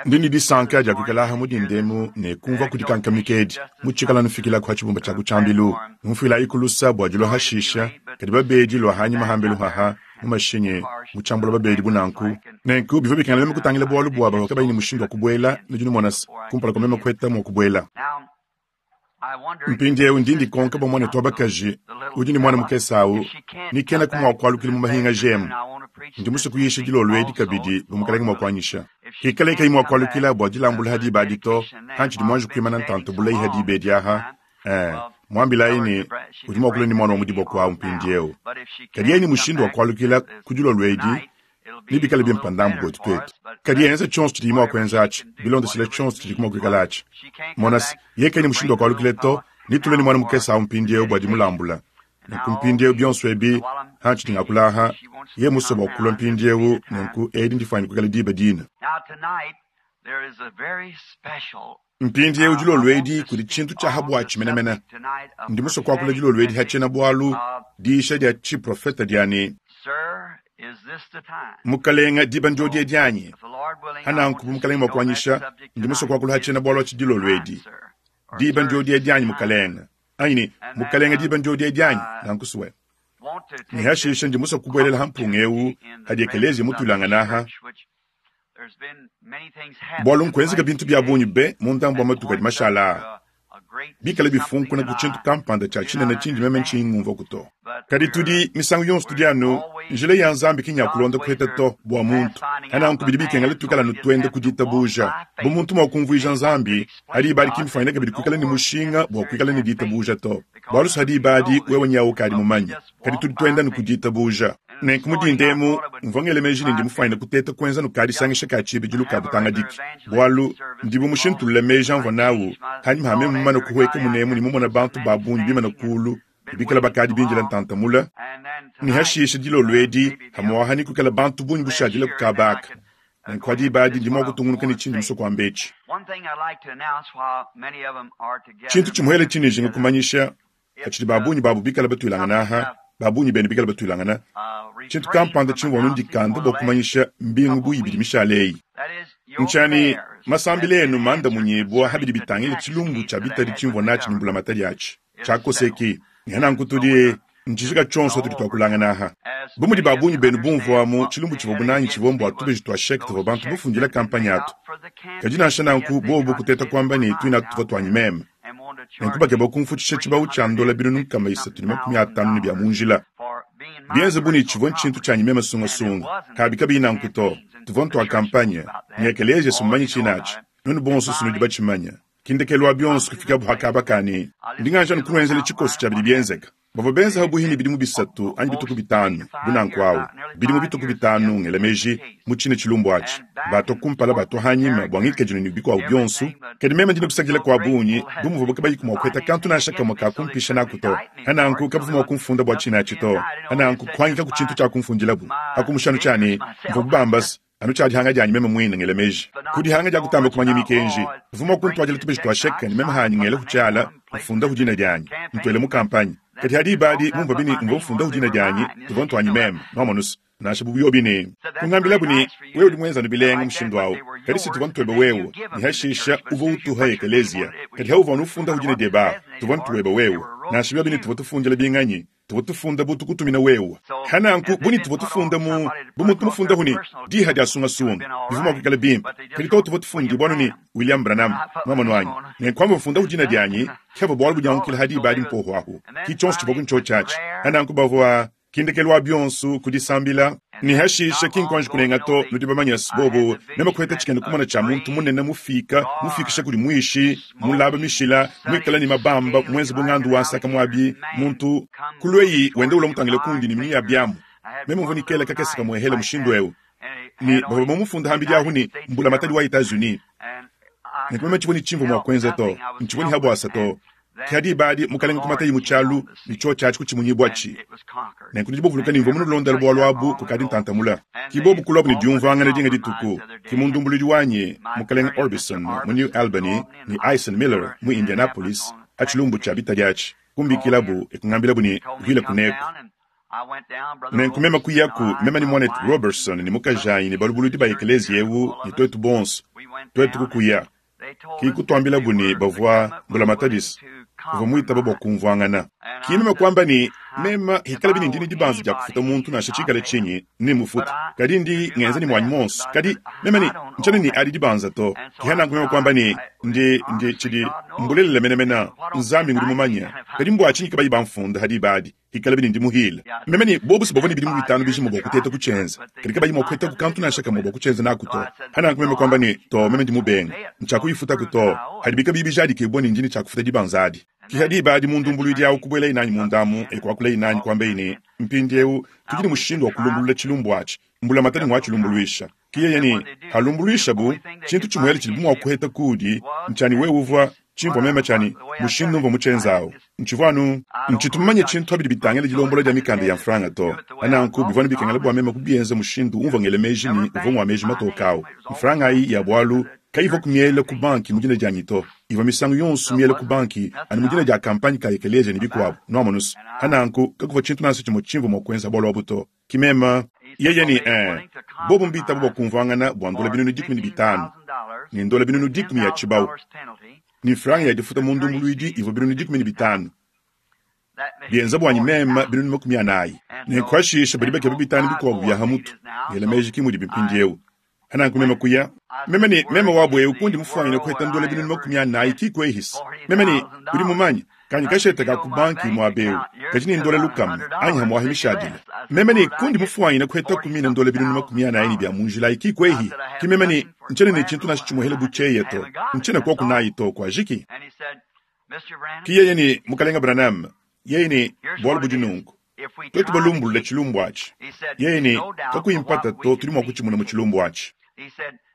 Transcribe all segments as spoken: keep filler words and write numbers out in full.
Ndi ne disanka dia kuikala mu dinda emu ne kumvua kudikankamika edi mutshikala nufikilaku ha tshibumba tshia ku tshiambilu. Numfuilayi ku lusa bua dilua hashisha, kadi babedi lua hanyima hambelu haha mu mashinyi mu tshiambula babedi bu nanku. Nenku bivua bikengela meme kutangila bualu bua bavua kabayi ne mushindu wa kubuela, nudi numona se, kumpala kua meme kuheta mua kubuela. Mpindieu ndi ndikonka bua muanetu wa bakaji udi ne muana mukese awu ni kenaku mua kualukila mu mahinga jemu. Ndi musue kuyisha dilolo edi kabidi bu mukalenge mua kuanyisha. Hikale kayi mua kualukila bua dilambula ha diba adi to, hantshidi muanji kuimana ntanta bulayi ha diba edi aha. Eh, muambilayi ne udi mua kulua ne muana wa mu diboko awu mpindieu. Kadi yeye ne mushindu wa kualukila ku dilolo edi, nebikale bimpe ndambu buetu tuetu. Kadi enza tshionso tshidiye mua kuenza atshi, bilondeshile tshionso tshidiku mua kuikala atshi. Mona se, yeye kayi ne mushindu wa kualukila to, netulue ne muana mukese awu mpindieu bua dimulambula. Nenku mpindieu bionso ebi, hantshidi ngakula aha, yeye musue bua kulua mpindieu, nenku edi ndifuanyine kuikala diba dine. Mpindieu dilolo edi kudi tshintu tshia ha buatshi menemene. Ndi musue kuakula dilolo edi ha tshiena-bualu diyisha dia tshiprofete dia ne, Mukalenga, diba ndiodi edi anyi? Ha nanku bu Mukalenga mua kuanyisha, ndi musue kuakula ha tshiena-bualu atshi dilolo edi. Diba ndiodi edi anyi, Mukalenga? Anyi ne, Mukalenga, diba ndiodi edi anyi? Nanku sue. Ne hashisha ndi musue kubuelela ha mpunga eu hadi ekeleziya mutuilangana aha, bualu nkuenzeka bintu bia bungi be mu ndambu wa matuku adi mashala aa, bikale bifunkuna ku tshintu kampanda tshia tshinene tshindi meme ntshiyi ngumvuaku to. Kadi tudi misangu yonso tudi anu njila ya Nzambi ki nya kulonda kuheta to bua muntu. Hananku bidi bikengela tuikala anu tuenda ku ditabuja. Bu muntu mua kumvuija Nzambi, ha diba adi ki mbifuanyine kabidi kuikala ne mushinga bua kuikala ne ditabuja to, bualu ha diba adi wewe nyawu ukadi mumanye. Kadi tudi tuenda anu ku ditabuja. Nenku mu dinda emu, mvua ngela meji ne ndi mufuanyine kuteta kuenza nukadisangisha ka tshibidilu ka butangadiki, bualu ndi bu mushintulule meji amvua nawu hanyima ha meme mumane kuhueka munemu ne mumona bantu ba bungi bimane kulu ne bikala bakadi bindila ntanta mule. Ne hashisha dilolo edi hamuaha ne kuikala bantu bungi bushadile ku kaba aka. Nenku ha diba adi ndi mua kutungunuka ne tshindi musue kuamba etshi. Tshintu tshimuele tshindi njinga kumanyisha, hatshidi ba bungi babu bikala batuilangana aha, ba bungi benu bikala batuilangana, tshintu kampanda tshimvua anu ndikanda bua kumanyisha mbingu bu ibidi mishale eyi. Ntshia ne, masambila enu mandamunyibua ha bidi bitangila tshilumbu tshia bitadi tshimvua natshi ne mbulamatadi atshi tshiakoseki. Ne nanku tudi ntshijika tshionso tudi tuakulangana aha. Bu mudi ba bungi benu bumvuamu, tshilumbu tshivua bunangi tshivua mbua tubeji tua sheke tuvua bantu bafundila kampanye atu. Kadi nansha nanku bobu kuteta kuamba ne tuine atu tuvua tuanyi meme. Nenku bakeba kumfutshisha tshibawu tshia ndola binunu nkama isatu ne makumi atanu ne bia mu njila. Bienze bu ne tshivua ntshintu tshianyi meme sungasunga, kabi kabiyi nanku to. Tuvua ntua kampanye, ne ekeleziya si mumanye tshine atshi. Nuenu bonso si nudi batshimanye. Ki ndekelu wa bionso kufikabu ha kaba ka ne, ndi nganji anu kunuenzela tshikoso tshia bidi bienzeka. Bavua benza ha buihi ne bidimu bisatu anyi bituku bitanu bu nanku awu, bidimu bituku bitanu ngela meji mu tshine tshilumbu atshi, batua kumpala batua hanyima bua ngikadilu ne bikuabu bionso. Kadi meme ndi ne kusakidila kua bungi, bu muvuabu kabayiku mua kuheta kantu nansha kamue ka kumpisha naku to. Ha nanku kabavua mua kumfunda bua tshine atshi to. Ha nanku kuhangikaku tshintu tshia kumfundilabu, hakumusha anu tshia ne, mvuabu bamba se, anu tshia dihanga dianyi meme muine ngela meji ku dihanga dia kutamba kumanya mikenji. Mvua mua kuntuadila tubeji tua sheke ne meme hanyi ngela ku tshiala mfundahu dina dianyi, ntuele mu kampanye. Kadi ha diba adi mumvua bine mvua mfundahu dina dianyi, tuvua ntuanyi meme, nuamonu se, nansha bu biobi ne kungambilabu ne, wewe udi muenza anu bilenga mushindu awu, kadi si tuvua ntuebe wewe, ne hashisha uvua utuha ekeleziya. Kadi ha uvua anu ufundahu dina diebe ahu, tuvua ntuebe wewe, nansha biobi ne tuvua tufundila binganyi, tuvua tufunda bu tukutumina wewe. Ha nanku bu ne tuvua tufunda mu bu muntu mufundahu ne diha dia sungasunga, bivua mua kuikala bimpe. Kadi to tuvua tufundibua anu ne William Branham, nuamonu anyi? Nenku amvua mfundahu dina dianyi, kevua bualu budiangukila ha diba adi mpohu ahu. Ki tshionso tshivua ku ntshiotshi atshi. Ha nanku bavua ki ndekelu wa bionso ku disambila. Ne hashisha ki nkuanji kunenga to, nudi bamanye se, bobo meme kuheta tshikena kumona tshia muntu munene mufika, mufikisha kudi muishi, mulaba mishila, muikale ne mabamba, muenze bu ngandu wa nsaka muabi, muntu kulueyi wenda ulua mutangile kundi ne minu ya biamu. Meme mvua ne kela kakese kamuehela mushindu eu, ne bavua bamufunda hambidi ahu ne mbulamatadi wa Etats-Unis. Nenku meme tshivua ne tshimvua mua kuenza to, ntshivua ne habuasa to. Ke diba adi mukalenge kumatayi mu tshialu ne tshiotshi atshi kutshimunyibua tshi. Nenku nudi bavuluka ne mvua munulondele bualu abu kukadi ntantamula. Ki bobu kuluabu ne diumvuangana dinga dituku, ki mundumbuluidi wanyi mukalenge Orbison mu New Albany ne Ison Miller mu Indianapolis ha tshilumbu tshia bitadi atshi, kumbikilabu e kungambilabu ne, Vuila kuneku. Nenku meme kuyaku, meme ne muanetu Roberson ne mukajanyi ne balubuludi ba ekeleziya eu ne tuetu bonso, Twetu kukuya. Ki kutwambilabu ne bavwa mbulamatadisi uvwa mwitaba bwa kumvwangana. Ki meme kwamba ne meme hikala bine ndi ne dibanza dia kufuta muntu nansha tshikale tshinyi ne mufuta. Kadi ndi ngenza ne mwanyi monso. Kadi meme ne ntshiena ne adi dibanza to. Ki nanku meme kwamba ne ndi ndi tshidi mbulelela menemene Nzambi ngudi mumanya. Kadi mbwa tshinyi kabayi bamfunda hadi badi. Hikala bine ndi muhile. Meme ne bobu bavwa ne bidimu bitanu bijima bwa kuteta kutshienza. Kadi kabayi mua kuheta ku kantu nansha kamwe bwa kutshienza naku to. Hananku meme kwamba ne to meme ndi mubenga. Ntshakuyifuta ku to. Hadi bika bibi bijadikibwa ne ndi ne tshakufuta dibanza adi. Ki hadi badi mundumbuluidi awu kubuela inanyi mundamu ekwakula inanyi kwamba ine mpindiewu tudi ne mushindu wa kulumbulula tshilumbu atshi. Mbulamatadi ngwa tshilumbuluisha. Ki yeye ne halumbuluisha bu tshintu tshimuele tshidi mua kuheta kudi ntshani wewe uvwa tshimvua meme tshani mushindu mvua mutshienzawu. Ntshivua ntshitu mumanye tshintu abidi bitangila dilombola dia mikanda ya mfranga to. Ananku bivua ne bikengela bua meme kubienza mushindu umvua ngela meji ne uvua mua meji matoka awu. Mfranga ayi ya bwalu kayivua kumiela ku banki mu dina dianyi to. Ivua misangu yonso miela ku banki anu mu dina dia kampanye ka ekeleziya ne bikuabu. Nuamonusu. Ananku kakuvua tshintu nansha tshimue tshimvua mua kuenza bwalu abu to. Ki meme yeye ne eh bobu mbitaba bua kumvuangana bua ndola binunu dikumi ne bitanu ne ndola binunu dikumi ya tshibawu ne franga ya difuta mu ndumbuluidi ivua binunu dikumi ne bitanu bienza bwanyi meme binunu makumi anayi ne nkuashisha badi bakeba bitanu bikuabu bia hamutu ngela meji ki mudi mpindiewu ananku meme kuya meme ne meme wabo ewu kundi mufuanyine kuheta ndola binunu makumi anayi kikwehisa meme ne udi mumanye kanyi kasheta ka ku banki muabewu kadi ne ndola lukama anyi hamwahi mishadile meme ne kundi mufuanyine kuheta kumina ndola binunu makumi anayi ne bia munjilayi kikwehi ki meme ne ntshiena ne tshintu nansha tshimuhele butsheya to ntshiena koku nayi to kuajiki ki yeye ne mukalenga Branham yeye ne bwalu budi nunku twetu balumbulula tshilumbu atshi yeye ne kakuyimpata to tudi mua kutshimuna mu tshilumbu atshi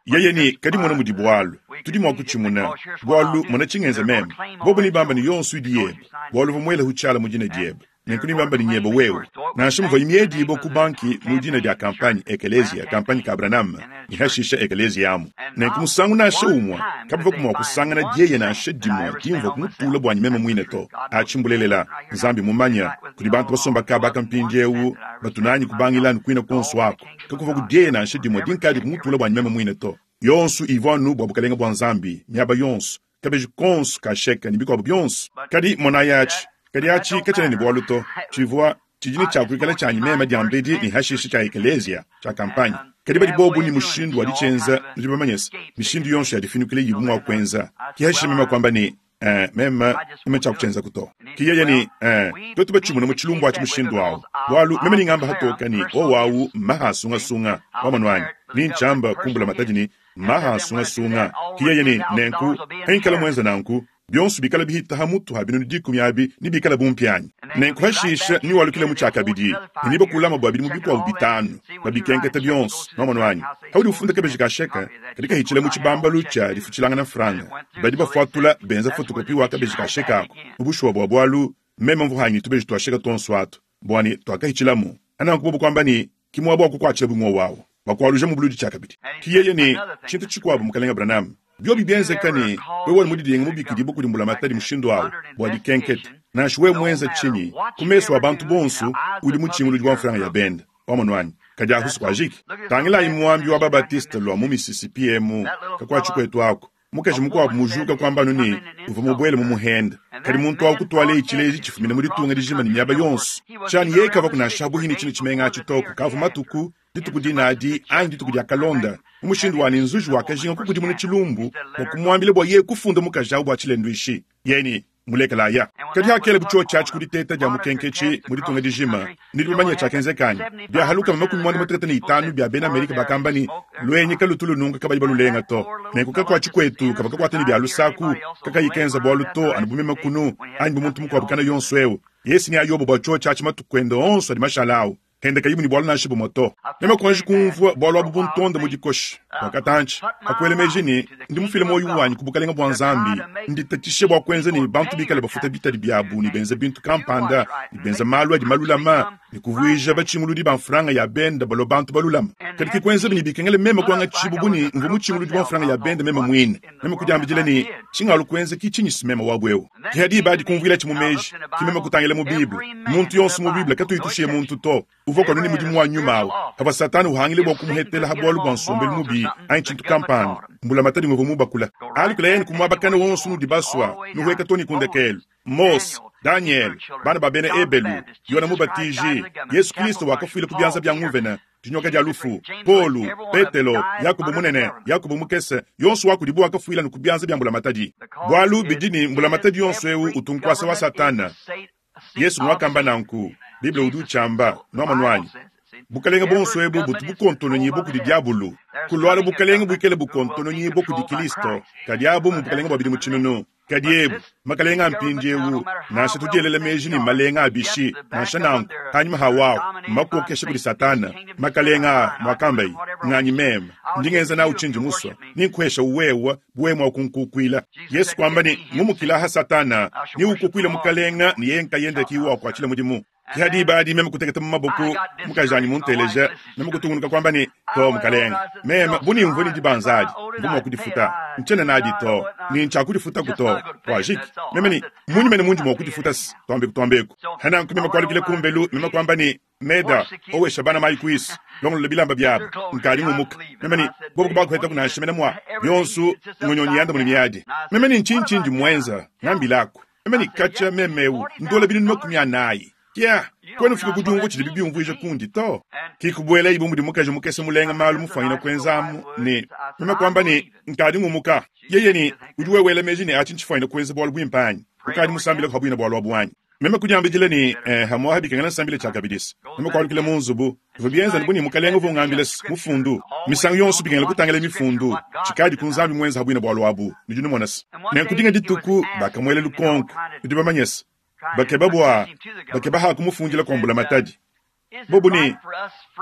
yeye ne kadi mona mudi bwalu tudi mua kutshimuna bwalu mona tshingenza meme bobu ne bamba ne yonso idi yebe bwalu uvua muele hutshiala mu dina diebe nenku ne bamba ne nyebe wewe nansha muvua imiedibo ku banki mu dina dia kampanye ekeleziya kampanye ka Branham ne hashisha ekeleziya amu nenku musangu nansha umwe kabavua kumua kusangana dieye nansha dimue dimvua kumutula bwanyi meme muine to atshi mbulelela Nzambi mumanya kudi bantu basomba kabaka mpindiewu batunanyi kubangilanu kuina konso ako kakuvua kudieye nansha dimue dinkadi kumutula bwanyi meme muine to yonso ivua nu bwa bukalenga bwa Nzambi miaba yonso kabeji konso kasheka ne bikuabu bionso kadi monayi atshi kadi atshi katshiena ne bwalu to tshivua tshidi ne tshiakuikala tshianyi meme diambedi ne hashisha tshia ekeleziya tshia kampanye kadi badi bobu ne mushindu wa ditshienza nudi bamanyese mishindu yonso ya difinukile yibu mua kuenza ki hashisha meme kwamba ne eh meme meme tshiakutshienza kuto ki yeye ne eh twetu batshimuna mu tshilumbu atshi mushindu awu bwalu meme ningamba hatoka ni owawu mahasungasunga wamanwanyi ni ntshiamba kumbula matadi ni mahasungasunga ki yeye ne nenku henkala mwenza nanku bionso bikala bihita hamutu ha binunu dikumi abi ni bikala bumpianyi nenku hashisha ni walukile mu tshiakabidi ne niba kulama bwa bidimu bikuabu bitanu babikenketa bionso wamanwanyi haudi ufunda kabeji kasheka kadi kahitshila mu tshibambalu tshia difutshilangana franga badi bafuatula benza fotokopi wa kabeji kasheka ako mu bushuwa bwa bwalu meme mvuhanyi tubeji twasheka tonso atu bwani twakahitshilamu ananku bobu kwamba ni kimwa bwa kukwatshila bumwe wawo bakwaluja mu buludi tshiakabidi ki yeye ne tshintu tshikuabu mukalenga Branham biobi bienzeka ne wewe mudidienga mubikidi bukudi mbulamatadi mushindu awu bwa dikenketa nansha wewe mwenza tshinyi ku meso a bantu bonso udi mutshinguludi wa mfranga ya benda wamonwanyi kadi ahusu kwajiki tangilayi muambi wa babatiste lwa mu Mississippi emu kakwatshi kwetu ako mukaji mukuabu mujuka kwambanu ne uvua mubwele mu muhenda kadi muntu awu kutwala itshileji tshifumina mu ditunga dijima ne miaba yonso tshiani yeye kava kunansha buhini tshino tshimenga atshi toko kavu matuku dituku dinadi anyi dituku dia kalonda mu mushindu wani nzuji wakajinga kukudimuna tshilumbu bua kumuambila bua yeye kufunda mukaji awu bua tshilenduishi yeni mulekelaya kadi hakele butshio tshiatshi kuditeta dia mukenketshi mu ditunga dijima nidi bamanya tshiakenzekanyi biahaluka makumi mwanda mutekete ne itanu bia bena Amerika bakamba ni lwenye kalutu lununga kabayi balulenga to nenku kakwatshi kwetu kava kakwata ne bia lusaku kakayikenza bwalu to anu bumema kunu anyi bumuntu mukuabu kana yonso ewu yesi ni ayobo bua tshio tshiatshi matuku ende onso adi mashala awu henda kayibu ni bwalu nansha bumwe to meme kuanji kumvua bwalu abu buntonda mu dikoshi wakatantshi akwele meji ni ndi mufile moyo wanyi ku bukalenga bwa Nzambi nditatshishe bua kuenza ne bantu bikale bafuta bitadi biabu ne benza bintu kampanda ne benza malu adi malulama ne kuvuija batshinguludi ba mfranga ya benda balo bantu balulama kadi ki kuenza bini bikengele meme kuanga tshibubu ni mvu mutshinguludi wa mfranga ya benda meme mwine meme kudiambidila ni tshingalu kuenza ki tshinyi simema wabwewu ki hadi badi kumvuila tshi mu meji ki meme kutangila mu Bible muntu yonso mu Bible katuyitushiye muntu to uvua kanuni mudimu wa nyuma awu hava Satani uhangile bua kumuhetela ha bwalu bwa nsombelu mubi kabidi, anyi tshintu kampanda, mbulamatadi nguvua mubakula. Alukilayi ku muaba kana wonso unudi basua, nuhueka too ne ku ndekelu. Mose, Daniel, bana ba bena Ebelu, Yona Mubatiji, Yesu Kristo wakafuila ku bianza bia nguvena, dinyoka dia lufu, Paulo, Petelo, Yakobo munene, Yakobo mukese, yonso wa kudibo wakafuila ku bianza bia mbulamatadi. Bualu bidi ne mbulamatadi yonso eu utu nkuasa wa Satana. Yesu mwakamba nanku, Bible udi utshiamba, nuamonu anyi? Bukalenge bonso ebu butu bukontononyibua kudi diabulu. Kulwala bukalenge buikale bukontononyibua kudi Kristo, kadi abu mu bukalenge bua bidimu tshinunu. Kadi ebu, makalenga a mpindiewu, nansha tudielela meji ne malenga a bishi, nansha nanku, hanyuma hawawu, makokesha kudi Satana, makalenga a mwakambayi, nganyi meme, ndi ngenza nawu tshindi musua, ninkuhesha uwewa, buwe mwa kunkukuila. Yesu kwamba ne, ngumukila ha Satana, ni ukukuila mukalenga, ni yeye nkayenda kiwa kuachila mudimu. Ki hadi meme kuteketa mu maboko, mukajanyi munteleja, meme kutungunuka kwamba ne, to mukalenga, meme buni mvue ni dibanzadi, mvue mwa kudifuta, nchena nadi to, ni ncha kudifuta kuto, wajiki, meme ni, munyi mene mundi mwa kudifuta si, tuambe kutuambeku. Hana meme kwalukile kumbelu, meme kwamba ne, meda, owesha bana mayi kuisu, longolola bilamba byabo, nkali ngumuka, meme ni, bobo kubakuheta kunasha mene mwa, yonsu, ngonyonyi yanda muni miadi. Meme ni nchinchi ndi mwenza, ngambilako, meme ni kacha memewu, ndola binu makumi anayi. Yeah, kwenu fika kudungu chidi bibi umvuije kundi to. Kikubwela ibu mudi mukaji mukese mulenga malu mufanyina kwenzamu ne meme kwamba ne nkadi ngumuka. Yeye ni udi wewela meji ne achi nchifanyina kwenza bwalu bwimpanyi. Ukadi musambila kwa bwina bwalu abwanyi. Meme kudyambidile ni eh, hamwa habikangana nsambile cha kabidisi. Meme kwalukile mu nzubu, bivua bienza ne buni mukalenga uvua ungambila mufundu. Misangu yonso bikengela kutangila mifundu. Chikadi ku nzambi mwenza habwina bwalu abu. Nudi numonasa. Nenkudinga dituku bakamwela lukonko. Nudi bamanyesa. Bakeba bwa bakeba ha kumufundila kwa mbulamatadi. Bobu ne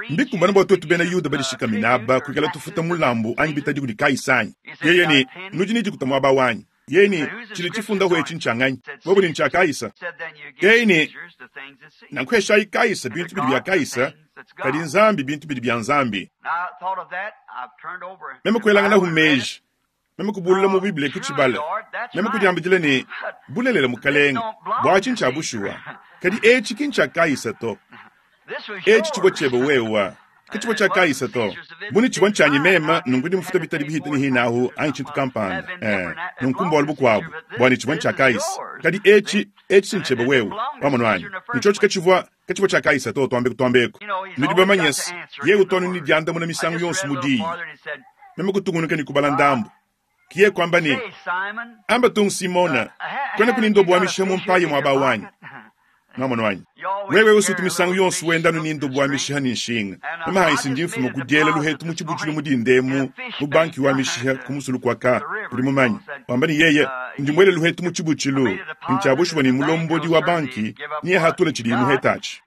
mbikumbana bwa twetu bena Yuda badishika minaba kuikala tufuta mulambu anyi bitadi kudi Kaisanyi. Yeye ne nudi ni dikuta mwaba wanyi. Yeye ne chili chifunda ho echi nchanganyi. Bobu ni ncha Kaisa. Yeye ne nankwesha Kaisa bintu bidi bya Kaisa kadi nzambi bintu bidi bya nzambi. Meme kwelanga na humeji. Meme kubulula mu Biblia kuchibala. Meme kudyambidile ne bulelela mukalenga bwa chincha bushuwa. Kadi echi kincha Kaisa to. Echi chibwa chebe wewa. Kichibwa cha Kaisa to. Buni chibwa nchanyi mema nungudi mfuta bitali bihita ni hinahu anyi chintu kampanda. Eh, nunkumba walubu kwabu. Bwani chibwa ncha Kaisa. Kadi echi echi sinchebe wewe. Wamonwani. Nicho chikachibwa kachibwa cha Kaisa to tuambe tuambeko. Nudiba manyes. Ye utonu ni dianda muna misangu yonsu mudi. Meme kutungunuka ni kubala ndambu. Kiye kwamba ni amba tung Simona kwena kuni ndobo wa mishiha mumpaye mwaba wanyi. Namono wanyi. Wewe usutu misangu yonsu wenda nu nindobo wa mishiha ni nshinga. Mama haisi ndi mfumo kudyela luhetu muchibuchulu mudindemu mu banki wa mishiha kumusulu kwa ka kuli mumanyi. Wamba ni yeye ndi mwele luhetu muchibuchulu nchabushwa ni mulombodi wa banki niye hatula chili muhetachi.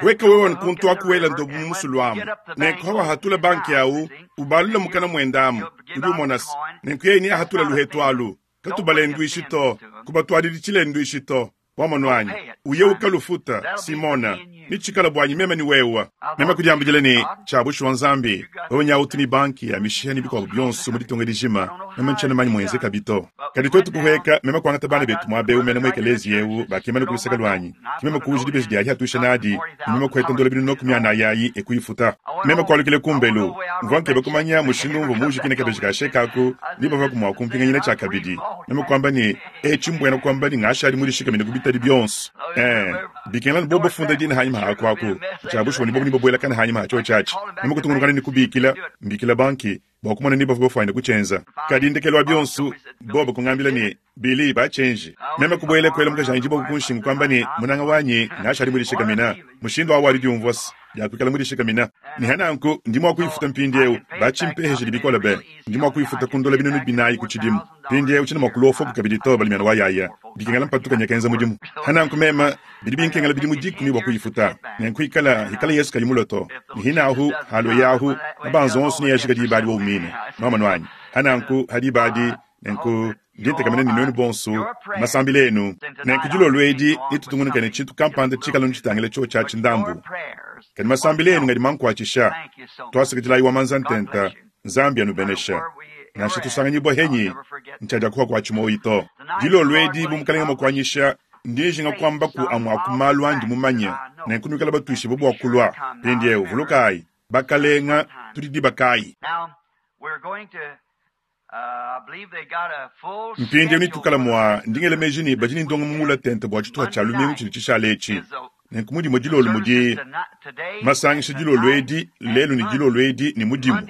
Weka wewe nkuntu akuwela ndobo mumusulu amu. Nenko hatula banki au ubalula mukana mwendamu. Udi umonasi. Nenku yeye ni hatula luhetu alu. Katubale ndwishi to. Kubatwalili chile ndwishi to. Wamonwanyi. Uye ukalufuta, Simona. Nichikala bwanyi meme ni wewa. Meme kudyambidile ni chabushwa nzambi. Wewe nyautu ni banki ya mishiha ni bikwa byonso muri tonga lijima. Meme nchana manyi mwenze kabito. Kadi twetu kuheka meme kwangata bana betu mwabe umene mwekelezi yewu bakimana kulusaka lwanyi. Kimeme kuuji dibeji diali hatusha nadi. Meme kweta ndola binu nokumya na yayi ekuifuta. Meme kwalukile kumbelu. Mvanke bakumanya mushindu mvu muji kine kabeji kashekaku. Niba vakumwa kumpinga cha kabidi. Meme kwamba ni echi mbwena kwamba ni ngashali muri shika mine kubitali byonso. Eh, bikengela bobo funda dini hanyuma hakwaku. Chabushwa ni bobo ni bobo elakana hanyuma hacho chachi. Meme kutungunukana ni kubikila, mbikila banki. Bakumana ni bobo faina kuchenza. Kadi ndekelwa byonso bobo kungambila ni bili ba change. Meme kubwele kwela mukashanji bobo kunshinga kwamba ni munanga wanyi ngashali muri shika mina. Mushindo awali diumvos. Yakwikala muri shika mina. Ni hananku ndimo akuifuta mpindiewu bachimpeheje libikola be. Ndimo akuifuta kundola binunu binayi kuchidimu. Mpindiewu china makulofo kukabidi to balimyana wayaya. Bikengela mpatuka nyakenza mudimu. Hananku mema bidi binkengela bidi mudikumi bwa kuifuta. Nenkuikala hikala Yesu kalimuloto. Ni hinahu halo yahu mabanzo onso ni yashika dibadi wa umine. Mama nwanyi. Hananku hadibadi nenku nditekamene ni nonu bonso masambilenu. Nenkujulo lwedi nitutungunuka ne chintu kampanda chikala nchitangile cho cha chindambu. Kani masambilenu ngadi mankwachisha. Twasikitila iwa manzantenta Zambia nubenesha. Nasha tusanganyibwa henyi nchaja kuwa kwa chimoito. Dilo lwedi bumukalenga mokwanyisha ndijinga kwamba ku amwa kumalwa ndi mumanye. Nenkunukala batuishi bobo kulwa. Pendie uvulukai bakalenga tudi dibakayi. Mpindieu netuikale mua ndingela meji ne badi ne ndonga mungula tente bua tshituha tshia lumingu tshidi tshishala etshi. Nenku mudimo dilolo mudi masangisha dilolo edi lelu ne dilolo edi ne mudimu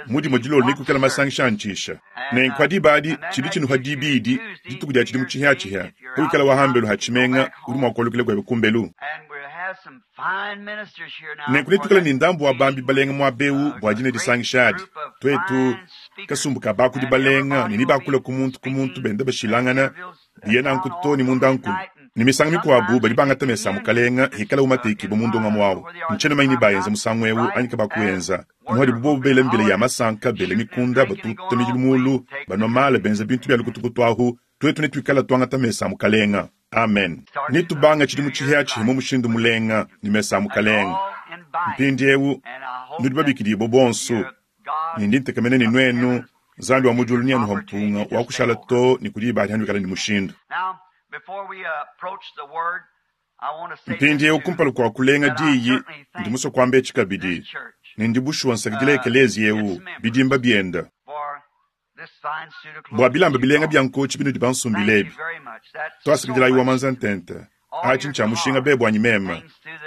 mudimo dilolo nekuikala masangisha antshisha. Nenku diba adi tshidi tshinuha dibidi dituku dia tshidimu tshihiatshihia kuikala wahambelu ha tshimenga udi mua kualukila kuebe kumbelu. Nenku netuikale ne ndambu wa bambi balenga muaba eu bua dina disangisha adi. Tuetu kasumbu ka bakudi balenga ne nibakula ku muntu ku muntu benda bashilangana biye nanku to ne mundankulu. Ne misanga mikuabu badi bangata mesa a mukalenga hikala umatekibua mu ndongamu awu. Ntshiena manya ni bayenza musangu eu anyi kabakuenza. Anu hadibu bobu bela mbila ya masanka, bela mikunda, batuta midilu mulu, banua mala, benza bintu bia lukutukutu ahu, tuetu netuikala tuangata mesa a mukalenga. Amen. Netubanga tshidimu tshihiatshihia mu mushindu mulenga ne mesa a mukalenga. Mpindieu nudi babikidibue bonso ne ndi ntekemena ne nuenu Nzambi wa mu diulu neanuha mpunga wa kushala to ne kudi badi hanuikala ne mushindu. Mpindieu kumpala kua kulenga diyi ndi musue kuamba etshi kabidi ne ndi bushuwa nsakidila ekelezia eu bidimba bienda bua bilamba bilenga bia nkotshi binudi bansumbile ebi. Twasakidila wa manza ntente atshi ntshia mushinga be buanyi mema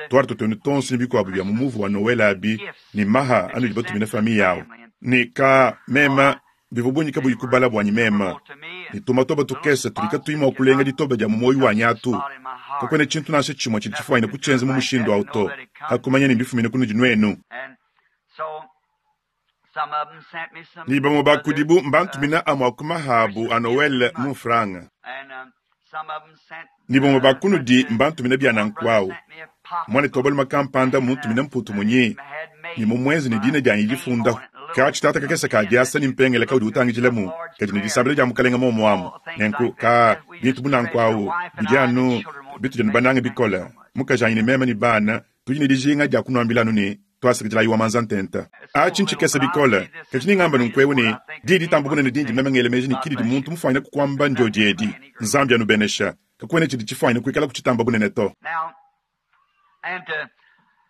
twari tuenu tonso ne bikuabu bia mu muvu wa Noel abi ne maha anudi batumina famille yawo ne ka mema bivua bungi kabuyi kubala buanyi mema ne tumatoba tukese tudi katuyi mua kulenga ditoba dia mu muoyo wanyi atu. Kakuena tshintu nansha tshimue tshidi tshifuanyine kutshienza mu mushindu awu to hakumanya ne mbifumine kunudi nuenu. Ni bamue ba kudibu mbantumina amue a ku mahabu a Noel mu mfranga. Ni bamue ba kunudi mbantumina bia nanku awu. Mwana tobaluma kampanda muntumina mputu munyi ni mumwenzi ne dina dianyi difundaho. Ka tshitata kakese ka diasa ni mpengele kaudi utangijilamu kadi ne disambila dia mukalenga momo amu. Nenku ka bintu bunanku awu bidi anu bitu dianu banange bikola. Mukajanyi ne mema ne bana tudi ne dijinga dia kunuambila anu ne twasakidila wa manza ntenta. Atshi ntshikese bikola kadi ningamba nunku ne di ditamba bunene dindi meme ngele meji ne kidi muntu mufuanyine kukuamba ndio diedi. Nzambi anubenesha. Kakuena tshidi tshifuanyine kuikala kutshitamba bunene to.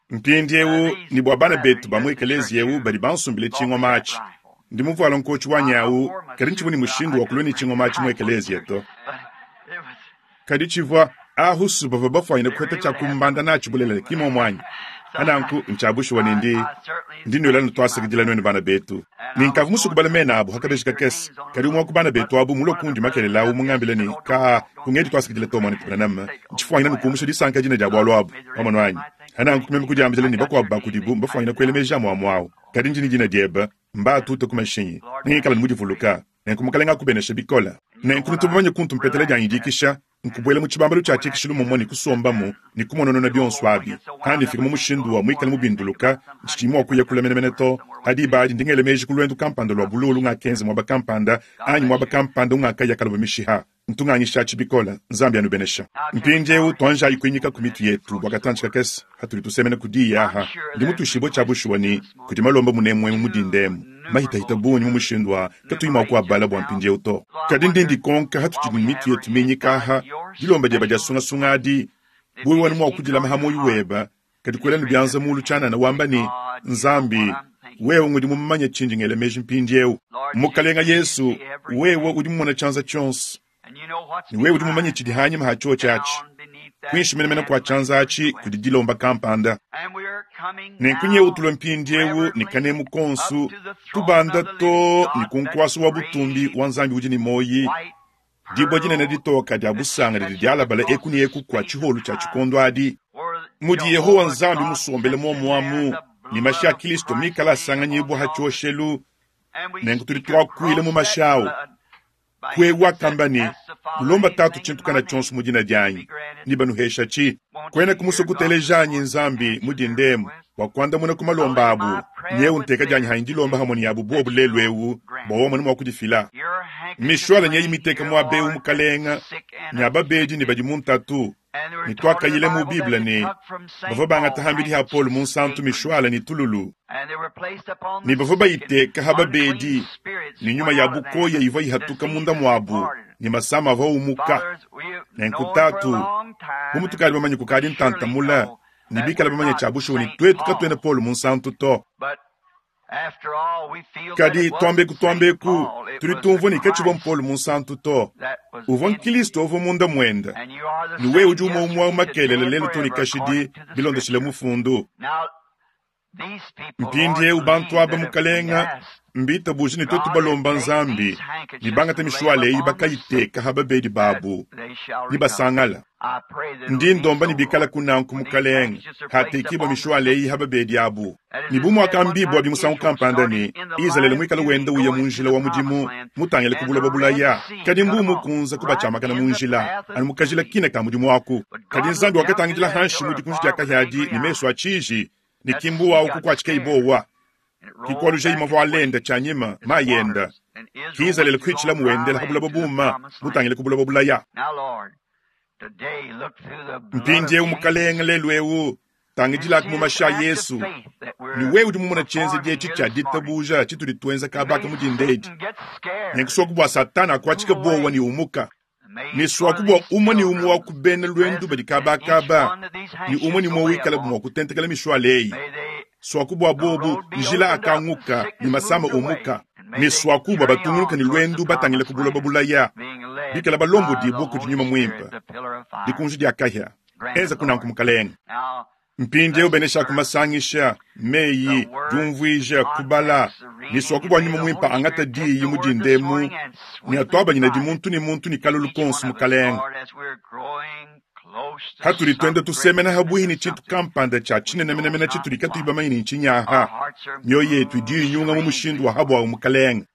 Mpindieu ni bua bana betu ba mu ekelezia eu badi bansumbile tshingoma atshi. Ndi muvuala nkotshi wanyi awu kadi ntshivua ne mushindu wa kulua ne tshingoma atshi mu ekelezia to. Kadi tshivua ahusu bavua bafuanyine kuheta tshia kumbanda natshi bulelela ki momo anyi. Ananku ntshiabushuwa ne ndi ndi nuela nutwasakidila nuenu bana betu. Ninkavu musu kubala mena abu hakabeji kakese. Kadi umwe wa ku bana betu abu mulue kundi makelela awu mungambile ne ka kungedi twasakidila to mwana tupana ntshifuanyine nukumusha disanka dina dia bualu abu pamwe anyi. Ananku meme kudiambila ne bakuabu bakudibu mbafuanyine kuela meji amu amu awu. Kadi ndi ne dina diebe mbatuta ku mashinyi. Ningikala mudivuluka. Nenku mukalenga akubenesha bikola. Nenku nutubamanye kuntu mpetela dianyi dikisha nkubuela mu tshibambalu tshia tshikishilu momwe ne kusombamu ne kumononona bionso abi. Kandi fika mu mushindu wa muikale mubinduluka ntshidi mua kuya kula menemene to. Hadi badi ndingele meji ku lwendu kampanda lwa bululu ngakenza mwaba kampanda anyi mwaba kampanda ungakaya kaloba mishiha. Ntunganyisha tshibikola Nzambi anubenesha. Mpindieu tuanjayi kuinyika ku mitu yetu bua katantshi kakese hatuli tusemena kudiyi aha. Ndi mutushibue tshia bushuwa ni kudi malomba munemue mu mudindemu. Mahitahita bungi mu mushindu wa katuyi mua kuabala bua mpindieu to. Kadi ndi ndikonka hatutshidi ne mitu yetu minyika aha dilomba dieba dia sungasunga adi wewe wanu mua kudilama ha moyo weba kadi kuela ne bianza mulu tshianana wamba ne Nzambi wewe ngudi mumanye tshindi ngela meji mpindieu. Mukalenga Yesu wewe udi mumona tshianza tshionso ne wewe udi mumanye tshidi hanyima ha tshiotshi atshi. Kuinshi menemene kua tshianza atshi kudi dilomba kampanda. Nenku nyewu tulue mpindieu ne kanemu konsu tubanda to ne ku nkuasu wa butumbi wa Nzambi udi ne moyi. Dibua dinene ditoka dia busanga didi dialabala eku ne eku kua tshiholu tshia tshikondo adi. Mudi Yehowa Nzambi musombele momo amu ne mashi a Kristo mikala asanganyibua ha tshioshelu. Nenku tudi tuakuila mu mashi awu. Kwewa kamba ne mulomba tatu tshintu kana tshionso mu dina dianyi ni banuhesha tshi. Kwena kumusokutelejanyi Nzambi mudindemu bua kuandamuna ku malomba abu. Nyewu nteka dianyi hanyi dilomba hamwe ni abu bobu lelu ewu bua wamone mua kudifila. Mishwala nyeyi miteka muaba eu mukalenga ne ababedi ne badi mu ntatu. Ne twakayile mu Bible ne bavua bangata hambidi ha Paul mu nsantu mishwala ne tululu. Ne bavua bayiteka ha babedi ne nyuma ya bukoya ivua ihatuka munda muabu ne masama avua umuka. Nenku tatu bu mutukadi bamanye kukadi ntantamula ne bikala bamanye tshia bushuwa ne tuetu katuena Paul mu nsantu to. Kadi twambeku twambeku tudi tumvua ne katshivua Mpolo Munsantu to, uvua nkristo uvua munda muende, ne wewe udi umue umue makelela lelu too ne kashidi bilondeshile mufundu. Mpindieu bantu aba mukalenga mbitabuje ne tuetu balomba Nzambi ne bangata mishwala eyi bakayiteka ha babedi babu ne basangala. Ndi ndomba ne bikala kunanku mukalenga hatekibwa mishwala eyi ha babedi abu. Ne bu muakambibwa bimusangu kampanda ne Izalele muikale wenda uya mu njila wa mudimu mutangile ku buloba bulaya, kadi mbu mukunza kubatshiamakana mu njila anu mukajila kina ka mudimu waku. Kadi Nzambi wakatangidila hanshi mu dikunji dia kahyadi ne mesu a tshiji ne kimbu wawu kukuatshika ibowa kikwaluja imavua alenda tshianyima mayenda ki Izalele kuitshila muwendela ha buloba buma mutangile ku buloba bulaya. Mpindieu mukalenga lelu eu tangidilaka mu mashi a Yesu ne wewe udi mumona tshienzedi etshi tshia ditabuja tshitudi tuenza kabaka mu dindedi nenkusoku bua Satana akuatshika bowa ne umuka ne swaku bua umue ne umue wa kubena lwendu badi kabakaba ne umue ne umue wikala mua kutentekela mishwala eyi swaku bua bobu njila akanguka ne masama umuka ne swaku bua batungunuka ne lwendu batangile ku buloba bulaya bikala balombodibwa kudi nyuma muimpe dikunji dia kahia enza kunanku mukalenga. Mpindieu benesha kumasangisha meyi diumvuija kubala ne swaku bua nyuma muimpe angata diyi mu dindemu ne atuabanyina di muntu ne muntu ne kalulu konso mukalenga. Hatudi twenda tusemena habuhi ne tshintu kampanda tshia tshinenemenemene tshitudi katuyi bamanye ne ntshinyaha mioyo yetu idi inyunga mu mushindu wa habwawu mukalenga.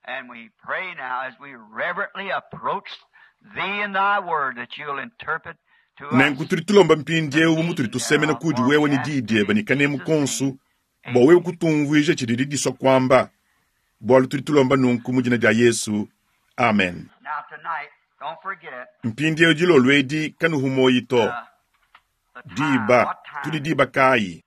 Nenku tudi tulomba mpindieu mutudi tusemena kudi wewe ne diyi diebe ne kanemu konso bua wewe kutumvuija tshidi disua kuamba bualu tudi tulomba nunku mu dina dia Yesu, amen. Mpindieu dilolo edi kanuhu moyi to diba tudi diba kayi.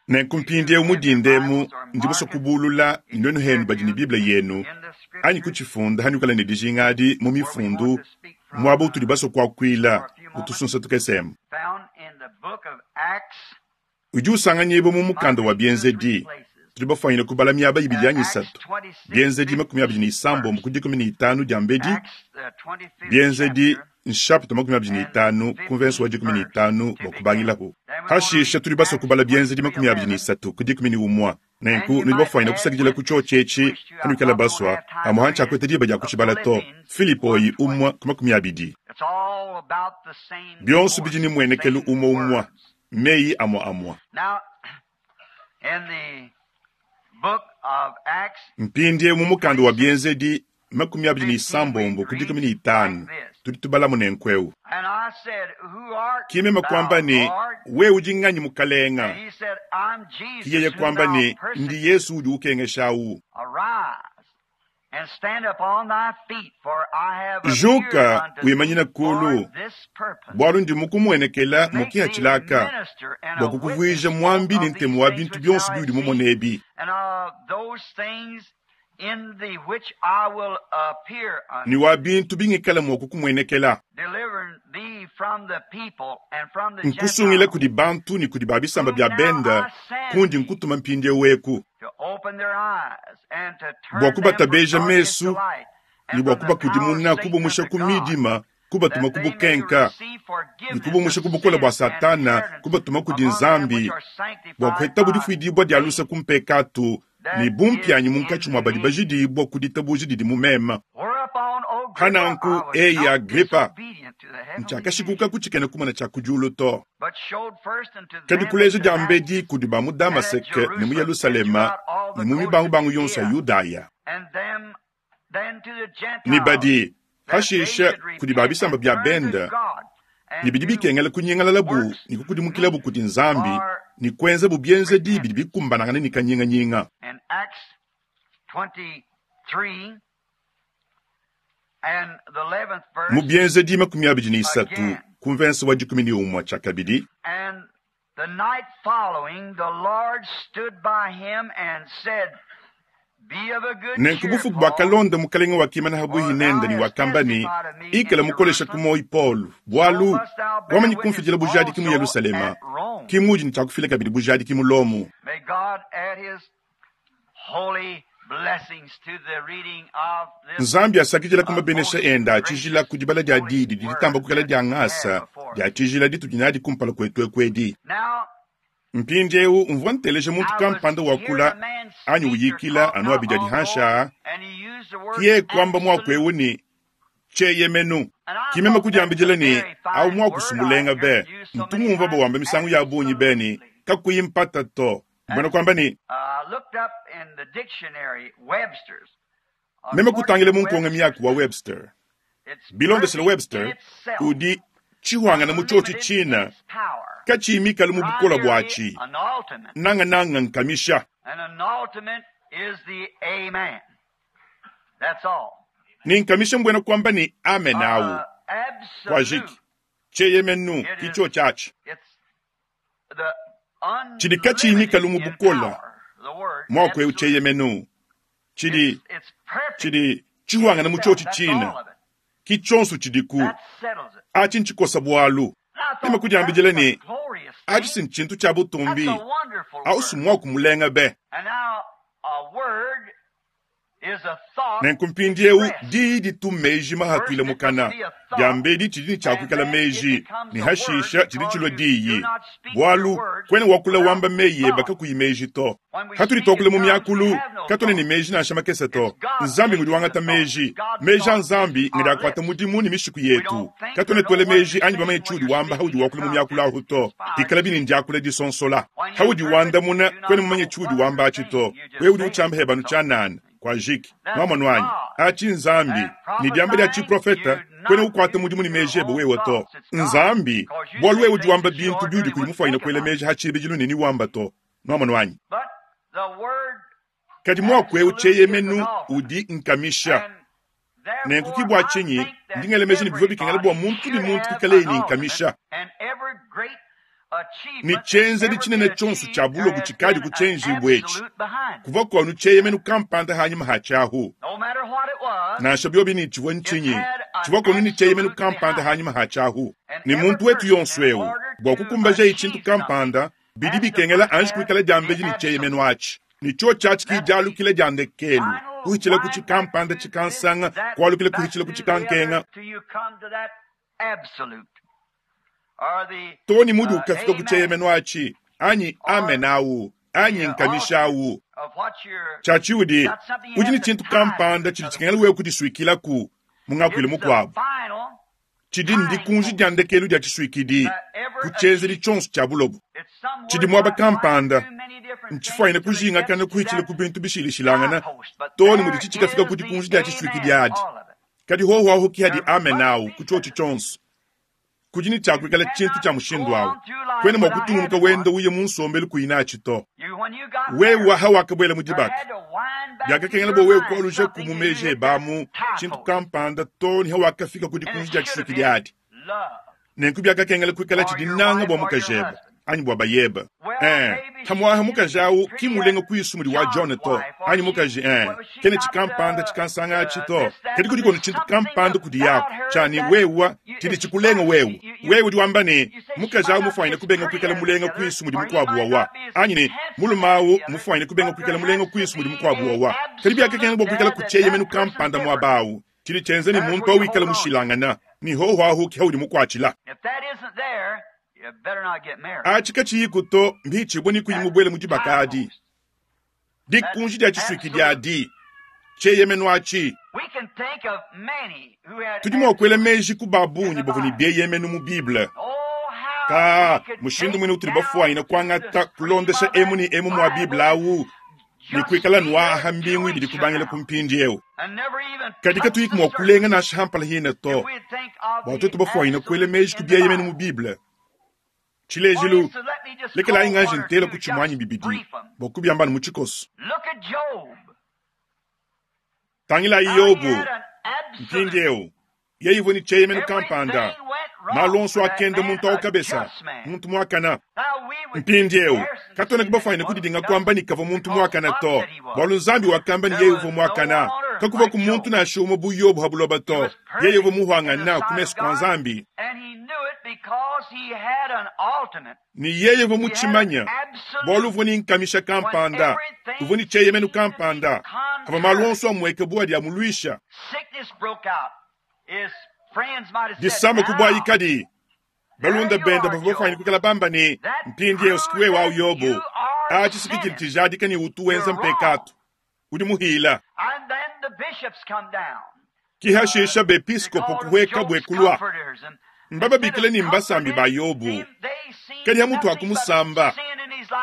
Nenku mpindieu mu dindemu ndi musue kubulula nuenu henu badi ne Bible yenu anyi kutshifunda hanukala ne dijinga adi mu mifundu muaba utudi basue kuakuila utusunsa tukesemu. Udi usanganyibwa mu mukanda wa Bienzedi tudi bafuanyine kubala miaba ibidi anyi isatu Bienzedi makumi abidi ne isambombo ku dikumi ne itanu dia mbedi Bienzedi nshapita makumi abidi ne itanu ku mvenso wa dikumi ne itanu bua kubangilaku. Hashisha tudi basue kubala Bienzedi makumi abidi ne isatu ku dikumi ne umua. Nenku nudi bafuanyine kusakidila ku tshiotshi etshi hanuikala basua amu hanshi akwete diba dia kutshibala to Filipoyi umua ku makumi abidi. Bionso bidi ne muenekelu umua umua meyi amua amua. Mpindieu mu mukanda wa Bienzedi makumi abidi ne isambombo ku dikumi ne itanu tudi tubalamu nenku eu. Kimema kuamba ne wewe udi nganyi mukalenga? Kiyeye kuamba ne ndi Yesu udi ukengeshawu. Juka wimanyina kulu bualu ndi mukumuenekela mukiha tshilaka bua kukuvuija muambi ne ntemu wa bintu bionso biudi mumone ebi. Ne wa bintu bingikala mua kukumuenekela nkusungila kudi bantu ne kudi babisamba bia benda kundi nkutuma mpindieu eku bua kubatabeja mesu ne bua kubakudimuna kubumusha ku midima kubatuma ku bukenka ne kubumusha ku bukole bua Satana kubatuma kudi Nzambi bua kuheta difuidibwa dia lusa ku mpekatu ne bumpianyi munkatshi mua badi bajidibwa ku ditabuja didi mu mema. Hananku eyi Agripa ntshiakashikuka ku tshikena kumona tshia ku diulu to. Kadi kuleja dia mbedi kudi ba mu Damaseke ne mu Yerusalema ne mu mibangubangu yonso ya Yudaya ne badi hashisha kudi ba bisamba bia benda ne bidi bikengela kunyengalalabu ne kukudimukilabu kudi Nzambi ne kuenzabu bienzedi bidi bikumbanangana ne kanyinganyinga. Mu bienzedi makumi abidi ne isatu ku mvensa wa dikumi ne umue tshia kabidi Nenku bufuku bwakalonda mukalenge wakimana habuhi nende ne wakamba ne, ikala mukolesha ku moyi Paulo, bwalu wamanyi kumfidila bujadiki mu Yerusalema, ki mudi ne tshiakufila kabidi bujadiki mu Lomo. Nzambi asakidila ku mabenesha enda a tshijila ku dibala dia diyi didi ditamba kukala dia ngasa dia tshijila ditudi nadi kumpala kuetu eku edi. Mpindieu mvua nteleja muntu kampanda wakula anyi uyikila anu abidi adi hansha kiye kuamba muaku eu ne tsheyemenu. Kimema kudiambidila ne au muaku sumulenga be ntu ngumva bawamba misangu ya bungi be ne kakuyi mpata to. Mbona kwamba ni meme kutangile munkonga miaku wa Webster. Bilondeshele Webster udi chihwangana mu chochi china kachimikala mu bukola bwachi nanga nanga nkamisha. Ni nkamisha mbwena kwamba ni amen au kwajiki cheyemenu kicho chachi chidi kachimikala mu bukola mwako eu cheyemenu chidi chidi chihwangana mu chochi china kichonso chidiku achi nchikosa bwalu. Meme kudiambidila ne achi sinchintu cha butumbi au simwaku mulenga be. Nenku mpindieu diyi ditu meji mahatuile mukana diambedi tshidi ne tshiakuikala meji ne hashisha tshidi tshilua diyi bwalu kwene wakula wamba meyi eba kakuyi meji to. Hatudi twakula mu miakulu katone ne meji nansha makese to. Nzambi ngudi wangata meji meji a Nzambi ngadi akwata mudimu ne mishiku yetu. Katone twele meji anyi bamanye tshiudi wamba haudi wakula mu miakulu ahu to. Ikala bini ndiakula disonsola haudi wandamuna kwene mumanye tshiudi wamba atshi to. Wewe udi utshamba hebanu tshanana kwa jiki mama wanyi achi Nzambi ni diamba dia chiprofeta kwene ukwata mudimu ni meji ebe wewe to. Nzambi bwalu wewe udi wamba bintu biudi kuli mufaina kwele meji hachibijilu nini wamba to mama wanyi. Kadi mwaku eu cheyemenu udi nkamisha nenku kibwa chinyi ndingele meji ni bivyo bikengela bwa muntu ni muntu kikale ni nkamisha ni chenze di chinene chonso cha bulobu chikadi kuchenji bwechi kuva kwanu cheyemenu kampanda hanyuma hachahu nansha byobi ni chivwa nchinyi chivwa kwanu ni cheyemenu kampanda hanyuma hachahu ni muntu wetu yonso eu bwa kukumbaja ichintu kampanda bidi bikengela anji kuikala diambeji ni cheyemenu achi ni cho chachi kijalukile diandekelu kuhichila kuchi kampanda chikansanga kwalukile kuhichila kuchikankenga toni mudi ukafika kucheyemenu achi anyi amenawu anyi nkamishawu chachi udi udi ni chintu kampanda chidi chikengela wewe kudiswikilaku mungakwile mukwabu chidi ndikunji diandekelu dia chiswikidi kuchenzeli chonso cha bulobu chidi mwaba kampanda nchifaine kujingakana kuhichila ku bintu bishilishilangana toni mudi chichikafika kudikunji dia chiswikidi adi kadi hoho aho kihadi amenawu kuchochi chonso kujini chakuikala chintu cha mushindu awu kwene mwa kutungunuka wenda uye munsombelu kuinachi to. Wewe hawakabwela mudibaka byakakengela bo wewe kwaluja kumumeje bamu chintu kampanda to ni hawakafika kudikunji dia chiswikidi adi nenku byakakengela kuikala chidi nanga bwa mukajeba anyi bwa bayeba eh hamwaha mukajawu kimulenga kuisu wa John to anyi mukaji eh kene chikampanda chikansanga chito kedi kudi kono chintu kampanda kudi yako chani wewa chidi chikulenga wewe wewe udi wamba ne mukajawu mufaine kubenga kuikala mulenga kuisu mudi mukwabu wawa anyi ne mulumawu mufaine kubenga kuikala mulenga kuisu mudi mukwabu wawa kedi byakakengela bwa kuikala kucheyemenu kampanda mwabawu chidi chenze ni muntu awikala mushilangana ni hoho ahu kihaudi mukwachila achi kachiyiku to mbichibwe ni kuyimubwele mudibaka adi dikunji dia chiswikidi adi cheyemenu achi. Tudi mwakwele meji ku babunyi bavua ne bieyemenu mu Bible ka mushindu mwene utuli bafuaina kwangata kulondesha emu ni emu mwa Bible awu ni kuikala nwaha mbingu ibidi kubangila kumpindi eu kadi katuyiki mwa kulenga nasha hampala hina to bwatoto bafuaina kwele meji ku bieyemenu mu Bible. Chilejilu lekela inganje ntela kuchimwanyi bibidi bokubyambana mu chikoso. Tangila Yobu mpindi eu yeyivo ni cheyemenu kampanda Malu onso akenda muntu awu kabesa, muntu muakana. Mpindieu katuena kubafanyine kudidinga kuamba ne kavua muntu muakana to, bualu Nzambi wakamba ne yeye uvua muakana. Kakuvua ku muntu nansha umue bu Yobo ha buloba to, yeye uvua muhuangana ku mesu kua Nzambi. Ne yeye uvua mutshimanya, bualu uvua ne nkamisha kampanda, uvua ne tshieyemenu kampanda, avua malu onso amueka bu adi amuluisha. Disama kubuayikadi, balunda benda bavua bafanyine kuikala bamba ne mpindieu sikiwewe au Yobo, atshi sikikili tshijadika ne utu wenza mpekatu, udi muhila. Kihashisha bepiskopo kuhweka bwe kulwa mbababikile ni mbasambi ba Yobu, kadi hamutu akumusamba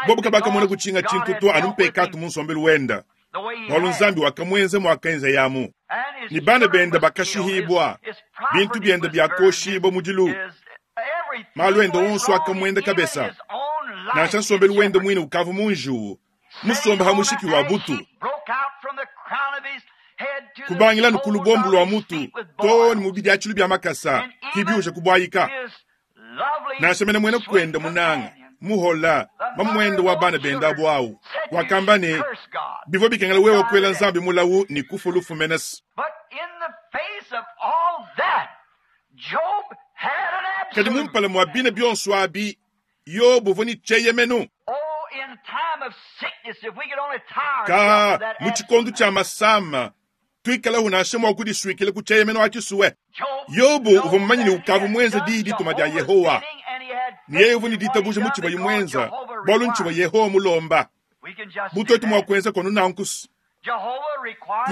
bobu kabakamona kutshinga tshintu to anu mpekatu mu nsombelu wenda, bualu Nzambi wakamwenza mwakaenza yamu. Ni bana benda bakashihibwa, bintu byenda byakoshibwa mudilu, malu enda onso akamwenda kabesa, nansha nsombelu wenda mwine ukavu munjuwu musomba ha mushiki wa butu. Kubangila nukulu bombu lwa mutu to ni mubidi achilu bya makasa kibiusha kubwayika. Nansha mene mwena kwenda munanga muhola mamwendo wa bana benda bwawu wakamba ne bivua bikengela wewe kwela Nzambi mulawu ni kufu lufu menes. Kadi mumpala mwa bina bionso abi Yobu uvua ni tshieyemenu. Ka mu tshikondo tshia masama tuikala unasha mwa kudisuikila ku tshieyemenu atshisuwe. Yobu uvua mumanye ne ukavu mwenza diyi dituma dia Yehowa, ne yeye uvua ne ditabuja mu tshivua mwenza, bualu ntshivua Yehowa mulomba. Butoto mwa kuenza kono nankusu.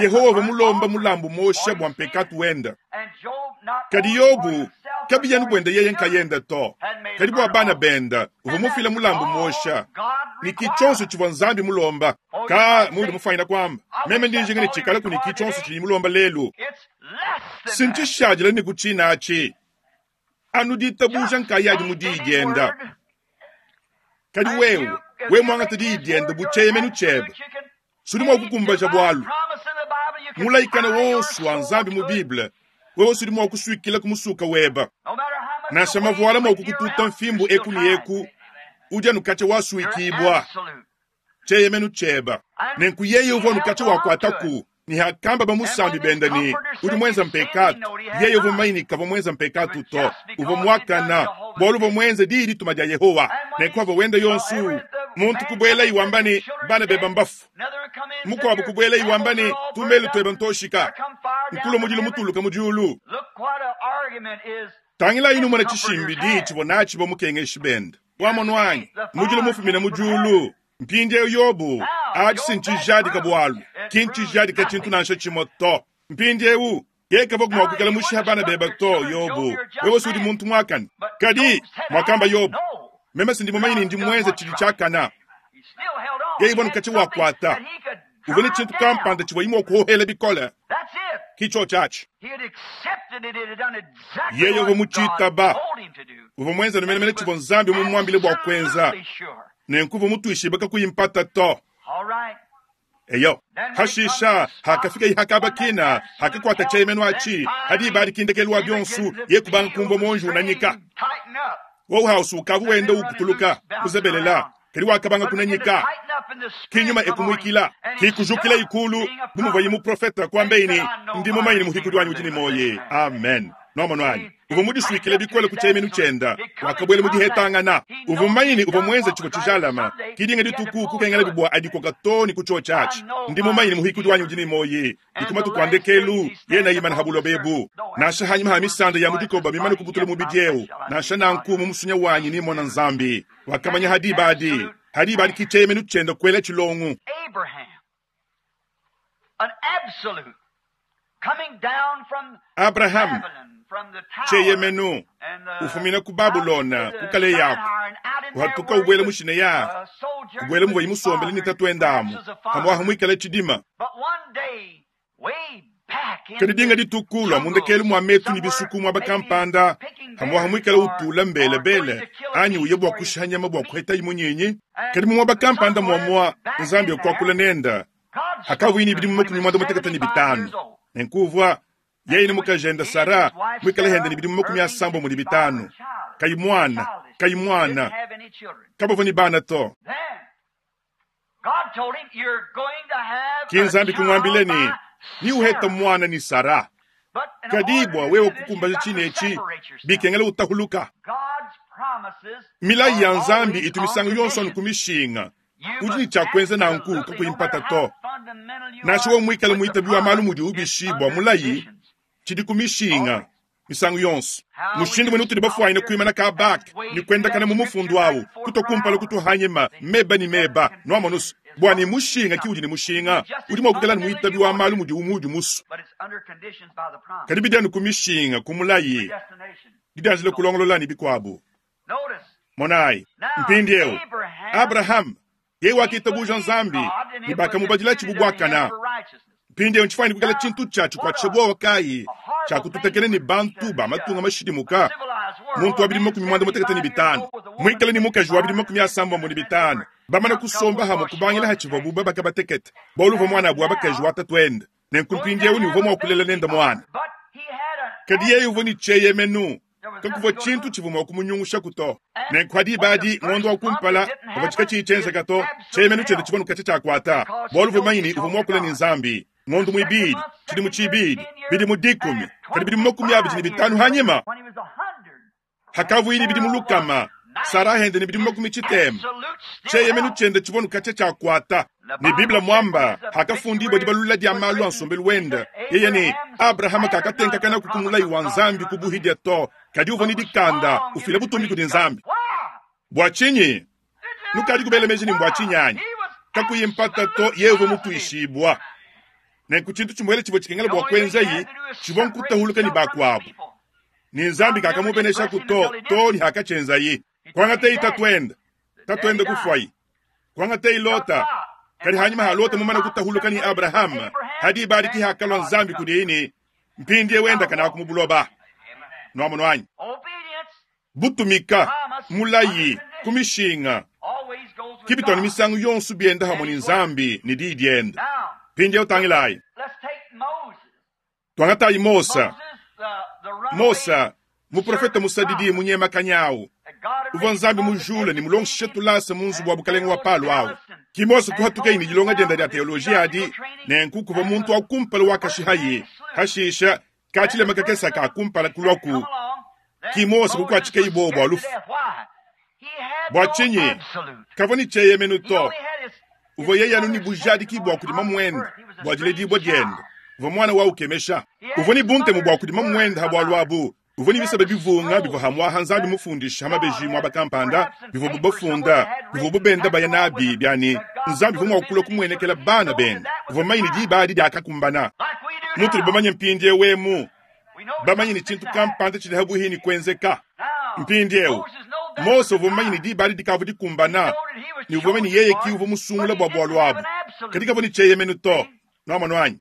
Yehowa uvua mulomba mulambu mosha bua mpekatu wenda. Kadi Yobu kabiyanu bwenda yeye nkayenda to, kadi bua bana benda uvua mufila mulambu mosha ni kichonso tshivua Nzambi mulomba. Ka mundu mufanyina kwamba meme ndinjinga ne tshikala kuni kichonso tshini mulomba lelu, sinchishadila ni kuchinachi anu ditabuja nkayadi mu diyi dienda. Kadi wewe we mwangata diyi dienda bu tshieyemenu tshiebe, sudi mua kukumbaja bualu mulaikana wonso wa Nzambi mu Bible, wewe sudi mua kusuikila kumusuka weba. Nansha mavuala mua kukututa mfimbu eku ni eku, udi anu katshia wasuikibwa tshieyemenu tshieba. Nenku yeye uvua anu katshia wakuataku ni hakamba bamusambi benda ni udi mwenza mpekatu. Yeye uvua mumanye kavua mwenza mpekatu to, uvua muakana bualu uvua mwenza diyi dituma dia Yehowa. Nenku avua wenda yonsu muntu kubuela iwamba ni bana beba mbafu, mukuabu kubuela iwamba ni tumelu tweba ntoshika, nkulo mudilu mutuluka mudiulu. Tangila inu mwana tshishimbi diyi tshivua natshi bamukengeshi benda wamono wanyi mudilu mufumina mudiulu. Mpindieu Yobu atshi sinchijadika bualu kinchijadika tshintu nansha tshimue to. Mpindieu yekava kumua kuikala mushiha bana beba to. Yobu wewe sudi muntu muakane. Kadi mwakamba Yobu, meme sindi mumanyi ni ndi mwenza tshidi tshiakana. Yeye ivua nukatshi wakuata uvua ne tshintu kampanda tshivua imua kuhohela bikole kicho tshiatshi. Yeye uvua mutshitaba, uvua mwenza numenemene tshivua Nzambi mumuambile bua kuenza, nenku uvua mutuishibe kakuyi mpata to. Eyo hashisha hakafika ihakabakina hakakwata tshieyemenu atshi hadi ibadikindekelu wa bionsu ye kubanga kumvua monji unanyika wowu hausu ukavu wenda ukutuluka kuzebelela kadi wakabanga kunanyika kinyuma ekumwikila kikujukila ikulu bumuvua yimuprofeta kwambeini ndi mumanyi muhikudi wanyi udi ni moyi. Amen. Nomono anyi uvua mudisuikile bikole ku tshieyemenu tshienda wakabwela mudihetangana. Uvua mumanyini uvua mwenza tshivua tshijalama kidinga dituku kukengela bibwa adikoka to ni kutsho tshiatshi. Ndi mumanyini muhikudi wanyi udi ni moyi dikuma tukuandekelu yena yimana habulo bebu nansha hanyuma ha misanda ya mudikoba mimane kubutula mubidi eu nansha nanku mu musunya wanyi nimona Nzambi wakamanya hadibadi hadibadi kitshieyemenu tshienda kwela tshilongu. Abraham tshieyemenu ufumina ku Babulona kukale yako uhatuka ubwele mushine ya ubwele muvua imusombele ni tatuendamu hamwaha mwikala tshidima. Kadi dinga dituku lwa mundekelu mwa metu ni bisuku mwa bakampanda hamwaha mwikala utula mbelebele anyi uye bua kushiha nyama bua kuheta imunyinyi. Kadi mumwa bakampanda mwamwa Nzambi okuakula nenda hakavuini bidimu makumi mwanda mutekete ni bitanu nenkuvua Yeye ne mukajende Sara muikale hende ne bidimu makumi asambombo ne bitanu. Kayi mwana, kayi mwana. Kabavua ne bana to. Ki Nzambi kumuambila ne, ni uheta mwana ni Sara. Kadi bua wewe kukumbaja tshine etshi, bikengela utahuluka. Milayi ya Nzambi itu misangu yonso anu ku mishinga. Udi ne tshia kuenza nanku kakuyi to. Nansha wewe muikale muitabi wa malu mudi ubishi bua mulayi, tshidi ku mishinga misangu yonso. Mushindu mwene utudi bafuanyine kuimana ka bak ni kuendakana mu mufundu awu kutokumpala kutuhanyima meba ni meba nwamonusu bua ni mushinga ki udi ni mushinga udi mua kuikala ni muitabi wa malu mudi umudi musu. Kadi bidi anu ku mishinga ku mulayi didianjile kulongolola ni bikuabu. Monayi mpindieu Abraham yeye wakitabuja Nzambi ni bakamubadila tshibu bwakana. Mpindieu ntshifuanyine kuikala tshintu tshia tshikuatshisha buowa kayi tshia kututekela ni bantu ba matunga mashidimuka muntu wa bidimu makumi mwanda mutekete ni bitanu muikale ni mukaji wa bidimu makumi asambombo ni bitanu bamana kusomba hamwe kubangila hatshivua buba bakabatekete bualu uvua mwana abu wa bakaji wa tatuende nenku mpindieu ni uvua mua kulela nende mwana. Kadi yeye uvua ni tsheyemenu kakuvua tshintu tshivua mua kumunyungusha kuto. Nenku hadi badi ngondo wa kumpala bavua tshika tshiyi to tsheyemenu tshiende tshivua nukatshia tshiakuata bualu uvua manyi uvua mua kulela ni Nzambi. Ngondo muibidi tshidimu tshibidi bidimu dikumi kadi bidimu makumi abidi ni bitanu hanyima hakavuyini bidimu lukama Sara hende ni bidimu makumi tshitema tsheyemenu tshiende tshivua nukatshia tshiakuata. Ni Biblia mwamba hakafundibwa dibalula dia malu a nsombelu wende yeye ni Abrahama kakatenkakana kukumulayi wa Nzambi kubuhidia to kadi uvua ni dikanda ufila butumbi kudi Nzambi. Bua tshinyi nukadi kubela meji ni mbua tshinyanyi kakuyi mpata to yeye uvua mutuishibwa. Nenku tshintu tshimuele tshivua tshikengela bua kuenzayi tshivua nkutahuluka ni bakuabu. Ni Nzambi kakamubenesha kuto to ni hakatshenzayi. Kuangateyi tatuende tatuende kufuayi kuangateyi Lota kadi hanyuma ha Lota mumana kutahuluka ni Abraham hadi ibariki hakalwa Nzambi kudiini mpindie wenda kana kumubuloba. Nwamono anyi butumika mulayi kumishinga kibitoni misangu yonso bienda hamwe ni Nzambi ni diyi diende. Mpindie utangilayi twangatayi Mosa. Mosa muprofeta musadidi munyema kanyawu uvua Nzambi mujule ni mulongeshe tulasa mu nzubu wa bukalenge wa Palo awu. Ki Mosa kuhatukeyi ni dilonga dienda dia teoloji adi nenku kuvua muntu wa kumpala wakashihayi hashisha katshilema kakesa ka kumpala kulwaku. Ki Mosa kukuatshikeyi bobo bua lufu. Bua tshinyi kavua ni tsheyemenu to uvua yeye anu ni bujadiki bua kudima muende bua diledibua diende uvua mwana wa ukemesha uvua ni buntemu bua kudima muende ha bualu abu. Uvua ni bisaba bivunga bivua hamwaha Nzambi mufundisha hamabeji mwaba kampanda bivua bubafunda bivua bubenda baya nabi byani Nzambi uvua mua kulua kumuenekela bana bende uvua manyi ni diba adi diakakumbana. Mutudi bamanye mpindiewu emu bamanye ni tshintu kampanda tshidi habuhi ni kuenzeka. Mpindiewu Mose uvua manyi ni diba adi dikavua dikumbana ni uvua manyi yeye ki uvua musungula bua bualu abu kadi kavua ni tsheyemenu to. Nwamono anyi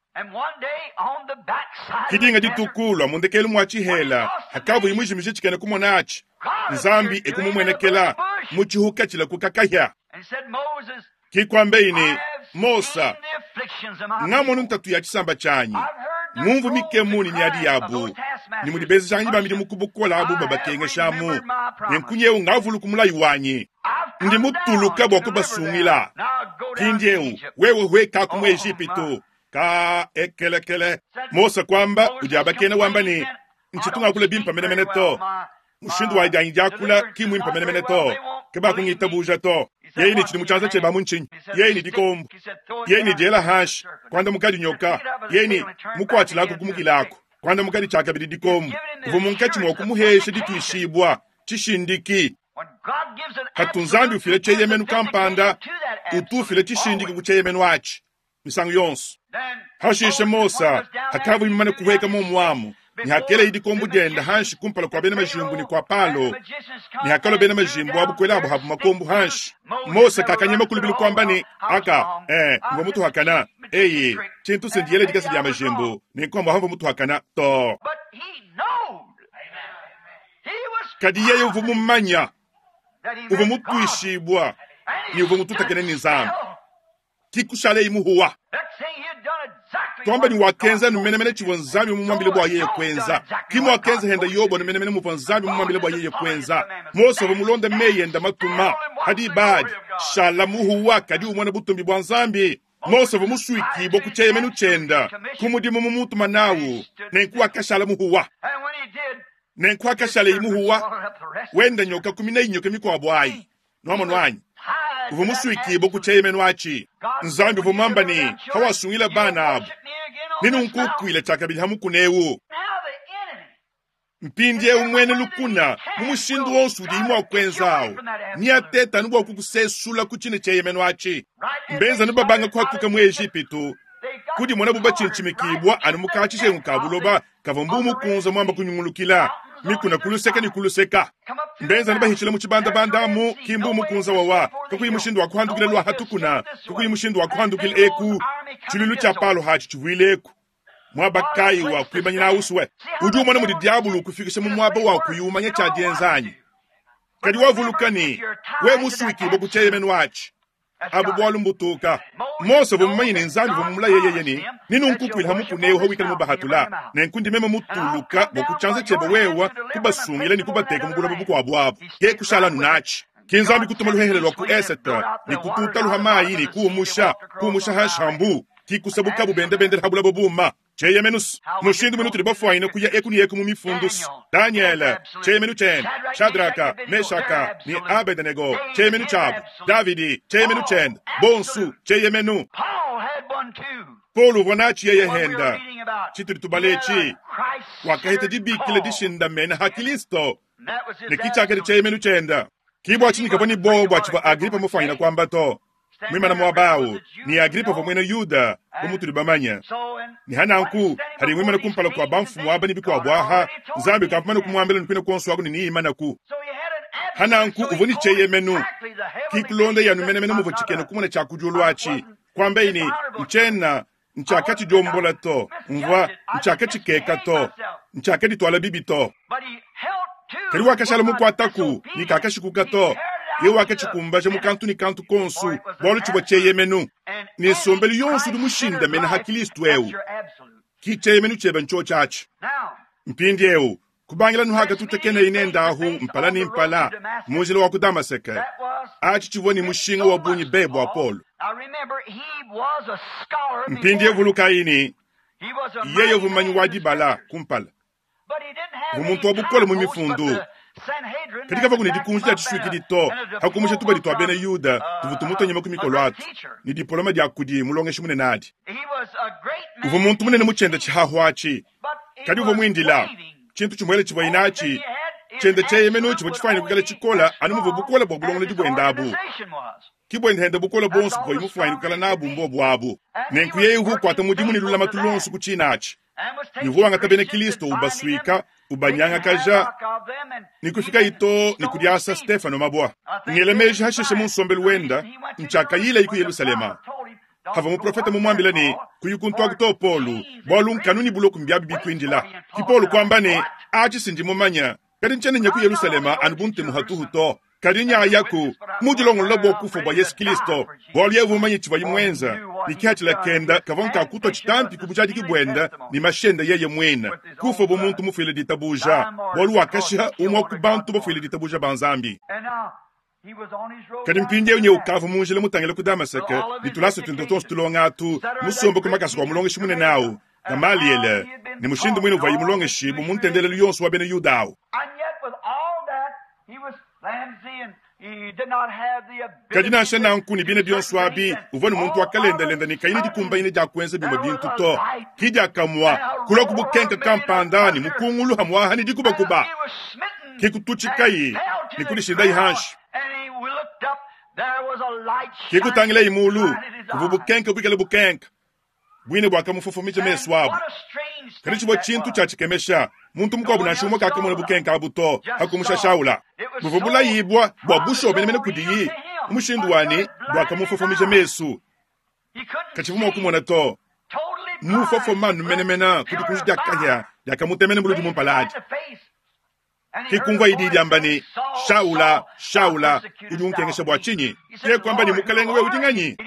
kidinga ditukulwa mundekelu mwa tshihela hakavu imwijimije tshikene kumona atshi Nzambi ekumumwenekela mu tshihuka tshila kukakahya. Kikwambeyi ni Mosa ngamonu ntatu ya tshisamba tshanyi ngumvu mikemu ni miadi yabu ni mudibezeshanyi bamidi mukubukola abu babakengeshamu nenkunyewu ngavulu kumulayi wanyi ndi mutuluka bua kubasungila. Pindiewu wewe hweka ku Ejipitu ka ekelekele. Mosa kwamba udi abakena wamba ni ntshitunga kula bimpa menemene to mushindu wa dianyi diakula ki muimpa menemene to ke bakungitabuja to. Yeye ni tshidimu tshianza tshieba mu ntshinyi yeye ni dikombo yeye ni diela hashi kwanda mukadi nyoka yeye ni mukuatshilako kumukilako kwanda mukadi tshiakabidi dikombo uvua munkatshi mua kumuhesha dituishibwa tshishindiki. Hatu Nzambi ufile tsheyemenu kampanda utufile tshishindiki ku tsheyemenu atshi misangu yonso. Hashishe Mosa hakavu imana kuheka momwamu ni hakele idi kombu dienda hanshi kumpala kwa bena majimbu ni kwa Palo ni hakalo bena majimbu abu kwela abu habu makombu hanshi. Mosa kakanyema kulubilu kwamba ni aka eh mva mutu hakana eye tshintu sendiyele dikasa dia majimbu ni kwamba hamva mutu hakana to. Kadi yeye uvua mumanya uvua mutuishibwa ni uvua mututakene ni Nzambi kikushale imuhuwa. Twamba ne wakenza anu menemene tshivua Nzambi mumuambile bua yeye kuenza. Ki muakenza henda Yobo anu menemene muvua Nzambi mumuambile bua yeye kuenza. Mose uvua mulonde meyi ende matuma. Hadi badi, shala muhuwa kadi umona butumbi bua Nzambi. Mose uvua musuikibue ku tshieyemenu tshiende, ku mudimu mumutuma nawu, nenku wakashala muhuwa. Nenku akashala muhuwa, wenda nyoka kumi na inyoka mikuabu ayi. Nwamonu anyi? Uvua musuikibue ku tshieyemenu atshi. Nzambi uvua muamba ne, hawasungila bana abu. Nenunkukuile tshiakabidi ha mukuna ewu. Mpindiewu mwene lukuna, mu mushindu wonso udi mua kuenzawu. Niateta anu bua kukusesula ku tshine tshieyemenu atshi. Mbenza anu babanga kuhatuka mu Ejipitu, kudimona bu batshintshimikibua anu mu katshijengu ka buloba kavua mbu mukunza muamba kunyungulukila, mikuna kuluseka ne kuluseka. Mbenza anu bahitshila mu tshibandabanda amu, ki mbu mukunza wawa, kakuyi mushindu wa kuhandukila lua hatukuna, kakuyi mushindu wa kuhandukila eku, tshilulu tshia palo hatshi tshivuile eku. Mwaba kayi wa kuimanyina uswe. Udi umona mudi diabulu kufikisha mu mwaba wa kuyumanya tshia dienzanyi. Kadi wavuluka ne, we musuikibue ku tshieyemenu atshi. Abu bwalu mbutuka. Mose uvua mumanye ne Nzambi uvua mumulaye yeye ne, ninunkukuile ha mukuna ewu hawikala mubahatula. Nenku ndi meme mutuluka bua kutshianza tshiebe wewa kubasungila ne kubateka mu buloba bukuabu abu. Ke kushala anu natshi. Ki Nzambi kutuma luhehele lua ku esete, ne kututa luha mayi ne kuumusha, kuumusha hanshambu. Ki kusabuka bubende bende ha bulaba buma. Tshieyemenu mushindu muno tuli bafuanyine kuya eku ne eku mu mifundu. Daniel, tshieyemenu tshiende. Shadraka, Meshaka ne Abednego, tshieyemenu tshiabu. Davidi, tshieyemenu tshiende. Bonsu, tshieyemenu. Paul uvua natshi yeye henda. Tshitudi tubaletshi. Wakahita dibikila dishindamena ha Kristo. Ne kitshiakadi tshieyemenu tshiende. Ki bua tshinyi kavua ne bowa bua tshivua Agripa mufuanyine kuamba to. Mwimana muaba awu, ni Agripa uvua muena Yuda, bu mutudi bamanye. Ni hananku, hadi mwimana kumpala kua bamfumu aba ne bikuabu aha, Nzambi ukavua kumuambila nukwina kuonso aku ne niimanaku. Hananku uvua ne tshieyemenu. Ki kulonda yanu menemene muvua tshikena kumona tshia kudiulu atshi. Kuamba ni, ntshiena, ntshiakatshidionbola to, mvua, ntshiakatshikeka to, ntshiakadituala bibi to. Kadi wakashala mukuataku, ni kakashikuka to. Ye wakatshikumbaja mu kantu ne kantu konsu, bualu tshivua tshieyemenu. Ne nsombelu yonso udi mushindamena ha Kristo ewu. Ki tshieyemenu tshiebe ntsho atshi. Mpindiewu, kubangila nuhaka tutekena inenda ahu mpala ne mpala, mu njila wa ku Damaseke. Atshi tshivua ne mushinga wa bungi be bua Paul. Mpindiewu vulukayi ne, yeye uvua mumanyi wa dibala kumpala. Uvua muntu wa bukole mu mifundu. Kadi kavua ne dikunji dia tshisuikidi to, hakumusha tubadi tua bena Yuda tuvua tumutonyema ku mikolo atu, ne diploma dia kudi mulongeshi munene adi. Uvua muntu munene mu tshiende tshihahu atshi. Kadi uvua muindila, tshintu tshimuele tshivua inatshi, tshiende tshieyemenu tshivua tshifuanyine kuikala tshikola anu muvua bukole bua bulongolodi buende abu. Ki buende henda bukole bonso buvua mufuanyine kuikala nabu mbobu abu. Nenku yeye uvua ukuata mudimu ne lulamatu luonso ku tshina atshi. Uvua wangata bena Kristo ubasuika, ubanyangakaja, ni kufika ito ni kudiasa Stefano mabwa. Ngela meji hashishe mu nsombelu wenda, ntshiakayila iku Yerusalema. Havua muprofeta mumuambile ne, kuyukuntu aku to Paulu, bualu nkanu ni buloku mbiabi bikuindila. Ki Paulu kuamba ne, atshi sindi mumanya, kadi ntshiena nya ku Yerusalema anu bu ntemu hatuhu to. Kadi nyayaku, mudilongolola bua kufa bua Yesu Kristo, bualu yeye uvua mumanye tshivua muenza, ne kihatshila kenda kavua nkakutwa tshitampi ku bujadiki buenda ne mashenda yeye muena, kufa bu muntu mufuile ditabuja, bualu wakashiha umue ku bantu bafuile ditabuja ba Nzambi. Kadi mpindiewu nye ukavua mu njila mutangile ku Damaseke, ne tulasa tuende tuonso tulonga atu, musombe ku makasa kua mulongeshi munene awu, Gamaliele, ne mushindu muine uvuaye mulongeshi bu mu ntendelelu yonso wa bena Yuda awu. Kadi nansha nanku ne bine bionso abi, uvua ne muntu wa kalendalenda ne kayina dikumbanyine dia kuenza bimue bintu to. Ki diakamua, kulua ku bukenka kampanda ne mukungulu hamuaha ne dikubakuba. Ki kututshikai ne kudishindayi hanshi. Ki kutangilayi mulu, kuvua bukenka buikale bukenka. Buine buakamufofomija mesu abu. Kadi tshivua tshintu tshia tshikemesha, muntu mukuabu nansha umue kakamona bukenka abu to, hakumusha Shaula. Buvua bulayibua bua bushuwa menemene kudiyi, mu mushindu wani buakamufofomija mesu. Katshivua mua kumona to. Mufofomanu menemene ku dikunji dia kahia diakamutemena buludi mu mpala adi. Ki kumvua idi diamba ne, Shaula, Shaula, udi unkengesha bua tshinyi? Ye kuamba ne, Mukalenge wewe udi nganyi?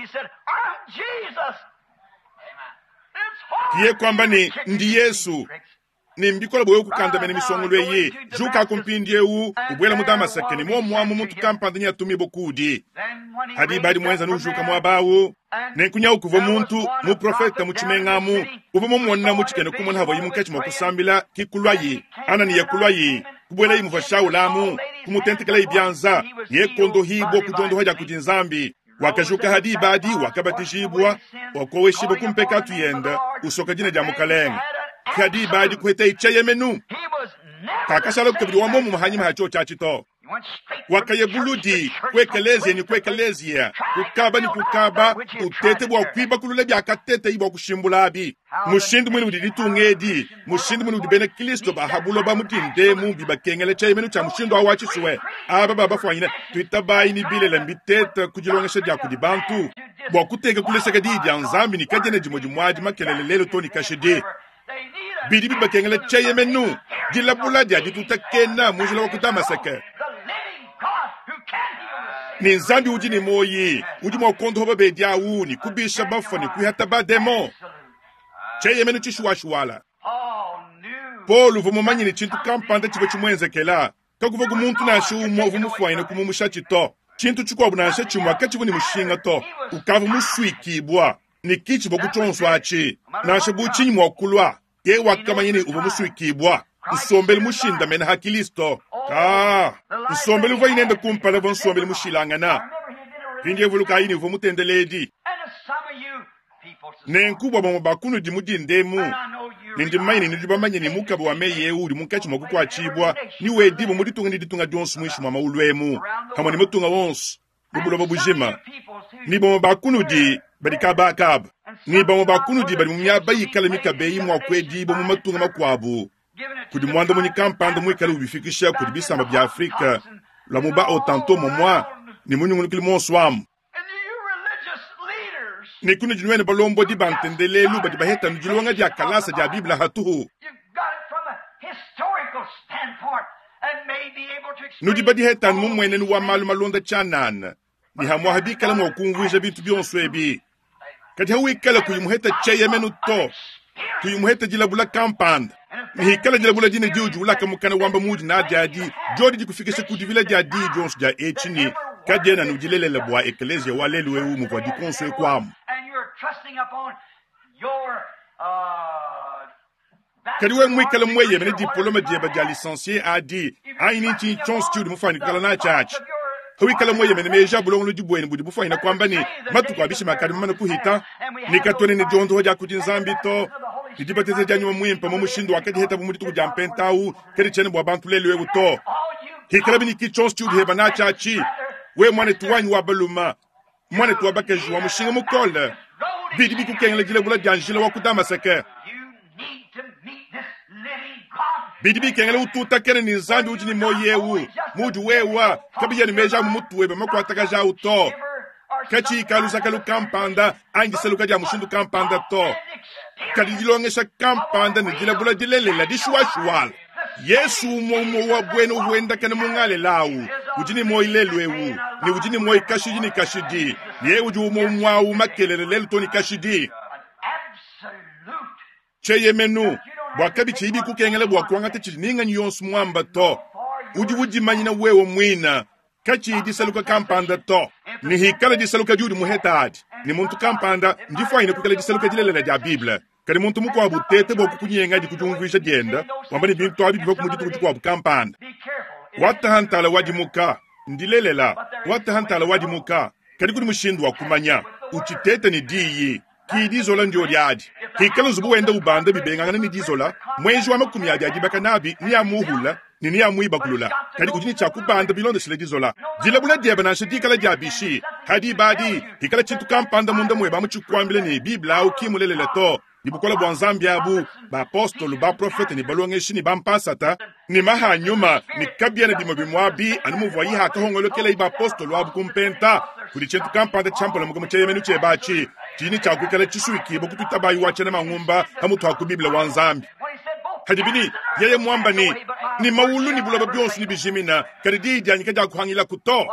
Kiye kwamba ne ndi Yesu ne mbikola bwe kukandamena misongolo eyi juka kumpindiewu ubwela mu Damaseke ne momwamu muntu kampanda nyatumibwa kudi hadi badi mwenza nujuka mwabawu nenkunya kuva muntu muprofeta muchimengamu uva mumona muchikene kumona havo yimu nkachi mwakusambila kikulwayi Ananiya kulwayi kubwela yimu vashaulamu kumutentekela ibyanza yekondo hibwa kujondoha ja kudi Nzambi wakajuka hadi badi wakabatijibwa wakoweshibwa kumpeka tuyenda usoka jina ja mukalenga hadi badi kuheta icheyemenu kakashala kukabili wa momu mahanyima hacho chachito wakayebuludi kwekelezia ni kwekelezia kukaba ni kukaba utete bwa kwiba kulule byakatete ibwa kushimbulabi mushindu mwini udi ditungedi mushindu mwini udi bena Kristo bahabulo ba mutindemu bibakengele cheyemenu cha mushindu awa chisuwe aba babafwanyina twitabayi ni bilela mbitete kujilongesha dya kudi bantu bwa kuteka kuleseka diyi dya Nzambi ni kajene jimwe jimwadi makelele lelo to ni kashidi bidi bibakengele cheyemenu dilabula dya ditutakena mujila wa kudamaseke ni Nzambi udi ni moyi udi mwa kondoba bedyawu ni kubisha bafa ni kuhata bademo cheyemenu chishuwashuwala Paul uva mumanyi ni chintu kampanda chiva chimwenzekela kakuva ku muntu nashe umwe uva mufwanyine kumumusha chito chintu chikwabu nashe chimwe akachiva ni mushinga to ukava muswikibwa ni kichiva kuchonswa achi nashe buchinyi mwakulwa ye wakamanyini uva muswikibwa nsombeli mushindamene ha Kristo ka nsombeli uva inende kumpala va nsombeli mushilangana pindie vuluka yini uva mutendeledi nenkubwa bamwe bakunu di mudindemu nindimanyine nidibamanye ni mukaba wa meyi uli munkatshi mwa kukwatshibwa ni wedibo muditunga ni ditunga dionso mwishi mwa maulwemu hamwe ni mutunga wonso mubulobo bujima ni bamwe bakunudi badi kabakaba ni bamwe bakunudi badi mu miaba yikala mikabeyi mwa kwedibo mu matunga makwabu kudi mwanda munyi kampanda mwikala ubifikisha kudi bisamba bya Afrika lwa muba otanto momwa ni munyungulukili monso wamu ni kunu dinwene balombo di bantendelelu badi baheta nudilonga dia kalasa dia Biblia hatuhu nudi badiheta mumwenenu wa malu malonda chanana ni hamwaha bikala mwa kumvuija bintu byonso ebi kadi hawikala kuyimuheta cheyemenu to kuyimuheta dilabula kampanda nihikala dilabula dine diudi ulaka mukana wamba mudi na diadi jodi dikufikisha kudivila dia di dionso dia echini kadiena nudilelela bwa ekelezia wa lelu eu muvua dikonso ekwamu kadi we mwikala mweyemene diploma dieba dia licencié adi aini nchi chonso chiudi mufani kukala na chachi hawikala mweyemene meja bulongolo dibwene budi bufanyina kwamba ni matuku abishi makadi mamana kuhita nikatone ni diondoho dia kudi Nzambi to didibateze dia nyuma mwimpa mu mushindu wakadiheta bu mudituku dia mpentawu kedi chene bwa bantu lelu eu to hikala biniki chonso chiudi heba na chachi we mwane tuwanyi wa baluma mwane tuwabakaji wa mushinga mukole bidi bikukengela dilabula dia njila wa kudamaseke bidi bikengela ututakene ni Nzambi udi ni moyi ewu mudi wewa kabiya ni meja mu mutu webe makwatakaja to kachi ikalusakalu kampanda angiseluka dia mushindu kampanda to kadi dilongesha kampanda ni dilabula dilelela dishuwashuwala Yesu umwe umwe wa bwene uhuendakene mungale lawu udi ni moyi lelu ewu ni udi ni moyi kashidi ni kashidi ye udi umwe umwawu makelele lelu to ni kashidi cheyemenu bwa kabichi ibi kukengela bwa kuangata chidi ninganyi yonso mwamba to udi udimanyina wewe mwina kachi disaluka kampanda to ni hikala disaluka diudi muheta adi ni muntu kampanda ndifwanyine kukala disaluka dilelela dia Biblia kadi muntu mukwabu tete bwa kukunyenga di kujumvuisha dienda wamba ni bintu abi biva kumudituku dikwabu kampanda watahantala wadimuka ndilelela watahantala wadimuka kadi kudi mushindu wa kumanya uchitete ni diyi ki dizola ndio diadi hikala nzubu wenda ubanda bibengangana ni dizola mwenji wa makumi adi adibaka nabi ni amuhula ni ni amuibakulula kadi kudi ni chakubanda bilondeshele dizola dilabula dieba nansha dikala dia bishi hadi badi hikala chintu kampanda munda mweba muchikwambile ni Biblia au kimulelela to ni bukola bwa Nzambi abu baapostolo baprofete ni balongeshi ni bampasata ni mahanyuma ni kabiana bimwe bimwabi anu muvua yihaka hongolokela ibaapostolo abu kumpenta kudi chintu kampanda champola mukomo cheyemenu chebachi chini chakwikala chisuikibo kututabayi wachena mang'umba hamutu haku Biblia wa Nzambi Hadibi ne yeye muamba ne, ne mawulu ne buloba bionso ne bijimina, kadi diyi dianyi kadiakuhangilaku to.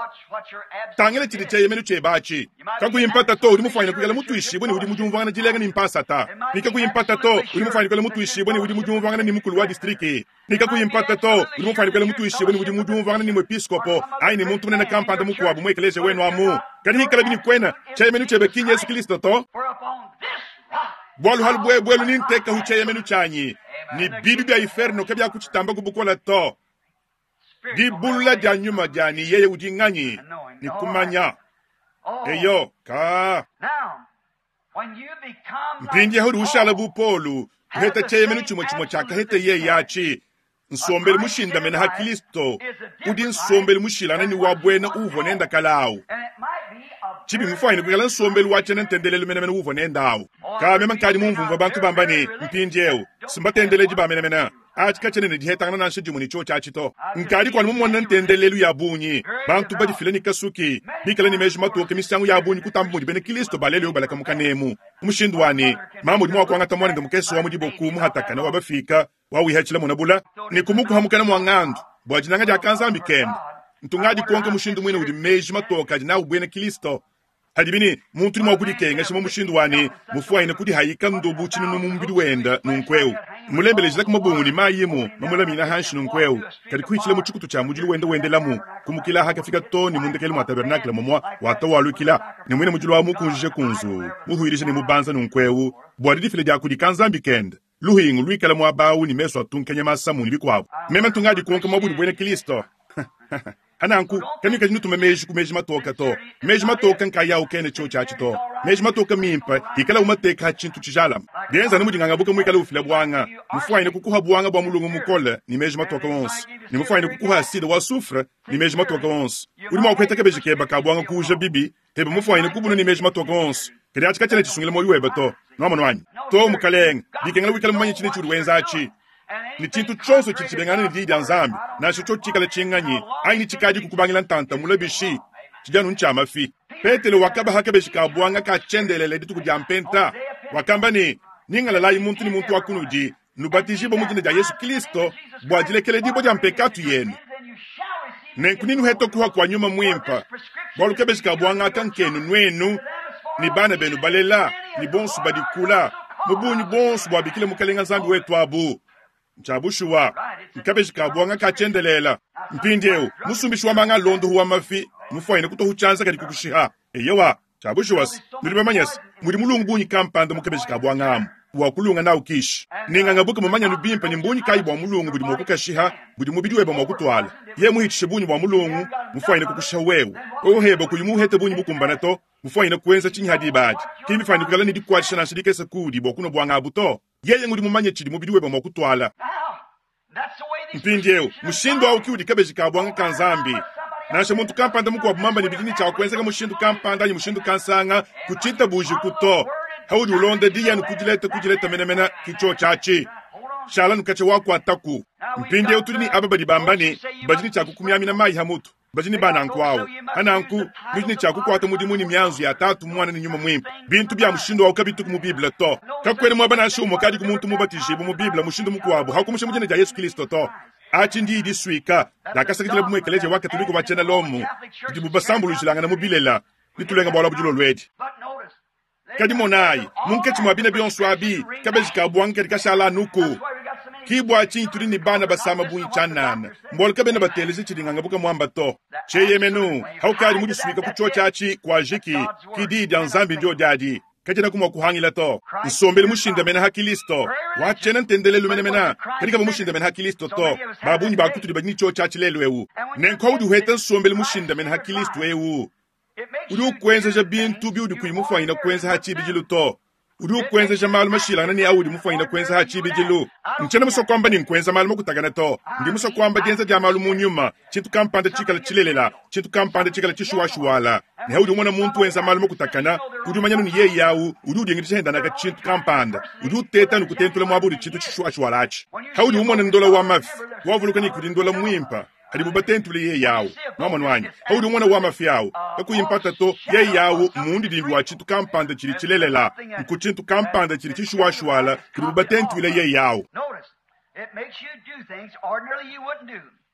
Tangila tshidi tshieyemenu tshiebe atshi. Kakuyi mpata to, udi mufuanyine kuikala mutuishibue ne udi mu diumvuangana dilenga ne mpasata. Ne kakuyi mpata to, udi mufuanyine kuikala mutuishibue ne udi mu diumvuangana ne mukulu wa distrike. Ne kakuyi mpata to, udi mufuanyine kuikala mutuishibue ne udi mu diumvuangana ne muepiskopo anyi ne muntu munene kampanda mukuabu mu ekeleziya wenu amu. Kadi hikalabi ne kuena tshieyemenu tshiebe ki n'Yesu Kristo to. Bualu halu buebuelu ni ntekahu tshieyemenu tshianyi, ne bibi bia inferno kabiakutshitamba kubukola to. Dibulula dia nyuma dianyi yeye udi nganyi ne kumanya. Eyo ka. Mpindieu udi ushala bu Polu, uheta tshieyemenu tshimue tshimue tshiakaheta yeye atshi. Nsombelu mushindamena ha Kristo udi nsombelu mushilangane ne wa buena uvua nenda kala awu. Tshibi mufuanyine kuikala nsombelu wa tshiena ntendelelu menemene uvua nenda awu. Ka meme nkadi mumvumvua bantu bamba ne mpindieu simbatendeledi ba menemene. Atshi katshiena ne dihetangana nansha dimue ne tshiotshi atshi to. Nkadi kuanu mumona ntendelelu ya bungi, bantu badifila ne kasuki, bikale ne meji matoke misangu ya bungi kutamba mudi bena Kristo ba lelu balakamuka nemu. Mushindu wa ne, mamu udi mua kuangata muanende mukese wa mu diboku muhatakana wa bafika wawihatshila munabula ne kumukuhamukana mua ngandu bua dinanga dia kanzambi kende. Ntungadi kuonka mushindu muine udi meji matoke adi nawu buena Kristo. Hadibi ne muntu udi mua kudikengesha mu mushindu wa ne mufuanyine kudihayika ndobu tshinunu mu mubidi wenda nunkueu. Mulembelejila ku mabungu ne mayi mu mamulamina hanshi nunkueu. Kadi kuhitshila mu tshikutu tshia mudilu wenda wendelamu kumukila hakafika to ne mundekelu mua tabernakle momwa watawalukila ne muine mudilu wa mukunjije kunzu muhuilisha ne mubanza nunkueu bua didifila dia kudi kanzambi kende. Luhingu luikala muaba ne mesu atunkanya masamu ne bikuabu. Meme ntungadi kuonka muabudi buena Kristo. Hananku kanuikaji nutuma meji ku meji matoka to. Meji matoka nkayawu kene tshiotshi atshi to. Meji matoka mimpe ikala umateka tshintu tshijalama. Bienza ne mudingangabuka muikala ufila buanga. Mufuanyine kukuha buanga bua mulungu mukole ne meji matoka wonso. Ne mufuanyine kukuha aside wa soufre ne meji matoka wonso. Udi mua kuheta kabeji keba ka buanga kuuja bibi, hebe mufuanyine kubuna ne meji matoka wonso. Kadi atshi katshiena tshisungila muoyo webe to. Nwamonu wanyi. To mukalenge, dikengela wikala mumanye tshine tshiudi wenza atshi. Ne tshintu tshionso tshidi tshibengana ne diyi dia Nzambi, nansha tshiotshi tshikala tshinganyi anyi ne tshikadi kukubangila ntanta mulabishi, tshidi anu ntshia mafi. Petelo wakabaha kabeji ka buanga ka tshiendelele dituku dia mpenta. Wakamba ne, ningalalayi muntu ne muntu wa kunudi, nubatijibue mu dina dia Yesu Kristo bua dilekeledibua dia mpekatu yenu. Nenku ninuhete kuha kua nyuma muimpe, bualu kabeji ka buanga aka nkenu nuenu ne bana benu balela ne bonso badikula mu bungi bonso bua bikile mukalenga Nzambi wetu abu. Ntshia nkabeji ka buanga ka tshiendelela. Mpindieu musumbishi wa manga londohu wa mafi mufuanyine kutohu tshianza kadi kukushiha. Eyewa tshia bushuwa nudi bamanyase mudi mulungu bungi kampanda mu kabeji ka buanga amu wa kulunga nawu kishi. Ningangabuka mumanyanu bimpe ne mbunyi kayi bua mulungu budi mua kukashiha budi mubidi webe mua kutuala. Ye muhitshishe bunyi bua mulungu mufuanyine kukushiha wewe. Wewe heba kuyi muhete bunyi bukumbana to mufuanyine kuenza tshinyi hadi badi. Kimbifuanyine kuikala ne dikuatshisha nansha dikese kudi bua kunua buanga abu to. Yeye ngudi mumanye tshidi mubidi webe mua kutuala. Mpindieu mushindu awu ki udi kabeji ka buanga ka Nzambi. Nansha muntu kampanda mukuabu mamba ne bidini tshia kuenzeka mushindu kampanda anyi mushindu kansanga kuchita buji kuto. Haudi ulonda diyanu kudileta kudileta menemene kicho tshiatshi. Shala nukache wakuataku. Mpindieu tudi ne aba badi bamba ne badini tshia kukumyamina mayi ha mutu. Badini bananku awu. Hananku nudi ne tshia kukuata mudimu ne mianzu ya tatu mwana ne nyuma muimpe. Bintu bia mushindu awu kabituku mu Bible to. Kakwena muaba nansha umue kadi ku muntu mubatijibu mu Bible mushindu mukuabu hakumusha mu dina dia Yesu Kristo to. Atshi ndi disuika dakasakidila mu ekeleziya wa Katolika wa tshiena Lomo didibu basambulujilangana mu bilela ditulenga bualu budilo luedi. Kadi monayi munkatshi mua bina bionso abi kabeji ka buanga kadi kashala anuku. Kibwa tshinyi tudi ne bana basama bungi tshianana mbualu kabena bateleje tshidingangabuka muamba to. Tshieyemenu haukadi mudisuika ku tshiotshi atshi kua jiki ki diyi dia Nzambi ndio diadi. Katshiena kumua kuhangila to. Nsombelu mushindamena ha Kristo watshiena ntendelelu menemene kadi kava mushindamena ha Kristo to. Babungi bakutudi badi ne tshiotshi atshi lelu eu. Nenku haudi uheta nsombelu mushindamena ha Kristo eu udi ukuenzeja bintu biudi kuyi mufuanyine kuenza ha tshibidilu to. Udi ukuenzeja malu mashilangana ne audi mufuanyine kuenza ha tshibidilu. Ntshiena musue kuamba ne nkuenza malu makutakana to. Ndi musue kuamba dienza dia malu mu nyuma, tshintu kampanda tshikala tshilelela, tshintu kampanda tshikala tshishuwashuwala. Ne haudi umona muntu wenza malu makutakana, udi umanya ne yeye awu udi udingidisha hendanaka tshintu kampanda, udi uteta ne kutentula muaba udi tshintu tshishuwashuwala atshi. Haudi umona ndola wa mafi, wavuluka ne kudi ndola muimpe hadibu batentule yeye awu. Nwamonu wanyi, haudi umona wa mafi awu kakuyi mpata to, yeye awu mundidimbi wa tshintu kampanda tshidi tshilelela, nku tshintu kampanda tshidi tshishuwashuwala kudibu batentule yeye awu.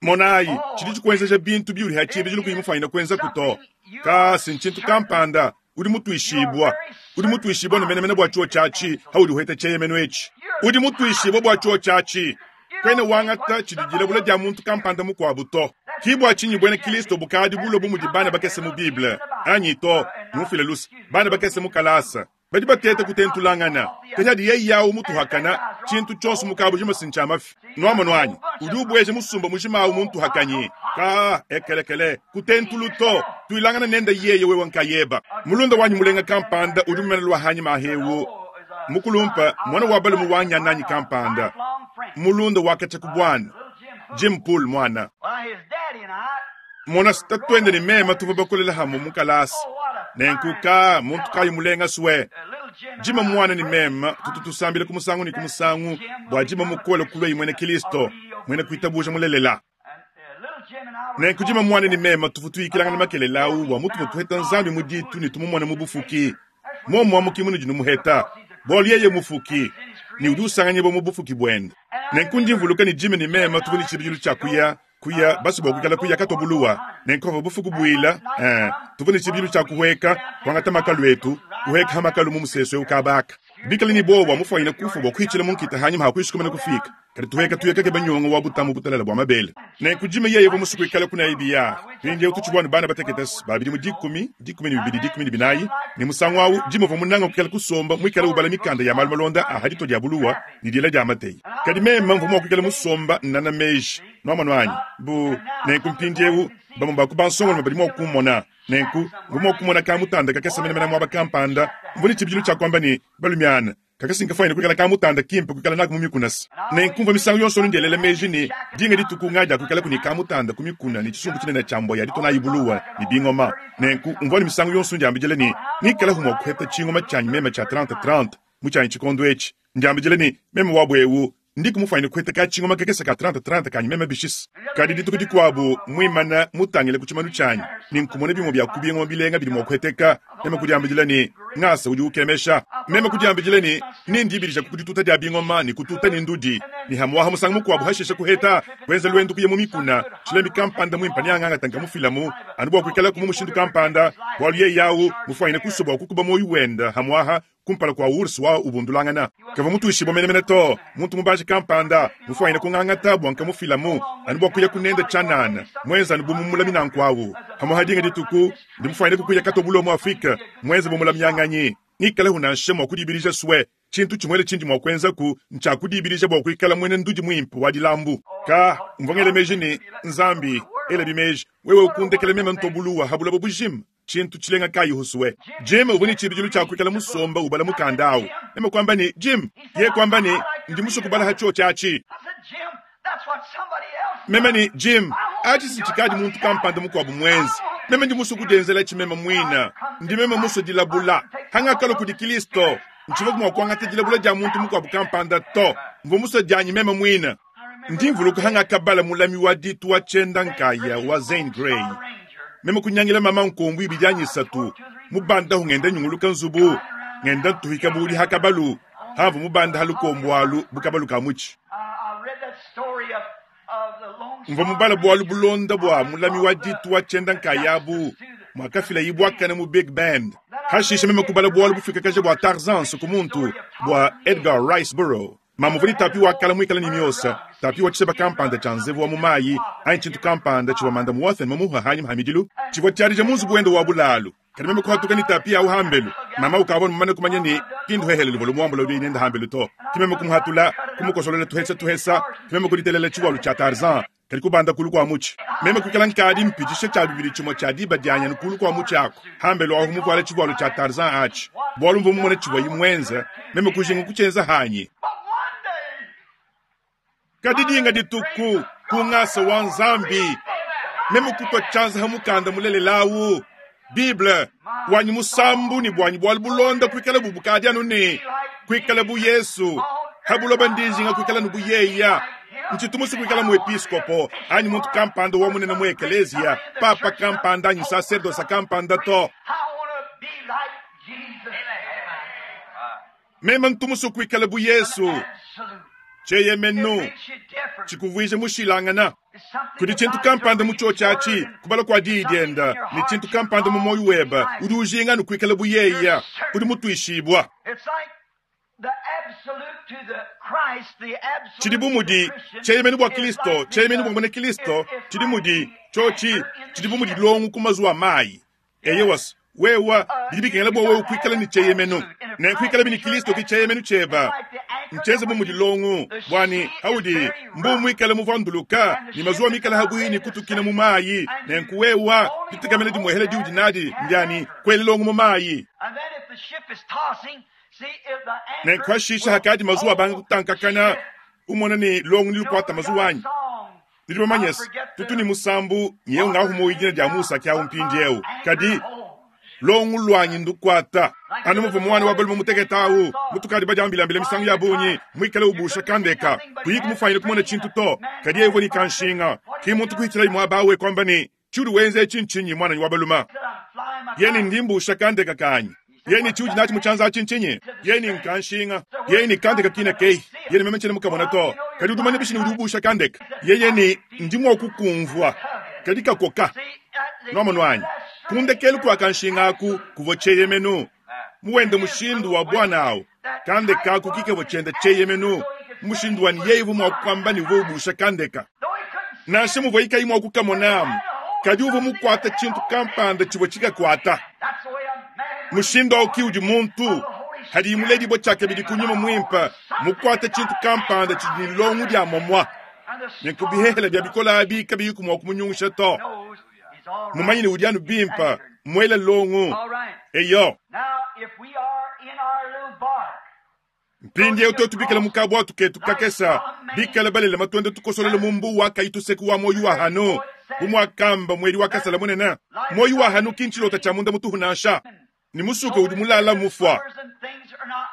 Monayi, tshidi tshikuenzeja bintu biudi ha tshibidilu kuyi mufanyine kuenzaku to. Kasi ntshintu kampanda udi mutuishibua, udi mutuishibua ne menemene bua tshiwo tshiatshi haudi uheta tshieyemeno etshi. Udi mutuishibua bua tshiwo tshiatshi. Kwena wangata tshidi dilabula dia muntu kampanda mukuabu to. Ki bua tshinyi buena Kristo bukadi bulue bu mudi bana bakese mu Bible anyi to, numfile luse, bana bakese mu kalasa. Badi bateta kutentulangana. Kadi adi yeye yawu mutuhakana, tshintu tshionso mukabu jima sincha mafi. Nwamonu anyi, udi ubweja musumba mujima awu muntu hakanyi. Ka ekelekele kutentulu to, tuilangana nenda yeye wewe nkayeba. Mulunda wanyi mulenga kampanda udi mumena lwa hanyi mahewu. Mukulumpa mwana wa balumu wanyananyi kampanda. Mulunda wakacha kubwana. Jim Poole mwana. Mona tatwende ni mema tuva bakolela hamu mukalasa. Nenkuka muntu kayi mulenga swe. Jima mwana ni mema tutu tusambile kumusangu ni kumusangu bwa jima mukole kulwe mwene Kristo mwene kuitabuja mulelela. Nenku jima mwana ni mema tufutuikilanga na makelele awu wa mutu mutuheta nzambi muditu ni tumumona mubufuki. Momo amukimu ni jinumuheta. Bolu yeye mufuki ni udi usanganye bo mubufuki bwende. Nenku ndimvuluka ni jima ni mema tuvuni tshibidilu tshia kuya kuya basi bwa kuikala kuya katobuluwa. Nenku bufuku bwila, eh, tuvuni tshibidilu tshia kuhweka kwangata makalu etu, kuhweka makalu mu museso ukabaka. Bikala ni bowa mufanyine kufa bwa kuichila munkita hanyuma hakuishikumana kufika. Kadi tuheka tuyeka ke banyongo wa butamu butalala bwa mabele. Nenku jima yeye bo musuku ikala kuna ibiya. Pinje utuchibwana bana bateketas babidi mu dikumi, dikumi ni bibidi, dikumi ni binayi. Ni musangu awu jima vo munanga kukala kusomba mwikala ubala mikanda ya malu malonda a hadito dia buluwa ni diela dia mateyi. Kadi mema mvu mwa kukala musomba nana meji. Nwamonu anyi bu nenku mpindiewu bamwe bakubansongo mabadi mwa kumona. Nenku mvu mwa kumona ka mutanda kakesa menemene mwaba kampanda. Mvuni tshibidilu tshia kwamba ni balumiana. Kakasi nkafanya kukala ka mutanda kimpe kukala naku mu mikunasa. Nenku mva misangu yonso ndelele meji ni dinga dituku ngaja kukala kuni ka mutanda ku mikuna ni tshisumbu tshinene tshia mboya ditona ibuluwa ni bingoma. Nenku mvua ni misangu yonso ndiambijele ni ngikala humo kuheta tshingoma tshanyi mema tsha trente trente mu tshanyi tshikondo etshi. Ndiambijele ni mema wabwewu ndiku mufanyine kuheta ka tshingoma kakesa ka trente trente kanyi mema bishisa. Kadi dituku dikuabu mwimana mutangile ku tshimanu tshanyi ni nkumone bimwe bya kubingoma bilenga bidi mwa kuheteka. Mema kudiambijele ni ngasa udi ukemesha. Mema kudiambijele ni nindibirisha kukudituta dia bingoma ni kututa ni ndudi. Ni hamwaha musangu mukuabu hashesha kuheta wenza lwendu kuye mu mikuna. Tshilemi kampanda mwimpa ni anganga tanka mu filamu. Anu bwa kuikala ku mushindu kampanda bwalu ye yawu mufanyine kusoba kukuba moyo wenda hamwaha kumpala kwa ursu wa ubundulangana. Kava mutu ishibo menemene to, muntu mubaji kampanda, mufanyine kungangata bwa nka mu filamu, anu bwa kuya kunenda chanana, mwenza anu bumumula minankwawu. Hamwaha dinga dituku, ndi mufanyine kukuya katobulo mu Afrika, mwenza bumula myanganyi. Ngikala huna nshemo kudibirija swe, chintu chimwele chinji mwa kwenza ku, ncha kudibirija bwa kuikala mwene ndudi mwimpu wa dilambu. Ka, mvongele meji ni, nzambi, ele bimeji, wewe ukundekele mema ntobuluwa habula bubujim. Chintu chilenga kayi huswe. Jim ubuni chibijilu cha kuikala musomba ubala mukandao. Mema kwamba ni Jim, ye kwamba ni ndi musukubala hacho chachi. Mema ni Jim, achi sinchikaji muntu kampanda mukwabu mwenzi. Mema ndi musukudenzela chimema mwina. Ndi mema muso dilabula. Hanga kalo kudi Kristo. Nchiva kumwa kwangata dilabula dia muntu mukwabu kampanda to. Mvu muso dianyi mema mwina. Ndi mvuluka hanga kabala mulami wa ditu wa chenda nkaya wa Zane Grey. Mema kunyangila mama nkombu ibidyanyi satu. Mubanda hu ngenda nyunguluka nzubu. Ngenda tuhika buli hakabalu. Havu mubanda halukombwalu bukabalu kamuchi. Mva mubala bwalu bulonda bwa mulami wa ditu wa chenda nkayabu. Mwakafila ibwakana mu Big Bend. Hashisha mema kubala bwalu bufika kaje bwa Tarzan sukumuntu bwa Edgar Rice Burroughs. Mamuvuli tapi wa kala mwikala ni myosa. Tapi wa chiseba kampanda cha nzevu wa mumayi, ayi chintu kampanda chiwa manda muwathen mamuha hanyi mhamidilu. Chiwa tiyarija munzu buwendo wa bulalu. Kadi meme kuhatuka ni tapi ya uhambelu. Mama ukabona mumane kumanya ni kindu hehele luvolo muambolo uli nenda hambelu to. Kimeme kumuhatula, kumukosolela tuhesa tuhesa, kimeme kulitelela chiwalu cha Tarzan. Kadi kubanda kulu kwa muchi. Meme kukala nkadi mpijishe cha bibili chimo cha diba dianya nukulu kwa muchi ako. Hambelu ahu mukwale chiwalu cha Tarzan achi. Bwalu mvu mumone chiwa imwenza, meme kujingu kuchenza hanyi. Kadi dinga dituku kungasa wa nzambi. Meme kutwa chanza hamukanda mulelelawu. Bible wanyi musambu ni bwanyi bwalu bulonda kuikala bubukadi anu ni kuikala bu Yesu. Habuloba ndijinga kuikala nubu yeya. Nchitumusi kuikala mu episkopo anyi muntu kampanda wa munene mu ekelezia, papa kampanda anyi sacerdosa kampanda to. Meme ntumusi kuikala bu Yesu. Tshieyemenu tshikuvuije mushilangana. Kudi tshintu kampanda mu tshiotshi kubala kua diyi dienda, ne tshintu kampanda mu moyo weba udi ujinga ne kuikala bu yeya, udi mutuishibwa. Tshidi bu mudi tshieyemenu bua Kristo, tshieyemenu bua muena Kristo, tshidi mudi tshiotshi, tshidi bu mudi longu ku mazuwa mayi. Eyewas, wewa bidi bikengela bua wewe kuikala ne tshieyemenu. Ne kuikala bini Kristo ki tshieyemenu tshieba. Ncheze bu mudi longu, bwani haudi mbu mwikala muvanduluka, ni mazuwa mikala habui ni kutukina mu mayi, ne nkuwewa ditekamela dimwehela diudi nadi ndiani kwele longu mu mayi. Ne nkwashisha hakadi mazuwa banga kutankakana, umona ni longu nilukwata mazuwa anyi. Nidi bamanyese, tutu ni musambu nyeu ngahu moyidina dia Musa kya umpindi eu. Kadi longu lwanyi ndukwata. Anu muvu mwana wa balume muteketawu, mutukadi badiambilambila misangu ya bunyi, mwikale ubusha kandeka. Kuyiku mufanyile kumona tshintu to, kadi evo ni kanshinga. Ki muntu kuhitila imwa bawe kwamba ni tshiudi wenze tshinchinyi mwana wa balume. Yeni ndimbusha kandeka kanyi. Yeni tshiudi nachi muchanza tshinchinyi. Yeni nkanshinga. Yeni kandeka kina kei. Yeni meme tshene mukamona to. Kadi udumane bishini udi ubusha kandeka. Yeye ni ndimwa kukumvwa. Kadi kakoka. Nwamonwanyi. Kundekelu kwa kanshinga aku kuvwa tshieyemenu. Muwende mushindu wa bwana awu. Kandeka aku kikevwa tshienda tshieyemenu. Mushindu wa niyevu mwa kwamba ni ubusha kandeka. Nansha muvwa ikayi mwa kukamonamu. Kadi uvwa mukwata tshintu kampanda tshivwa tshikakwata. Mushindu awu ki udi muntu. Hadi imuledi bo tshaka bidi kunyuma mwimpa. Mukwata tshintu kampanda tshidi longu dia momwa. Nenkubihehela bya bikola abi kabiyi kumwa kumunyungusha to. Mumanyine udi anu bimpa, mwela longu. Eyo. Mpindi eu totu bikala mukabwa tuketu kakesa, bikala balela matwende tukosolela mumbu wa kaituseku wa moyo wa hano. Bumwakamba mweli wa kasala munena. Moyo wa hano kinchilota cha munda mutuhu nansha. Ni musuka udi mulala mufwa.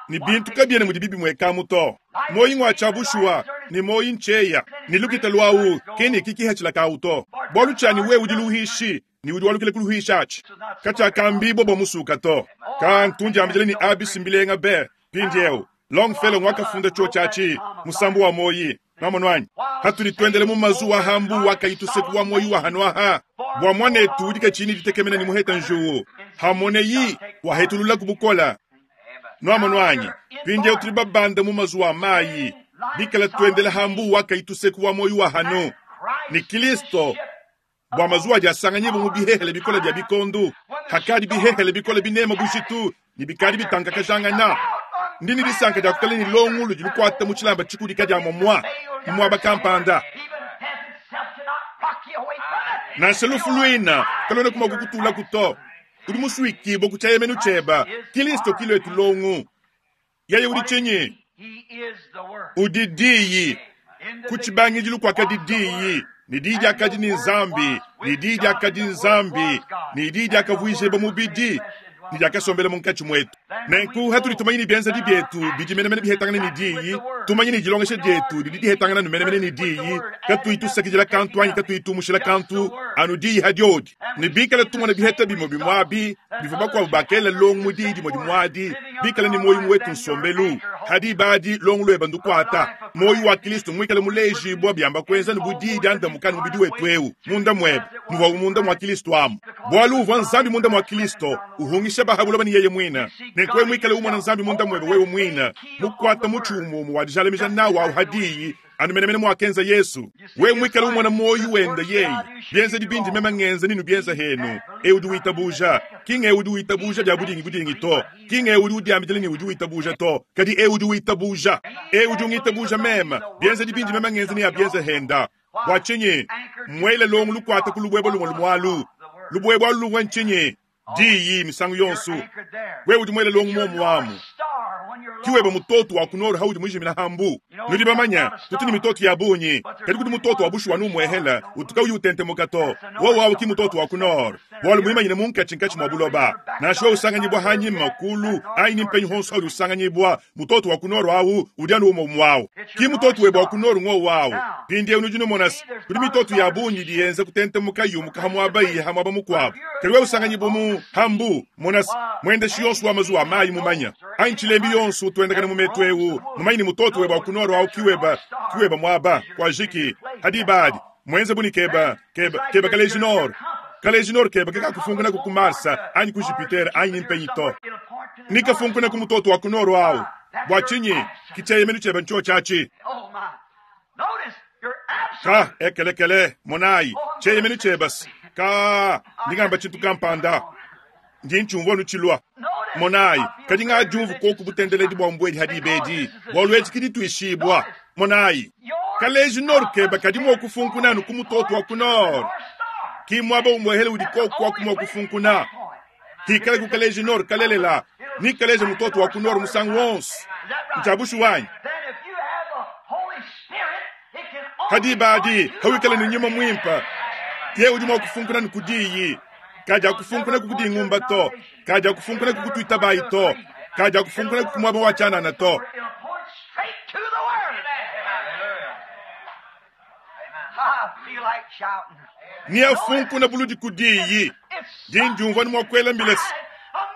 Ni bintu kabiene mudi bibi mweka muto. Moyi ngwa chabushwa ni moyi ncheya. Ni lukita lwawu keni kiki hachila kauto. Bolu chani we udi luhishi ni udi walukile kuluhisha achi. Kacha kambi bobo musuka to. Ka ntunja ambijele ni abisi mbilenga be. Pindi eu. Longfellow mwakafunda chuo chachi musambu wa moyi. Namonwanyi. Hatuli twendele mu mazuwa hambu wakaituseku wa moyi wa hanwaha. Bwa mwanetu udika chini ditekemena ni muheta njuwu. Hamone yi wahetulula kubukola. Nwamonwanyi. Pindi eu tulibabanda mu mazuwa mayi. Bikala twendele hambu wakaituseku wa moyi wa hanu. Ni Kristo. Bwa mazuwa diasanganyibu mu bihehele bikola bya bikondu. Hakadi bihehele bikola binema bushitu. Ni bikadi bitanka kajangana. Ndini disanka dia kukala ni longu ludi lukwata mu tshilamba tshikudika dia momwa. Mwaba kampanda. Nansha lufu luina, kalona kuma kukutula kuto. Udi musuikibo kuchayemenu cheba. Kristo kilo etu longu. Yeye udi chinyi. Udi diyi. Kuchibangijilu kwa kadi diyi. Ni diyi dia kadi ni nzambi. Ni diyi dia kadi nzambi. Ni diyi dia kavuijeba mubidi. Ni dia kasombela munkatshi mwetu. Nenku hatuli tumanyi bienza di bietu bidi menemene bihetangana ni diyi. Tumanyi ni dilongesha dietu didi dihetangana ni menemene ni diyi. Katuitusakidila kantu anyi katuitumushila kantu anu diyi hadiodi. Ni bikala tumona biheta bimo bimwabi bivua bakuabu bakela longu mu diyi dimue dimuadi bikala ni moyo wetu nsombelu. Hadi badi longu lweba ndukwata. Moyo wa Kristo mwikala mulejibwa byamba kwenza ni budiyi diandamuka ni mubidi wetu eu. Munda mwebe muvua munda mwa Kristo amu. Bwalu uvua nzambi munda mwa Kristo uhungisha bahabuloba ni yeye mwina. Nenkwe mwikala umwana nzambi munda mwebe wewe mwina. Mukwata muchumu wa dijalemija nawo au hadiyi anu menemene mwakenza Yesu. We mwikala umwana moyo wenda yeyi. Bienza dibindi mema ngenza ninu bienza henu. E udi witabuja. Kinge udi witabuja bya budingi budingi to. Kinge udi udiambidile ni udi witabuja to. Kadi e udi witabuja. E udi ungitabuja mema. Bienza dibindi mema ngenza ni ya bienza henda. Bwachinyi. Mwele longu lukwata kulubwebo lumwe lumwalu. Lubwebo lungwe nchinyi. Diyi misangu yonsu. We udi mwele longu mwomu wamu. Kiweba mutoto wa kunoro haudi mwijimina hambu. Nudi bamanya, tutu ni mitoto ya bunyi. Kadi kudi mutoto wa bushu wanu mwehela, utuka uyu utente mukato. Wo wawu ki mutoto wa kunoro. Walu mwimanyine munkachi nkachi mwa buloba. Nashuwa usanganyibwa hanyima kulu, aini mpenyu honsu haudi usanganyibwa. Mutoto wa kunoro awu, udianu umo mwao. Ki mutoto weba wa kunoro ngo wawu. Pindi unu jino monas, kudi mitoto ya bunyi diyenza kutente mukayu mukahamwaba iye hamwaba mukwabu. Kadi we usanganyibwa mu hambu, monas, mwende shiyonsu wa mazuwa mayi mumanya. Aini chilembi yonsu tuendakana mu metu eu mumanye ne mutoto weba wa ku nord awu kiweba kiweba muaba kuajiki hadi badi muenze buni keba keba keba kaleji nord kaleji nord keba kekakufunkuna ku Marsa anyi ku Jupiter anyi mpenyi to nikafunkuna ku mutoto wa ku nord awu bua tshinyi kitsheyemenu tshiebe ntsho tshiatshi ka ekelekele monayi tsheyemenu tshiebasi ka ndingamba tshintu kampanda ndi ntshiumvua nutshilua monayi kadi ngadiumvu koku butendeledi bua mbuedi hadi ibedi bualu etshi kidi tuishibua monayi kaleji nord keba kadi mua kufunkuna anu ku mutoto wa ku nord ki muaba umwehele udi koku wa kumua kufunkuna kikale ku kaleji nord kalelela ni kaleja mutoto wa ku nord musangu wonso ntshiabushu wanyi kadi badi hawikala ni nyuma mwimpa ye udi mua kufunkuna ni kudiyi kadi akufunkuna kukudingumba to kadi akufunkuna kukutuita bayi to kadi akufunkuna kukumwaba wa tshianana to ni afunkuna buludi kudiyi dindiumvua ni mua kuela mbilesi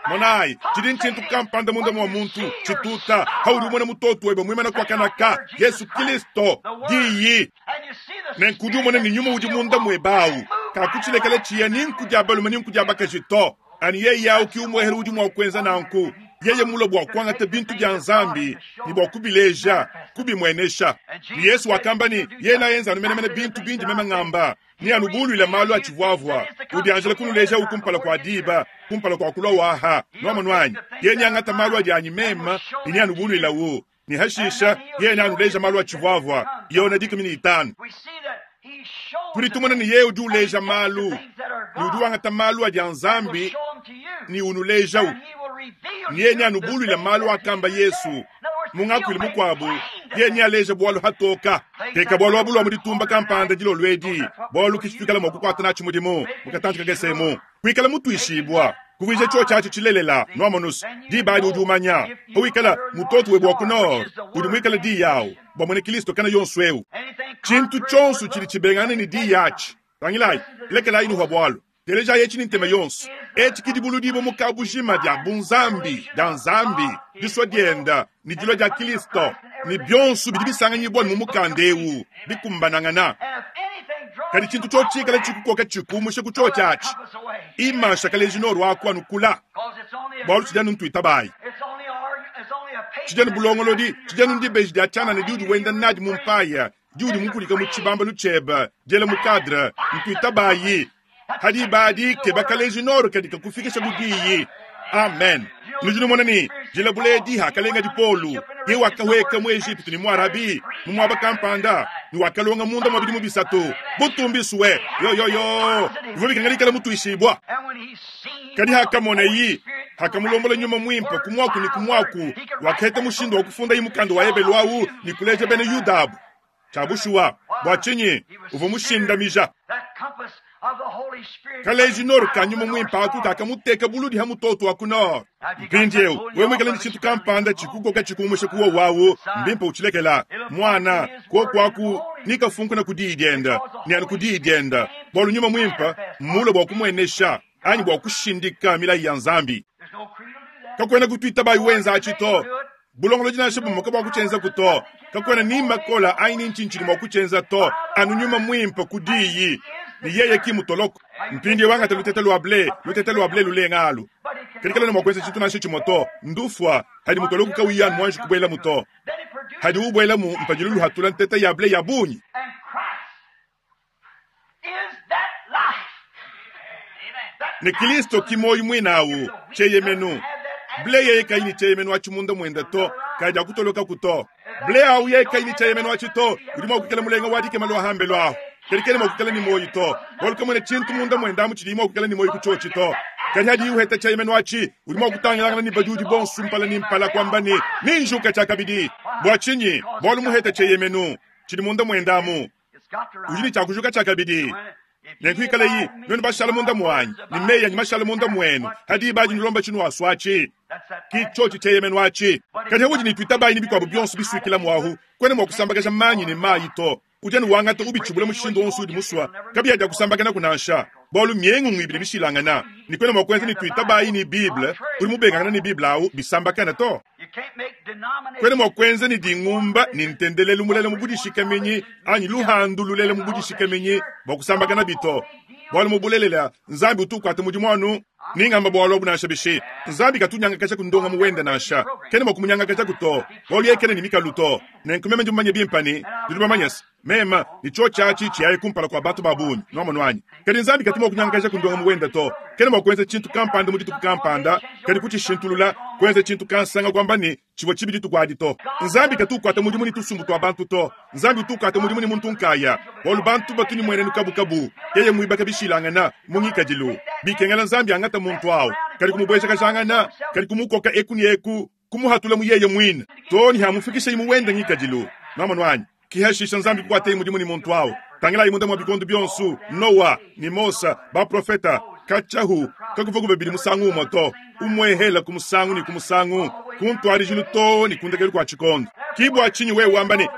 monayi tshidi ntshintu kampanda munda mua muntu tshituta haudi umona mutoto webe muimana kuakanaka Yesu Kristo diyi nenkudi umona ni nyuma udi munda muebawu kakutshilekela tshiya ni nkudia balume ni nkudia bakaji to ani yeye awu ki umwehele udi mua kuenza nanku yeye mula bua kuangata bintu bia nzambi ni bua kubileja kubimuenesha ni Yesu wakamba ni yeye nayenza anu menemene bintu bindi meme ngamba ni anubuluila malu atshivuavua udianjela kunuleja ukumpala kua diba kumpala kua kulua waha nuamanwanyi yeye niangata malu adi anyi mema ni anubuluila wu ni hashisha yeye nianuleja malu atshivuavua yona dikumi ni itanu tudi tumona ni yeye udi uleja malu ni udi wangata malu adi a nzambi ni unulejawu ni yeye nianubuluila malu akamba Yesu mungakwili mukwabu ye nialeja bwalu hatoka teka bwalu abulwa mu ditumba kampanda dilolwedi bwalu kishitwikala mua kukwata natshi mudimu mukatanji kakesemu kwikala mutuishibwa kuvuija tsho tshiatshi tshilelela nuamonusu dibadi udi umanya pawikala mutoto webe wa ku nord udi muikala di yawu bua muena Kristo kana yonso eu tshintu tshionso tshidi tshibengana ne di yatshi tangilayi lekelayi nuhwa bwalu teleja yetshi ni ntema yonso etshi kidibuludibo mukabujima dia bunzambi dia nzambi diswa dienda ni dilua dia Kristo ni bionso bidi bisanganyibwa mu mukanda eu bikumbanangana kadi tshintu tshotshikala tshikukoka tshikumusha ku tsho tshiatshi imasha kaleji nord wako anukula bualu tshidi anu ntuitabayi tshidi anu bulongolodi tshidi anu ndibeji dia tshianana diudi wenda nadi mu mpaya diudi mukulika mu tshibambalu tshiebe diela mu kadre ntuitabayi hadi badi keba kaleji nord kadi kakufikisha kudiyi amen nudi numona ni dilabuledi hakalenga dipolu ye wakahweka mu Egypte ni mu Arabi mu mwaba kampanda ni wakalonga munda mwa bidimu bisatu butumbiswe yo yo yo bivua bikangalikala mutuishibwa kadi hakamona yi hakamulombola nyuma mwimpa kumwaku ni kumwaku wakaheta mushindu wa kufunda yi mukanda wa ebelu awu ni kuleja bena Yudabu tshiabushuwa bua tshinyi uvua mushindamija kaleji nord ka nyuma mwimpa aku kakamuteka buludi ha mutoto wa ku nord mpindiewu wewe mwikala ni tshintu kampanda tshikukoka tshikumusha kuwa wawu mbimpa utshilekela mwana koku aku nikafunkuna ku diyi dienda ni anu ku diyi dienda bualu nyuma mwimpa mmula bua kumuenesha anyi bua kushindika milayi ya nzambi kakwena kutuita bayi wenza atshi to bulongolodi nansha bumuka bua kutshenza ku to kakwena ni makola anyi ni ntshintshili mua kutshenza to anu nyuma mwimpa ku diyi ni yeye ki mutoloko mpindi wangata lutete lwa ble lutete lwa ble lulenga alu kadi kalona mua kuenza tshintu nansha tshimue to ndufua hadi mutoloko kauyi anu muanji kubuela mu to hadi ubuela mu mpadilu luhatula ntete ya ble ya bungi ne Kristo ki moyi mwinawu tsheyemenu ble yeye kayi tsheyemenu atshi munda mwenda to kadi akutoloka ku to ble awu yeye kayi tsheyemenu atshi to udi mua kukela mulenga wa dikema lwa hambe lwaho kadi kene mua kukela ni moyi to bualu kamwene tshintu munda mwenda amu tshidi mua kukela ni moyi ku tshotshi to kadi hadi uheta tsheyemenu atshi udi mua kutangilangana ni badi udi bonso mpala ni mpala kwamba ni ninjuka tshiakabidi bua tshinyi bualu muheta tsheyemenu tshidi munda mwenda amu udi ni tshiakujuka tshiakabidi nenkuikala yi nuenu bashala munda mwanyi ni meyi anyi mashala munda mwenu hadi badi nilomba tshinu aswatshi ki tshotshi tsheyemenu atshi kadi haudi ni tuitabayi ni bikuabu bionso bisuikila mwahu kwene mua kusambakaja manyi ni mayi to udi anu wangata ubitshibula mushindu wonso udi muswa kabiya dia kusambakana kunansha bualu miengungu ibidi bishilangana ni kwene mua kuenza ni tuitabayi ni Bible udi mubengangana ni Bible awu bisambakana to Kwena mwa kuenza ne dingumba ne ntendelelu mulela mu budishikaminyi anyi luhandu lulela mu budishikaminyi bua kusambakana bito. Bwalu mu bulelela Nzambi utukwata mudimu anu ningamba bwalu abu nansha bishi. Nzambi katunyangakaja kundonga muwenda nansha. Kena mwa kumunyangakaja kuto. Bwalu yeye kena ni mikalu to. Nenku meme ndi mumanye bimpe ne nudi bamanye se mema ni cho chachi chiyaye kumpala kwa bantu ba bungi nwamonu wanyi. Kadi Nzambi katu mwa kunyangakaja kundonga muwenda to. Kena mwa kuenza tshintu kampanda mu dituku kampanda kadi kuchishintulula kuenza tshintu kansanga kwamba ni chivua chibi dituku adi to. Nzambi katukwata mudimu ni tusumbu twa bantu to. Nzambi utukwata mudimu ni muntu nkaya. Bwalu bantu batu ni mwenenu kabukabu. Yeye mwibaka bishilangana mu ngikadilu. Bikengela Nzambi angata muntu awo. Kadi kumubwesha kashangana, kadi kumukoka eku ni eku, kumuhatula mu yeye mwine. To ni hamufikisha imu wenda ngikadilu. Nwamonu wanyi. Kihashisha Nzambi kukwata mudimu ni muntu awo. Tangila imunda mwa bikondo byonsu, Noa ni Mosa, ba profeta, kachahu, kakuva kubebili musangu umoto, umwehela kumusangu ni kumusangu, kuntwarijilu to ni kundekelu kwa chikondo. Kibwa chinyi wewe wambane,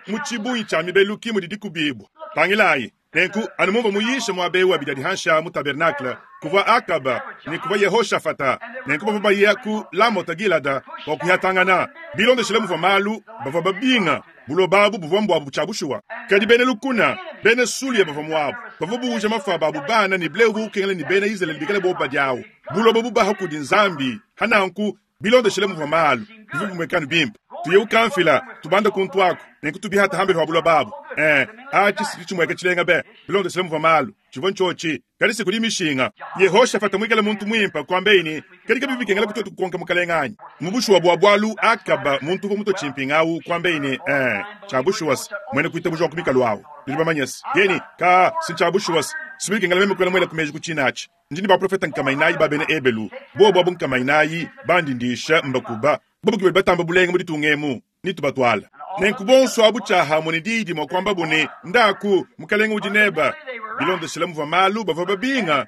muchibuyi cha mibelu kimu didikubibwa. Tangilayi, nenku anumumva muyisha mwabewa bidadi hansha mu tabernacle, kuva Akaba ni kuva Yehoshafata, nenku bava baya ku Lamota Gilada wa kuhatangana. Bilondeshele muva malu, bava babinga, buloba abu buvua mbwabu butshabushuwa. Kadi bene lukuna, bene Sulia bavua muabu, bavua buuja mafa babu bana ni bleu bukengele ni bene Israeli bikale boba diawu. Buloba bubaha kudi Nzambi, hananku bilondeshele muva malu, bivua bumwekanu bimpe. Tuye ukamfila, tubanda kuntu ako, nenku tubihata hambele wa buloba abu. Eh, achi si chimweke chilenga be, bilondeshele muva malu, chivua nchochi, kadi siku di mishinga. Yehoshafata mwikale muntu mwimpa kwambeini, kadi kabibi kengela kutoto kukonka mukalenganyi. Mubushuwa bwa bwalu Akaba muntu ko muto chimpingawu kwambeini, eh, chabushuwas, mwene kuita bujwa kumikalu awu. Nudi bamanyesi. Yeni, ka si chabushuwas, sibili kengela meme kwela mwela kumeji kuchinachi. Ndini ba profeta nkamainayi ba bene Ebelu, bo bwabu nkamainayi bandindisha mbakuba, bobu kibe batamba bulenga mu ditungemu, nitubatwala. Nenku bonso abu chaha mune didi mwa kwamba bune ndaku mukalenga udi neba. Bilondeshele muva malu bava babinga.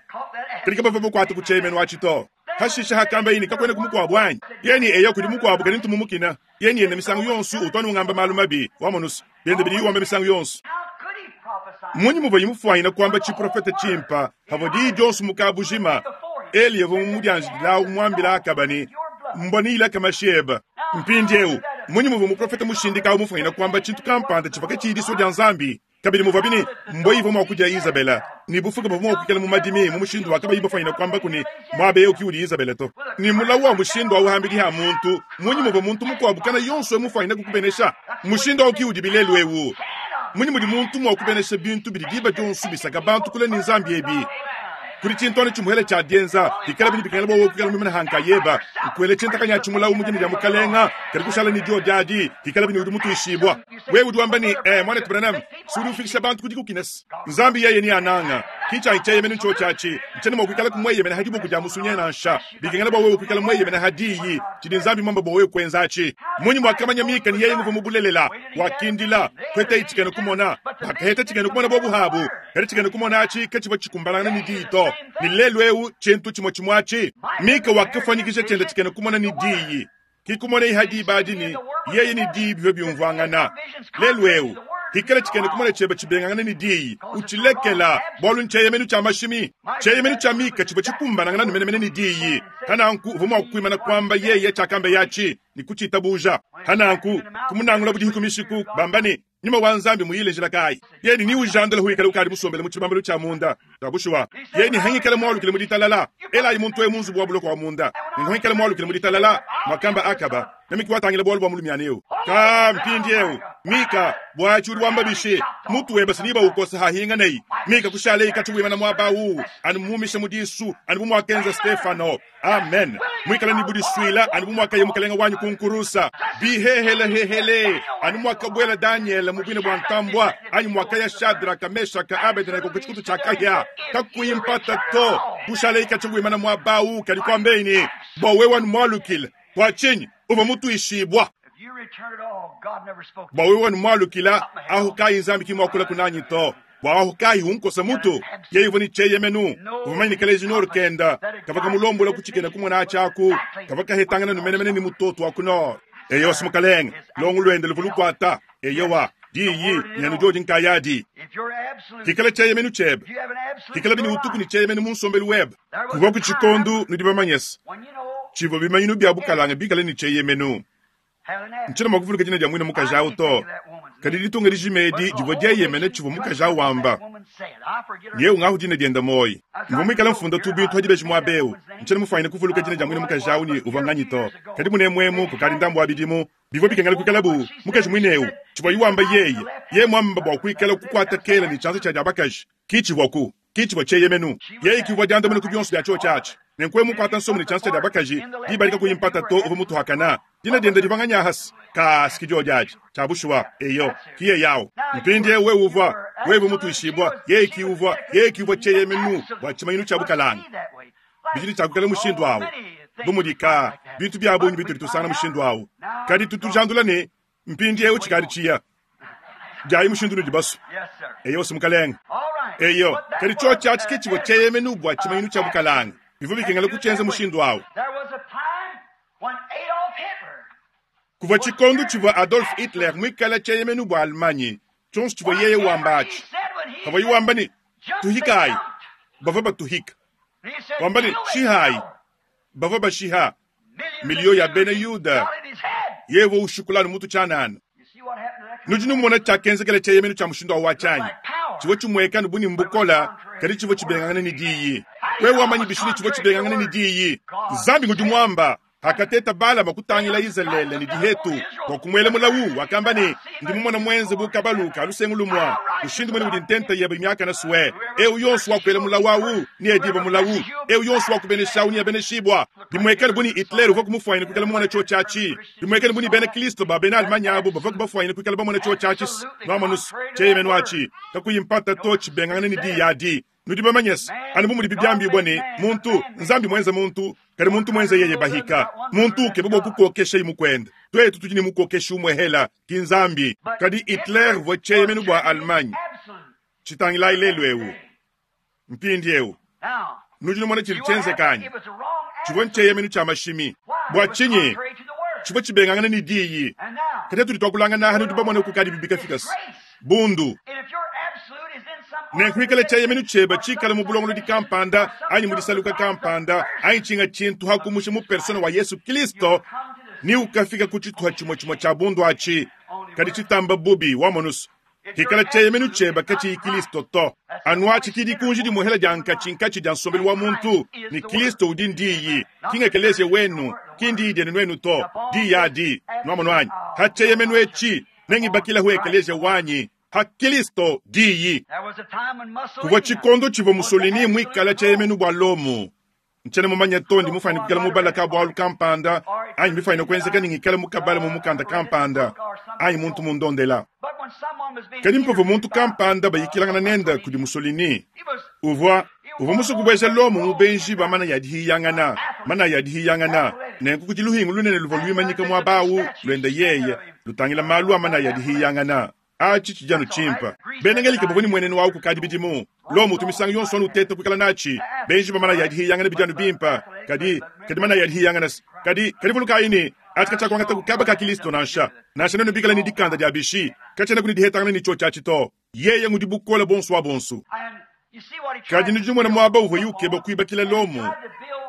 Kadi bava bukwata kuchemenu wachito. Hashisha hakamba yini kakwena kumukwabwa wanyi. Yeni eyo kudi mukwabo kadi ntumumukina. Yeni yenda misangu yonsu utwanu ngamba malu mabi wamonusu. Bende bidi wamba misangu yonsu. Munyi muva yimufwanyina kwamba chiprofeta chimpa havo di jonsu mukabujima. Eli yevo mumudyanjila umwambila akabani mbonila kamasheba. Mpindi eu munyi muva muprofeta mushindika umufwanyina kwamba chintu kampanda chivaka chidiso dya Nzambi. Kabili muva bini mboivo mwakuja Isabela ni bufuka bwa mwakukela mu madimi mu mushindu wakaba ibafanyina kwamba kuni mwabe yo kiuli Isabela to ni mulawu wa mushindu wa uhambili ha muntu munyi muva muntu mukwabukana yonso emufanyina kukubenesha mushindu wa kiuli bilelu ewu munyi mudi muntu mwakubenesha bintu bidi diba jonso bisaka bantu kule ni Nzambi ebi kuli chintone chimuhele cha dienza dikala bini bikala bo kukela mimena hanka yeba nkwele chintakanya chimulawu mujini lya mukalenga kali kushala ni dio jadi dikala bini udi mutuishibwa wewe udi wamba ni eh mwana Branham suri ufikisha bantu kudi kukines Nzambi yeye ni ananga kicha icheye menu cho chachi nchene mwa kumweye mena hadibo kuja musunye nansha bikengela bo wewe kukala mweye mena hadiyi chidi Nzambi mamba bo wewe kwenzachi munyi mwakamanya mika ni yeye nguvu mubulelela wakindila kwete ichikene kumona bakaheta chikene kumona bo buhabu kali chikene kumona achi kachibo chikumbalana ni dito ni lelu eu chintu chimo chimwachi mika wakafanyikisha chenda chikene kumona ni diyi kikumona ihadi badini yeye ni diyi bivyo byumvangana lelu eu hikala chikene kumona cheba chibengana ni diyi uchilekela bolu ncheye menu cha mashimi cheye menu cha mika chibo chikumbanangana numenemene ni diyi hananku uvuma kuimana kwamba yeye chakambe yachi ni kuchitabuja hananku kumunangula budihukumishiku bambani nyuma wa Nzambi muyile njila kai yeni ni ujandala huikala ukali musombele mu chibambalo cha munda tabushuwa yeni hangikala mwalukile muditalala ela imuntu emunzu bwa buloko wa munda ngihangikala mwalukile muditalala mwakamba Akaba namikiwatangila bwalu bwa mulumyaneo ka mpindi eu mika bwachuri wamba bishi mutu weba siniba ukosa hahinga nei mika kushale ikachiwima na mwabawu anumumisha mudisu anubumwakenza Stefano amen mwikala ni budiswila anubumwakaye mukalenga wanyu kunkurusa bihehele hehele anumwakabwela Daniel mubwine bwa ntambwa anyu mwakaya Shadraka Meshaka Abednego kuchikutu chakaya kakuimpata to kushale ikachiwima na mwabawu kalikwambeini bwa wewe wanumwalukile twachinyi uva mutuishibwa bwa wewe wanumwalukila aho kai Nzambi kimwakula kunanyi to bwa aho kai hunkosa mutu yeivo ni cheye menu uvamanyikala izinoro kenda kavaka mulombola kuchikena kumwana achaku kavaka hetangana numenemene ni mutoto wakuno eyo simukalenga longu lwende luvulukwata eyowa diyi nyanu jodi nkayadi kikala cheye menu chebe kikala bini utuku ni cheye menu munsombelu webe kuva kuchikondu nudi bamanyesa chivo bimanyinu bya bukalanga bikala ni cheye menu Ntshiena mua kuvuluka dina dia muine mukaji awu to, kadi ditunga dijima edi divua dieyemene tshivua mukaji awu wamba. Yewu ngahu dina diende muoyi. Mvua muikale mfunda tu bintu pa dibeji muaba eu. Ntshiena mufuanyine kuvuluka dina dia muine mukaji awu ne uvua nganyi to. Kadi munemuemu kukadi ndambu wa bidimu, bivua bikengela kuikala bu mukaji muine eu. Tshivuaye wamba yeye, yeye muamba bua kuikala kukuata kela ne tshianza tshia dia bakaji, ki tshivuaku, ki tshivua tshieyemenu. Yeye ki uvua diandamuna ku bionso bia tshiotshi atshi. Nenku wewe mukuata nsomo ne tshianza tshia dia bakaji, diba adi kakuyi mpata to uvua mutuakana. Dina diende divua nganyi ahasi? Kaa, si ki diodi adi. Tshia bushuwa, eyo, ki yeye awu. Mpindiewu wewe uvua, wewe mutuishibua, yeye ki uvua, yeye ki uvua tshieyemenu bua tshimanyinu tshia bukalanga. Bidi ne tshia kuikala mushindu awu. Bu mudi kaa, bintu bia bungi bitudi tusangana mushindu awu. Kadi tutujandula ne, mpindiewu tshikadi tshiya. Diayi mushindu unudi basue. Eyo, si mukalenge. Eyo, kadi tshiotshi atshi ke tshivua tshieyemenu bua tshimanyinu tshia bukalanga. Bivua bikengela kutshienza mushindu awu. Kuvua tshikondo tshivua Adolf Hitler muikale tshieyemenu bua Allemagne. Tshionso tshivua yeye wamba atshi, pavuaye wamba ne, Tuhikayi, bavua batuhika. Wamba ne, Shihayi, bavua bashiha. Miliyo ya bena Yuda, yeye uvua ushikula anu mutu tshianana. Nudi numona tshiakenzekela tshieyemenu tshia mushindu awu tshianyi? Tshivua tshimueka anu bu ne mbukola, kadi tshivua tshibengangana ne diyi. Wewe wamanyi bishi ne tshivua tshibengangana ne diyi? Nzambi ngudi muamba. Hakateta Balama kutangila Izalele ne dihetu bua kumuela mulawu, wakamba ne, Ndi mumona muenze bu kabalu ka lusengu lumua, mushindu muene udi ntenta yebe miakane sue. Eu yonso wakuela mulawu awu needibue mulawu, eu yonso wakubenesha awu neabeneshibua. Bimuekele bu ne Hitler uvua kumufuanyine kuikala mumone tshiotshi atshi. Bimuekele bu ne bena Kristo ba bena Allemagne abu bavua kubafuanyine kuikala bamone tshiotshi atshi. Nuamonus, tshieyemenu atshi, kakuyi mpata to tshibengangane ne diyi adi. Nudi bamanye se, anu bu mudibi biambibua ne, muntu, Nzambi muenze muntu, kadi muntu muenze yeye bahika. Muntu ukeba bua kukokesha mukuende. Tuetu tudi ne mukokeshi umue hela, ki Nzambi. Kadi Hitler uvua tshieyemenu bua Allemagne. Tshitangilayi lelu eu. Mpindieu, nudi numona tshidi tshienzeka anyi? Tshivua ntshieyemenu tshia mashimi. Bua tshinyi? Tshivua tshibengangana ne diyi. Kadi tudi tuakulangana aha, nudi bamone kukadi bibikafika se bundu. Nenkuikale tshieyemenu tshiebe tshikale mu bulongolodi kampanda anyi mu disaluka kampanda anyi tshinga tshintu hakumusha mu persona wa Yesu Kristo, ni ukafika ku tshituha tshimue tshimue tshia bundu atshi, kadi tshitamba bubi wamonusu. Hikala tshieyemenu tshiebe katshiyi Kristo to. Anu atshi ki dikunji dimuhela dia nkatshinkatshi dia nsombelu wa muntu, ne Kristo udi ndiyi, ki ngekeleziya wenu, ki ndiyi dienu nuenu to, diyi adi. Nuamonu anyi? Ha tshieyemenu etshi, nengibakilahu ekeleziya wanyi, ha Kristo diyi. Kuvua tshikondo tshivua Mussolini muikale tshieyemenu bua Lomo. Ntshiena mumanye to ndi mufuanyine kuikala mubala ka bualu kampanda anyi mbifuanyine kuenzeka ne ngikale mukabala mu mukanda kampanda anyi muntu mundondela. Kadi mpavua muntu kampanda bayikilangana nende kudi Mussolini, uvua uvua musue kubueja Lomo mu benji ba manaya a dihiyangana, manaya a dihiyangana. Nenku kudi luhingu lunene luvua luimanyika muaba awu luende yeye lutangila malu a manaya a dihiyangana. Atshi tshidi anu tshimpe. Bena Ngelika bavua ne muenenu awu kukadi bidimu. Lomo utu misangu yonso anu uteta kuikala natshi. Benji ba manaya a dihiyangana bidi anu bimpe, kadi kadi manaya a dihiyangana kadi kadi vulukayi ne, atshi katshiakuangata ku kaba ka Kristo nansha. Nansha nuenu bikale ne dikanda dia bishi, katshiena ku ne dihetangana ne tshiotshi atshi to. Yeye ngudi bukole buonso wa bonso. Kadi nudi numona muaba uvuaye ukeba kuibakila Lomo.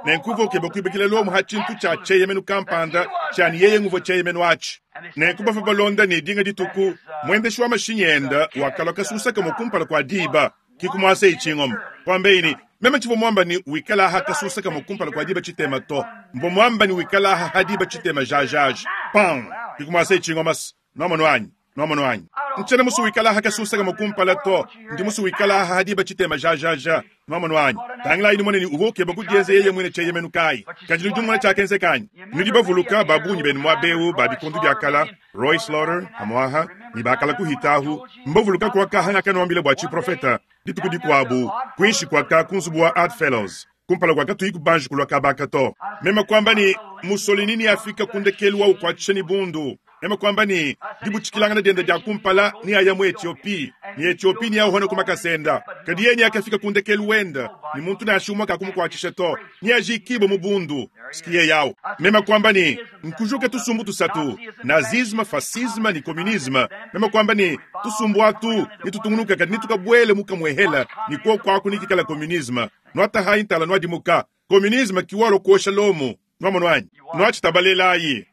Nenku uvua ukeba kuibakila Lomo ha tshintu tshia tshieyemenu kampanda tshia ne yeye nguvua tshieyemenu atshi. Nenku bavua balonda ne dinga dituku, muendeshi wa mashinyi enda wakalua kasusa kamue kumpala kua diba, ki kumuaseyi tshingoma. Kuambeyi ne, meme tshivua muamba ne wikala aha kasusa kamue kumpala kua diba tshitema to. Mvua muamba ne wikala aha ha diba tshitema jajaja. Pang! Ki kumuaseyi tshingoma. Nuamonu anyi? Nuamonu anyi? Ntshiena musue wikala aha kasusa kamue kumpala to. Ndi musue wikala aha ha diba tshitema jajaja. Nuamonu anyi? Tangilayi numone ne uvua ukeba kudienza yeye muine tshieyemenu kayi. Kadi nudi numona tshiakenzeka anyi? Nudi bavuluka ba bungi benu muaba eu ba bikondo bia kala, Roy Slaughter, hamuaha, ne bakala kuhita ahu, mbavuluka kuakaha ngakanuambila bua tshiprofeta dituku dikuabu, kuinshi kuaka ku nzubu wa Art Fellows, kumpala kua katuyi kubanji kulua kabaka to. Meme kuamba ne, Mussolini neafika ku ndekelu wa ukuatshisha ne bundu. Meme kuamba ne, dibutshikilangana diende dia kumpala neaya mu Ethiopie, ne Ethiopie neauhone ku makasa enda. Kadi yeye neakafika ku ndekelu wenda, ne muntu nansha umue kakumukuatshisha to, neajikibue mu bundu. Sikiye yawu. Meme kuamba ne, nkujuke tusumbu tusatu, nazisme, fascisme ne communisme. Meme kuamba ne, tusumbu atu nitutungunuka kadi nitukabuele mu kamuehela, ne kuoku aku nikikala communisme. Nuatahayi ntala nuadimuka. Communisme kiwalo kuosha Lomo. Nuamonu anyi? Nuatshitabalelayi.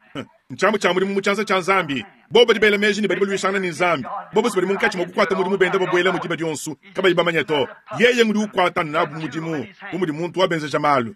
Ntshiamu tshia mudimu mu tshianza tshia Nzambi. Bobo badi bela meji ne badi baluishangana ne Nzambi. Bobo badi munkatshi mua kukuata mudimu benda babuela mu diba dionso kabayi bamanye to. Yeye ngudi ukuata nabu mudimu bu mudi muntu wabenzeja malu.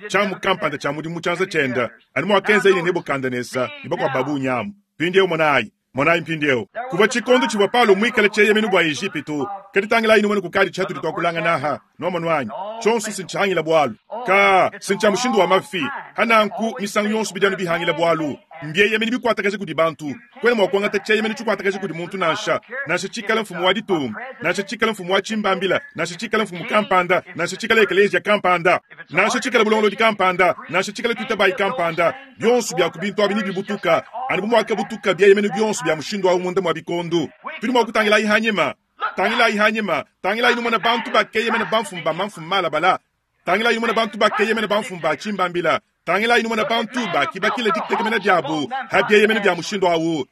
Tshiamu kampanda tshia mudimu mu tshianza tshiende anu muakenza yeye Nebukadnesa ne bakuabu ba bungi amu. Mpindieu monayi, monayi mpindieu. Kuvua tshikondo tshivua Paulo muikale tshieyemenu bua Ejipitu. Kadi tangilayi numone kukadi tshiatudi tuakulangana aha. Nuamonu anyi? Tshionso sintshihangila bualu. Ka sintshia mushindu wa mafi. Hananku misangu yonso bidi anu bihangila bualu. Mbieyemeni bikuatakaje kudi bantu. Kwena mua kuangata tshieyemeni tshikuatakaje kudi muntu nansha. Nansha tshikala mfumu wa ditunga, nansha tshikala mfumu wa tshimbambila, nansha tshikala mfumu kampanda, nansha tshikala ekelezia kampanda, nansha tshikala bulongolodi kampanda, nansha tshikala tuitabayi kampanda. Bionso bia ku bintu abi nibibutuka, anu bu muakabutuka bieyemeni bionso bia mushindu awu munda mua bikondo. Tudi mua kutangilayi hanyima, tangilayi hanyima, tangilayi numona bantu bakeyemena bamfumu ba mamfumu malabala. Tangilayi numona bantu bakeyemena bamfumu ba tshimbambila. Tangilayi numona bantu bakibakila ditekemena diabu ha bieyemeni bia mushindu awu.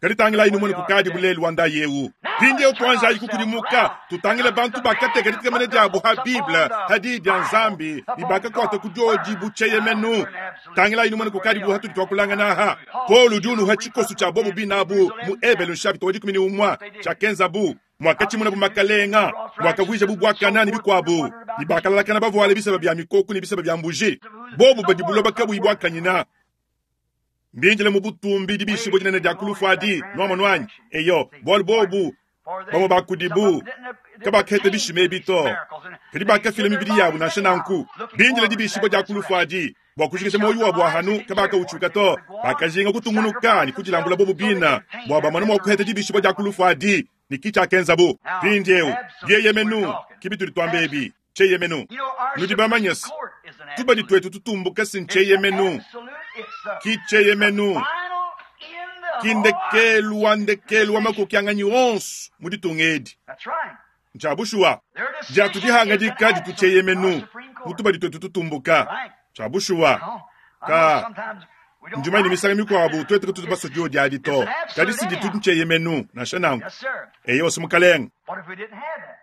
Kadi tangilayi numone kukadi bulelu wa ndayi ewu. Mpindieu tuanjayi kukudimuka, tutangile bantu bakateka ditekemena diabu ha Bible, ha diyi dia Nzambi, ne bakakuata ku diodi bu tshieyemenu. Tangilayi numone kukadi bu hatudi tuakulangana aha. Paulo udi unuha tshikoso tshia bobu binabu mu Ebelu nshapita wa dikumi ne umue tshiakenzabu. Mwakatshimuna bu makalenga, mwakavuija bu buakana ne bikuabu, ne bakalalakana bavuale bisaba bia mikoko ne bisaba bia mbuji. Bobu badi buloba kabuyi buakanyina. Mbindile mu butumbi dibishibua dinene dia kulufu adi, nuamonu anyi? Eyo, bualu bobu bamue ba kudibu kabakaheta bishima ebi to, kadi bakafila mibidi yabu nansha nanku. Bindile dibishibua dia kulufu adi bua kujikija muoyo wabu wa hanu kabakautshuka to, bakajinga kutungunuka ne kudilambula bobu bina bua bamone mua kuheta dibishibua dia kulufu adi. Ni kichakenzabu mpindieu bieyemenu kibi tudi tuamba ebi tshieyemenu. Nudi bamanye se tubadi tuetu tutumbuka si ntshieyemenu, ki tshieyemenu, ki ndekelu wa ndekelu wa makokianganyi onso mu ditunga edi. Ntshia bushuwa diatu dihangadika ditu tshieyemenu mu tubadi tuetu tutumbuka. Ntshia bushuwa ka ndimanye ne misangu mikuabu tuetu katutu basue diodi adi to, kadi si ditu ntshieyemenu nansha nanku. Eyo si mukalenga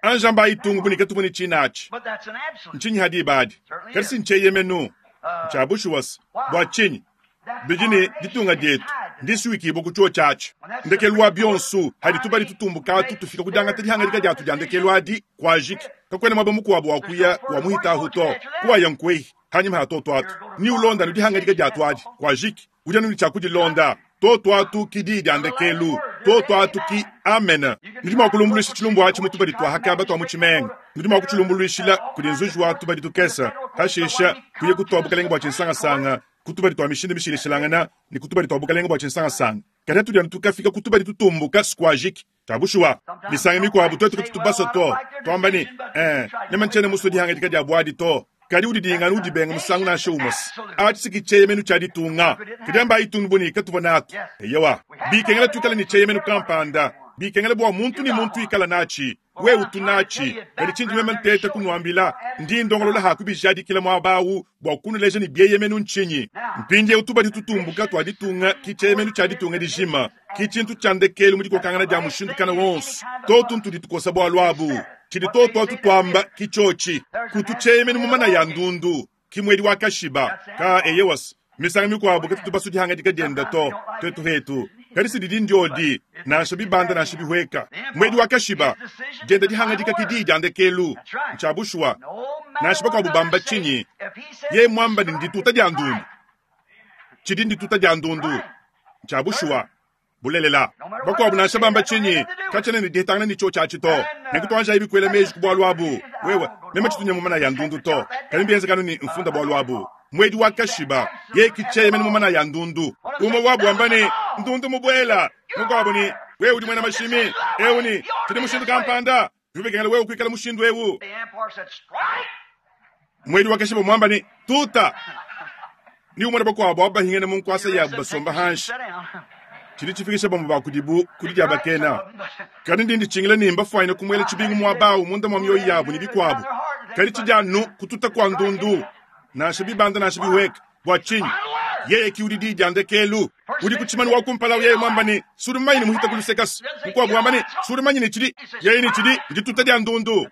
anjamba ayitungu bunika tuvune tshinatshi ntshinyi hadi ibadi, kadi si ntshieyemenu. Ntshia bushuwa se bua tshinyi bidi ne ditunga dietu ndisuikibua ku tshiuo tshiatshi. Ndekelu wa bionso hadi tubadi tutumbukatu tufika ku diangata dihangadika diatu dia ndekelu adi kuajiki. Kakuena muaba mukuabu wa kuya wa muhitahu to, kuwaya nkwehi hanyima ha toto atu ni ulonda nu dihangadika diatu adi kuajiki. Udi anu ne tshia kudilonda. Toto atu ki diyi dia ndekelu. Toto atu ki amen. Nudi mua kulumbuluisha tshilumbu atshi mu tubadi tua hakaba tua mu tshimenga. Nudi mua kutshilumbuluishila kudi nzuji wa tubadi tukesa. Hashisha kuya kutua bukalenge bua tshinsangasanga ku tubadi tua mishindu mishilashilangana ne ku tubadi tua bukalenge bua tshinsangasanga. Kadi atudi anu tukafika ku tubadi tutumbuka sikuajiki. Tshia bushuwa misangu mikuabu tuetu katutu basue to tuamba ne eh meme ntshiena musue dihangadika dia buadi to. Kadi udi dingana udi benga musangu nansha umwe. Atshi si tshieyemenu tshia ditunga. Kadi amba ayitungu buni katuvua natu. Eyowa, bikengela tuikale ne tshieyemenu kampanda. Bikengela bua muntu ne muntu ikala natshi. Wewe utu natshi. Kadi tshindi meme nteta kunuambila, ndi ndongolola ha kubijadikila muaba awu bua kunuleja ne bieyemenu ntshinyi. Mpindieu tubadi tutumbuka tua ditunga ki tshieyemenu tshia ditunga dijima. Ki tshintu tshia ndekelu mu dikokangana dia mushindu kana wonso. Totu ntudi tukosa bualu abu. Tshidi toto atu tuamba ki tshiotshi. Kutu tshieyemenu mu mana ya ndundu. Ki mwedi wa kashiba. Ka eyewas. Misangu mikuabu katutu basue dihangadika dienda to. Tuetu hetu. Kadi si didi ndiodi, nansha bibanda nansha bihweka. Mwedi wa kashiba. Dienda dihangadika ki diyi dia ndekelu. Ntshia bushuwa. Nansha bakuabu bamba tshinyi. Ye mwamba ni ndituta dia ndundu. Tshidi ndituta dia ndundu. Ntshia bushuwa. Bulelela. Bakuabu nansha bamba tshinyi. Katshiena ne dihetangana ne tshio tshiatshi to. Nenku tuanja ibi kuela meji ku bualu abu. Wewe, meme tshitunya mu mana ya ndundu to. Kadi mbienzekanu ni mfunda bualu abu. Mwedi wa kashiba, ye kitshieyemene mu mana ya ndundu. Umwe wabu wamba ne, ndundu mubuela. Mukuabu ni, wewe udi mwena mashimi. Ewu ni, tshidi mushindu kampanda. Bibekengela wewe kuikala mushindu ewu. Mwedi wa kashiba mwamba ni, tuta. Ni umwe bakuabu abahingene mu nkwasa yabu basomba hanshi. Tshidi tshifikisha bamwe ba kudibu kudi dia bakena. Kadi ndi nditshingila ne mbafuanyine kumuela tshibingu muaba awu munda mua mioyo yabu ne bikuabu. Kadi tshidi anu kututa kua ndundu. Nansha bibanda nansha bihweka. Bua tshinyi? Yeye ki udi diyi dia ndekelu. Udi ku tshimanu wa kumpala yeye mwamba ne, sudi mumanyi ne muhita ku lusekasi. Mukuabu wamba ne, sudi mumanyi ne tshidi. Yeye ne tshidi, ndituta dia ndundu.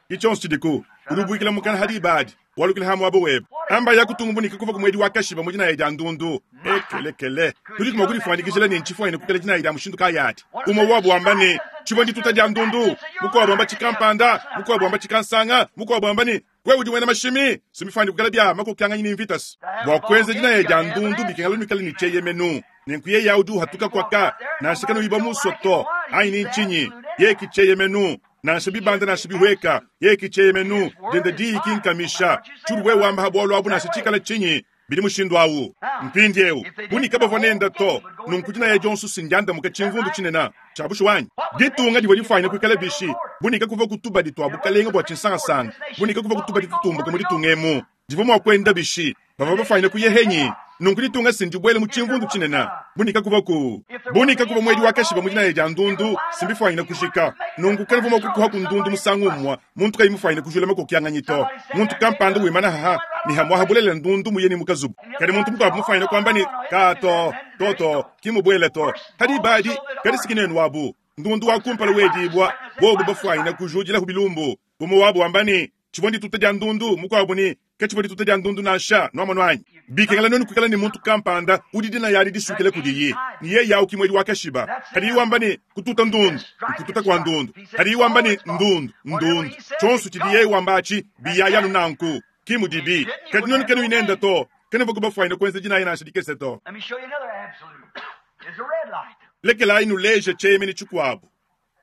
Ki tshionso tshidiku. Udi ubuikila mukana hadi ibadi. Walukila ha muaba webe. Amba ya kutungubunika kuva ku mwedi wa kashiba mu dinaya dia ndundu. Ekelekele. Tudi kuma kudifuanyikijila ne ntshifuanyine kukala dinaya dia mushindu kayadi. Umwe wabo wamba ne tshivua ndituta dia ndundu, mukuabo wamba tshikampanda, mukuabo wamba tshikansanga, mukuabo wamba ne wewe udi wena mashimi, simifani kukala bya makokyanganya ni mvitas. Bua kuenza dinaya dia ndundu bikengela nuikale ni tsheyemenu. Nenku yeye udi uhatuka kwaka, nansha kanu iba musoto, ayi ni nchinyi, ye kicheyemenu. Nansha bibanda nansha bihweka, ye kicheyemenu, denda diyi kinkamisha. Churu wewe wamba habwalo abu nansha chikala chinyi, bidi mushindu awu. Mpindi eu, bunika bavua nenda to, nunku dinaya dionso sindianda muka tshimvundu tshinena. Tshiabushu wanyi. Ditunga divua difuanyine kuikala bishi, bunika kuva kutuba ditwa bukalenga bua tshinsangasanga, bunika kuva kutuba ditutumbuka mu ditunga emu. Divua mua kuenda bishi, bavua bafuanyine kuyehenyi. Nunku ditunga sindibwele mu tshimvundu tshinena. Bunika kuva ku. Bunika kuva mwedi wa kashiba mu dinaya dia ndundu, simbifuanyine kushika. Nunku kanavua mua kukuha ku ndundu musangu umwa, muntu kayi mufuanyine kujula makokyanganya to. Muntu kampanda wimana haha, ni hamwaha bulela ndundu muye ni mukazubu. Kadi muntu mukuabu mufuanyine kwamba ni kato, toto, kimubwele to. Hadi badi, kadi sikinenu wabu. Ndundu wa kumpala wedibwa, bobu bafuanyine kujudila hubilumbu. Bumu wabu wamba ni, tshivua ndituta dia ndundu, mukuabu ni, ketshivua ndituta dia ndundu nansha, nwamonu anyi. Bikengela nenu kuikala ni muntu kampanda, udi dina yali disukile kudiyi. Ni yeye yau kimwedi wa kashiba. Hadi wamba ni kututa ndundu, kututa kwa ndundu. Hadi wamba ni ndundu, ndundu. Chonsu chidi yeye wamba achi, biya yanu nanku. Kimudibi. Kadi nenu kenu inenda to. Kene voku bafuanyine kuenza dina yena ashidikese to. Let me show you another absolute. It's a red light. Lekela inu leje chemeni chikuabu.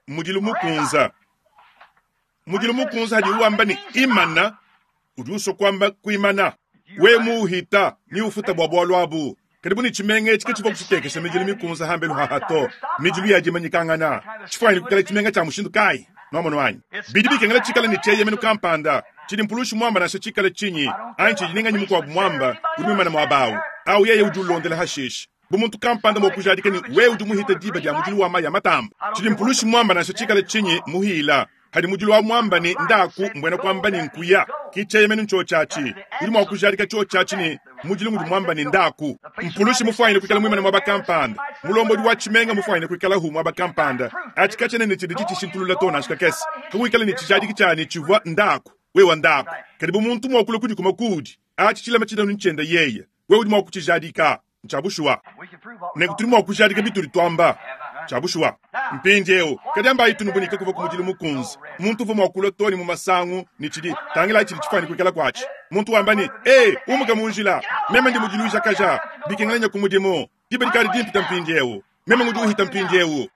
Mudilu mukunza. Mudilu mukunza hadi wamba ni imana, udi uswa kwamba kuimana. We muhita, ni ufuta bwa bwalo abu. Karibu ni chimenge chike chivo kuchitekesha mijilu mikunza hambelu hahato. Mijilu ya jimanyikangana. Chifuanyine kukala chimenga cha mushindu kai. Nwamonu wanyi. Bidi bikengela chikala ni cheye menu kampanda. Chidi mpulushu mwamba nasha chikala chinyi. Anchi jininga nyi mukwabu mwamba, udi mwimana mwabawu. Au yeye udi ulondela hashish. Bumuntu kampanda mwa kujadika ni we udi muhita diba dia mujilu wa maya matamba. Chidi mpulushu mwamba nasha chikala chinyi muhila. Hadi mujilu wa mwamba ni ndaku mbwena kwamba ni nkuya. Kicheye menu ncho chachi. Udi mwa kujadika cho chachi ni mujilu mudi mwamba ni ndaku. Mpulushi mufuanyine kuikala mwimana mwaba kampanda. Mulombo udi wa chimenga mufuanyine kuikala hu mwaba kampanda. Achikachene ni chidi chichishintulula to na shikakesi. Kakuikala ni chijadiki chani chivwa ndaku. Wewa ndaku. Karibu muntu mwa kula kudi kuma kudi. Achi chilema chida nchenda yeye. Wewe udi mwa kuchijadika. Nchabushwa. Nenku tuli mwa kujadika bituri twamba. Chabushwa. Mpindi eu, kadi amba itu nubunika kuva ku mudilu mukunzi. Muntu uva mwa kula toni mu masangu ni chidi tangila chidi chifani kuikala kwachi. Muntu wamba ni, eh, umuka munjila. Meme ndi mudilu jakaja. Bikengela ku mudimu. Diba dikali dimpita mpindi eu. Meme ngudi uhita mpindi eu.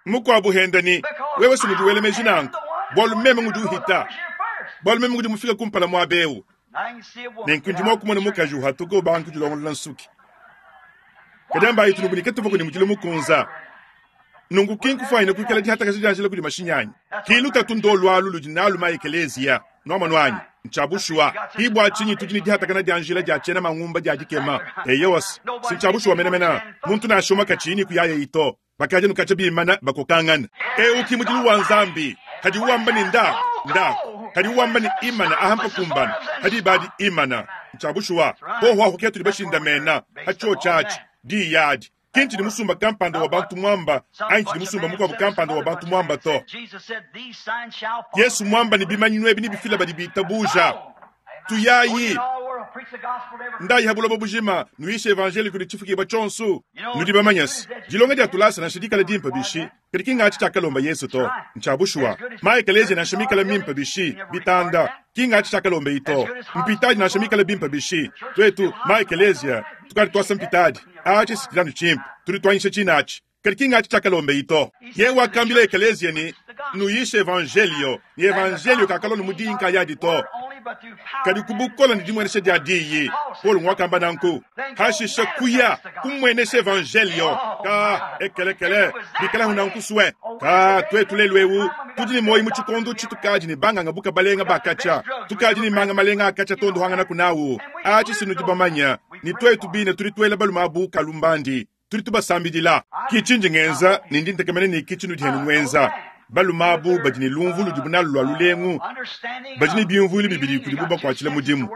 Mukwabu henda ni, wewe si mudiwele meji nanku. Bwalu meme ngudi uhita. Bwalu meme ngudi mufika kumpala mwa beu. Nenku ndi mwa kumona mukaji uhatuka ubanku dilongolola nsuki. Kadi amba itu nubunika tuva kudi mudilu mukunza. Nungu kinkufuanyine kuikala dihatakaja dianjila kudi mashinyanyi. Kilu tatu ndo lwalu ludi nalu ma ekelezia. Nwamonu anyi. Nchabushwa. Hibwa chinyi tudi ni dihatakana dianjila dia tshena mangumba dia dikema. Eyowas. Sinchabushwa menamena. Muntu nashoma kachini kuyaya ito. Bakaja nukacha bimana bakokangana. Eu kimudilu wa nzambi. Hadi wamba ni nda. Nda. Hadi wamba ni imana ahampa kumbana. Hadi badi imana. Nchabushwa. Bohwa huketu libashinda mena. Hacho chachi. Di yadi. Kinchi ni musumba kampanda wa bantu mwamba, anchi ni musumba mukwabu kampanda wa bantu mwamba to. Yesu mwamba ni bimanyi nwebi ni bifila badi bitabuja. Tuyayi. Ndayi habulobo bujima, nuishe evangeli kuli chifuki ba chonsu. Nudi bamanyasi. Dilonga dia tulasa na shidikala dimpa bishi. Kadi kinga achi chakalomba Yesu to. Nchabushwa. Maekeleze na shimikala mimpa bishi. Bitanda. Kinga achi chakalomba ito. Mpitaji na shimikala bimpa bishi. Twetu, maekelezia. Tukari twasa mpitaji. Achi sitilanu chimpa. Tuli twanyisha chinachi. Kadi kinga achi chakalomba ito. Yewa akambila ekelezia ni nuyishe evangelio. Ni evangelio kakalo numudinka yadi to. Kadi kubukola ni dimwenesha dia diyi. Paul mwakamba nanku. Hashisha kuya kumwenesha evangelio. Ka ekelekele. Bikala hunanku swe. Ka twetu lelwewu. Tudi ni moyi muchikondo chitukaji ni banga ngabuka balenga bakacha. Tukaji ni manga malenga akacha tondo hangana kunawu. Achi sinu dibamanya. Ni twetu bine tuli twela balumabu kalumbandi. Tuli tubasambidila. Kichinji ngenza ni ndi ntekemene ni kichinu dihenu ngenza. Balumabu badi ni lumvu ludi bunalu lwa lulengu. Badi ni bimvuli bibili kudi buba kwa chila mudimu.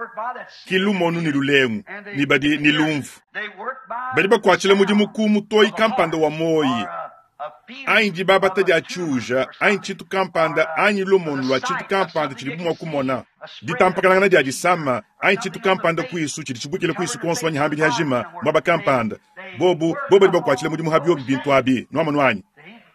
Kilumonu ni lulengu, ni badi ni lumvu. Badi ba kwa chila mudimu ku mutoi kampanda wa moyi. Anyi dibabata dia tshiuja, anyi tshintu kampanda, anyi lumonu lua tshintu kampanda tshidibu mua kumona. Ditampakanangana dia disama, anyi tshintu kampanda kuisu tshidi tshibuikila kuisu kuonso anyi hambidi hajima, muaba kampanda. Bobu, bobu badi bakuatshila mudimu ha biobi bintu abi, nuamonu anyi?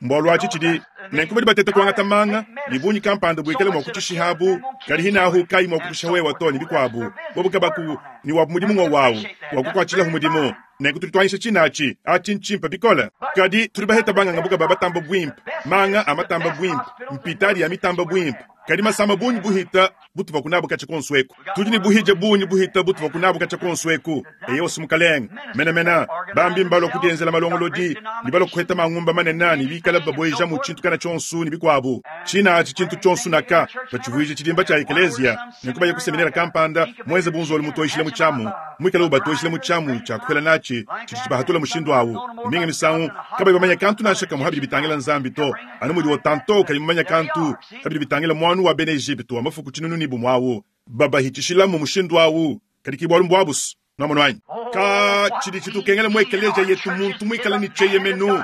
Mbualu atshi tshidi nenku badi bateta kuangata manga ne bungi kampanda buikale mua kutshishihabu, kadi hinahu kayi mua kukusha wewa to ne bikuabu. Bobu kabaku ni wabu mudimu ngwa wawu wa kukuatshilahu mudimu. Nenku tudi tuanyisha tshinatshi atshi ntshimpe bikole. Kadi tudi baheta banganga buka ba batamba buimpe, manga a matamba buimpe, mpitadi ya mitamba buimpe. Kadi masama bungi buhita butuva kunabu katshia konso eku. Tudi ne buhija bungi buhita butuva kunabu katshia konso eku. Eyo mukalenge, mena mena bambi mbalua kudienzela malongolodi, ne balua kuheta mangumba manene ne bikala babueja mu tshintu kana tshionso ne bikuabu. Tshinatshi tshintu tshionso naka batshivuije tshidimba tshia ekeleziya, nenku baye kuseminera kampanda muenze bunzolo mutoyishile mu tshiamu, muikale ubatoyishile mu tshiamu tshia kuhela natshi tshidi tshibahatula mushindu awu. Minga misangu kabayi bamanya kantu nansha kamwe habidi bitangila Nzambi to, anu mudi otanto kayi mumanya kantu habidi bitangila mwanu wa bena Egypte wa mafuku tshinunu ne bumwawu babahitshishilamu mushindu awu. Kadi ki bwalu mbwabusu nuamonu anyi? Ka tshidi tshitukengela mu ekeleziya yetu muntu muikale ne tsheyemenu.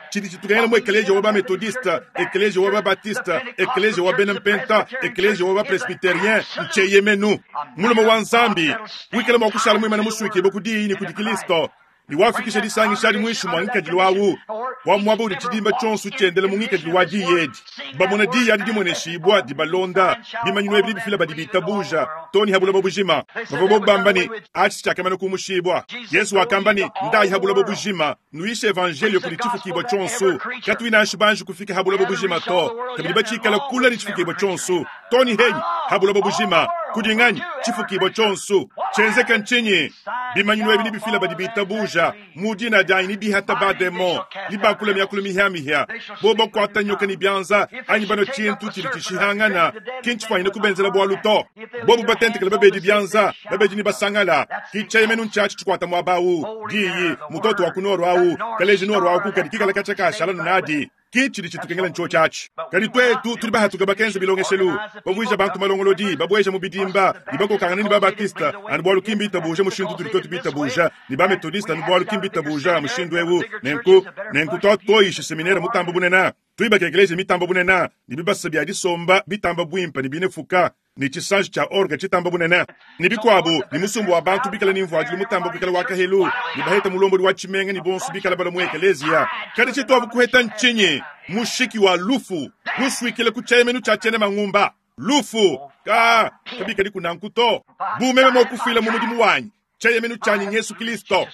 Tshidi tshitukengela mu ekeleziya wa ba methodiste, ekeleziya wa ba baptiste, ekeleziya wa bena mpenta, ekeleziya wa ba presbyterien, ntsheyemenu. Mulume wa Nzambi wikale mua kushala muimane musuikibue ku diyi ne kudi Kristo, ne wafikisha disangisha adi muinshi mua ngikadilu awu wa muaba udi tshidimba tshionso tshiendela mu ngikadilu wa diyi edi. Bamona diyi adi dimueneshibua dibalonda, bimanyinu ebi bifila badi bitabuja to ne ha buloba bujima. Bavua bobu bamba ne atshi tshiakamana kumushibua. Yesu wakamba ne ndayi ha buloba bujima, nuyishe evangelio kudi tshifukibua tshionso. Katuyi nansha banji kufika ha buloba bujima to, kabidi batshikala kula ne tshifukibua tshionso to ne henyi ha buloba bujima. Kudi nganyi tshifukibua tshionso tshienzeka ntshinyi? Bimanyinu ebi nibifila badi bitabuja mu dina dianyi ni bihata bademo ni bakula miakulu mihiamihia bo bakuata nyoka ni bianza anyi bano tshintu tshidi tshishihangana kintshifuanyine kubenzela bwalu to. Bobu batentekele babedi bianza babedi ni basangala kitsheyemenu ntshiatshi tshikuata muaba awu diyi mutoto wa kunoro awu kaleji noro awu kukadi kikala katshia kashala nunadi kitshidi tshitukengela ntsho tshiatshi. Kadi twetu tudi bahatuka bakenza bilongeshelu bavuija bantu malongolodi babueja mu bidimba ne bakokangana ne babatista anu bwalu kimbi itabuja mushindu tudi twetu bitabuja ne bametodista anu bwalu kimbi itabuja mushindu ewu. Nenku nenku twatoyisha seminere mutamba bunena tuibaka ekeleziya mitamba bunena ne bibasa bia disomba bitamba buimpe ne binefuka ne tshisanji tshia orgue tshitamba bunene ne bikuabu ne musumbu wa bantu bikala ne mvuadilu mutamba kuikala wa kahelu ne baheta mulombodi wa tshimenga ne bonso bikala bala mu ekeleziya. Kadi tshituabu kuheta ntshinyi? Mushiki wa lufu musuikile ku tshieyemenu tshia tshiena mangumba lufu ka kabikadi kunanku to. Bumeme mua kufuila mu mudimu wanyi tshieyemenu tshianyi Yesu Kristo.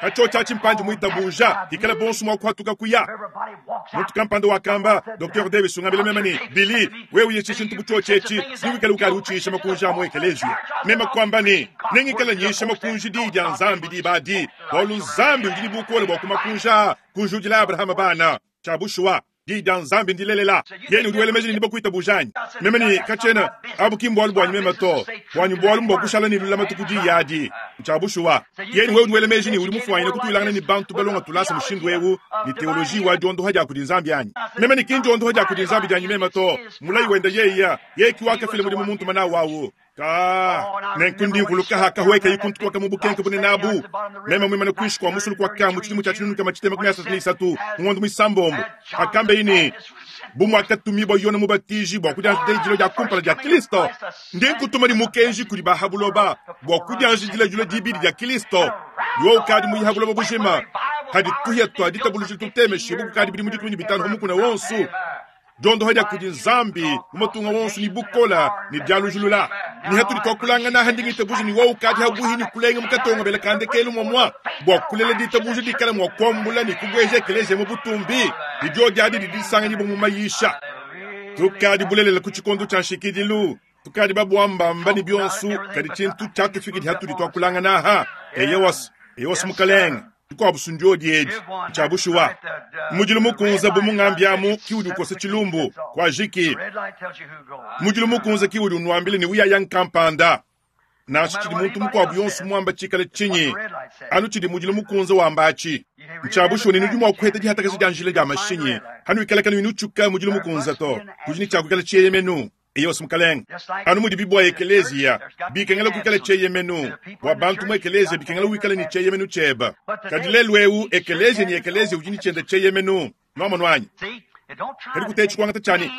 Kacho tshia tshimpanji muitabuja ikala bonso mua kuhatuka kuya. Muntu kampanda wakamba Docteur Davis ungambile meme ne Billy wewe uye tshintu butsho etshi niwikale ukali utshisha makunji a mu ekeleziya. Meme kwamba ne nengikala nyisha makunji di dia Nzambi di badi bwalu Nzambi udi bukole bwa kumakunja kunjudila Abraham bana tshiabushuwa di dia Nzambi ndilelela. Yeye udi wela meji ne bakuitabujanyi. Meme ne kachena abu kimbwalu bwanyi meme to bwanyi bwalu mbwa kushala ne lulamatu ku diyi adi tshiabushuwa. Yeye wewe udi wela meji ne udi mufuanyine kutulangana ne bantu balonga tulasa mushindu ewu ne teoloji wa diondoha dia kudi Nzambi anyi. Meme ne kinji ondoha dia kudi Nzambi dianyi meme to mulayi wenda yeya yeye kiwakafila mudimu muntu mana wawu ka nenku ndivuluka hakahweka ikuntu kwaka mu bukenke bunene abu. Meme mwimane kuishi kwa musulu kwa kamu tshidimu tshia tshinunu kama tshitema makumi asatu ne isatu ngondo mwisambombo akambe ini bumwakatumibwa Yona mubatiji bwa kudianjila dia kumpala dia Kristo ndinkutuma ni mukenji kudi bahabuloba bwa kudianjila dilo dibidi dia Kristo yo ukadi muyihabuloba bujima hadi tuhia twa ditabuluji tutemeshe bukadi bidi mudikumi bitano mukuna wonsu jondo haja kudi Nzambi mumatunga wonsu ni bukola ni dialujulula ni hatuli twakulangana handingitabuji ni wau kadi habuhi ni kulenga mukatonga bela kandekelu mwamwa bwa kulela ditabuji dikala mwa kwambula ni kubweja ekeleziya mu butumbi ni dio diadi didisanga ni mu mayisha tukadi bulelela ku tshikondo tshia nshikidilu tukadi babwambamba ni bionsu kadi tshintu tshiatufikidi hatuli twakulangana aha eyewas eyewas mukalenga dikuabu ndio diedi tshiabushuwa mudilu mukunza bu mungambi amu kiudi ukosa tshilumbu kwa jiki mudilu mukunza kiudi unwambile ni uyaya nkampanda nansha tshidi muntu mukuabu yonso muamba tshikala tshinyi anu tshidi mudilu mukunza wambachi ntshiabushuwa ni nudi mua kuheta dihatakaji dia njila dia mashinyi hanu ikala kanu inutshuka mudilu mukunza to kudi ni tshiakukala tshiyeyemenu Eyo mukalenge. Anu mudibi bua ekeleziya bikengela kuikala tshieyemenu bua bantu mu ekeleziya bikengela wikala ne tshieyemenu tshieba. Kadi lelu eu ekeleziya ne ekeleziya udi ne tshiende tshieyemenu. Nuamonu anyi? Kadi kutetshi kuangata tshiani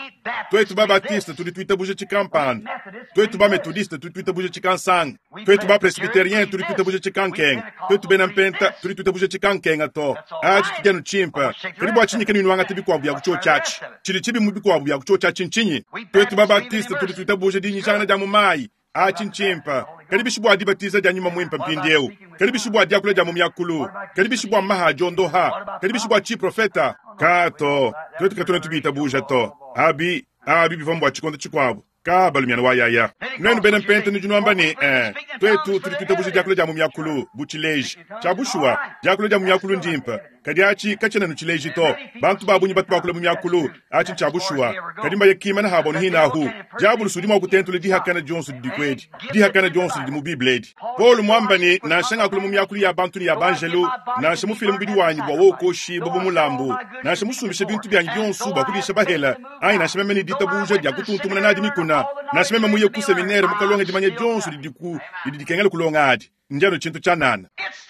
twetu ba Baptiste tudi tuitabuja tshikampanda, twetu ba Methodiste tudi tuitabuja tshikansanga, twetu ba Presbyterien tudi tuitabuja tshikankenga, twetu bena Mpenta tudi tuitabuja tshikankenga to. Atshi tshidi anu tshimpe. Kadi bua tshinyi kenu nuangata bikuabu bia kutshiotshia atshi? Tshidi tshibi mu bikuabu bia kutshiotshia atshi ntshinyi? Twetu ba Baptiste tudi tuitabuja dinyishangana dia mu mayi. Atshi ntshimpe. Kadi bishi bua dibatiza dia nyuma muimpe mpindieu? Kadi bishi bua diakula dia mu miakulu? Kadi bishi bua maha adiondoha? Kadi bishi bua tshiprofeta? Ka to, twetu katuna tubitabuja to. Abi, abi bivua mbua tshikondo tshikuabu. Ka balumiana wa yaya. Nuenu bena Mpenta nudi nuamba ne, eh, twetu tudi tuitabuja diakula dia mu miakulu bu tshileji. Tshia bushuwa, diakula dia mu miakulu ndimpe. Kadi atshi katshiena nu tshileji to. Bantu ba bungi batu bakula mu miakulu, atshi ntshia bushuwa. Kadi mbaye kimana habo hinahu. Diabulusi udi mua kutentula dihakana dionso didi kwedi. Dihakana dionso didi mu Bible edi. Paul mwamba ne, nansha ngakula mu miakulu ya bantu ne ya banjelu, nansha mufile mubidi wanyi bua wokoshi bu mulambu, nansha musumbishe bintu byanyi bionso bua kudisha bahela, anyi nansha meme ne ditabuja dia kutuntumuna nadi mikuna, nansha meme muye ku seminaire mukalonga dimanya dionso didi ku didi dikengela kulonga adi. Ndiano tshintu tshianana.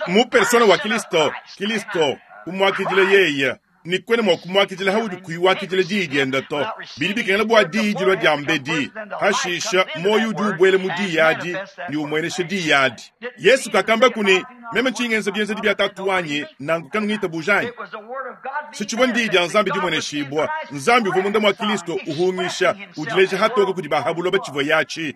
Mu persona wa Kristo, Kristo umwakidile yeye ni kwene mwa kumwakidila haudi kuiwakidila diyi diende to. Bidi bikengela bua diyi dilua dia mbedi. Hashisha moyo udi ubwele mu diyi adi ni umweneshe diyi adi. Yesu kakamba kuni meme nchingenza bienzedi bia tatu wanyi nangu kanungitabuja anyi. Sitshivua ndiyi dia Nzambi dimweneshibwa. Nzambi uvua munda mwa Kristo uhungisha udileja hatoka kudi bahabuloba tshivua yachi.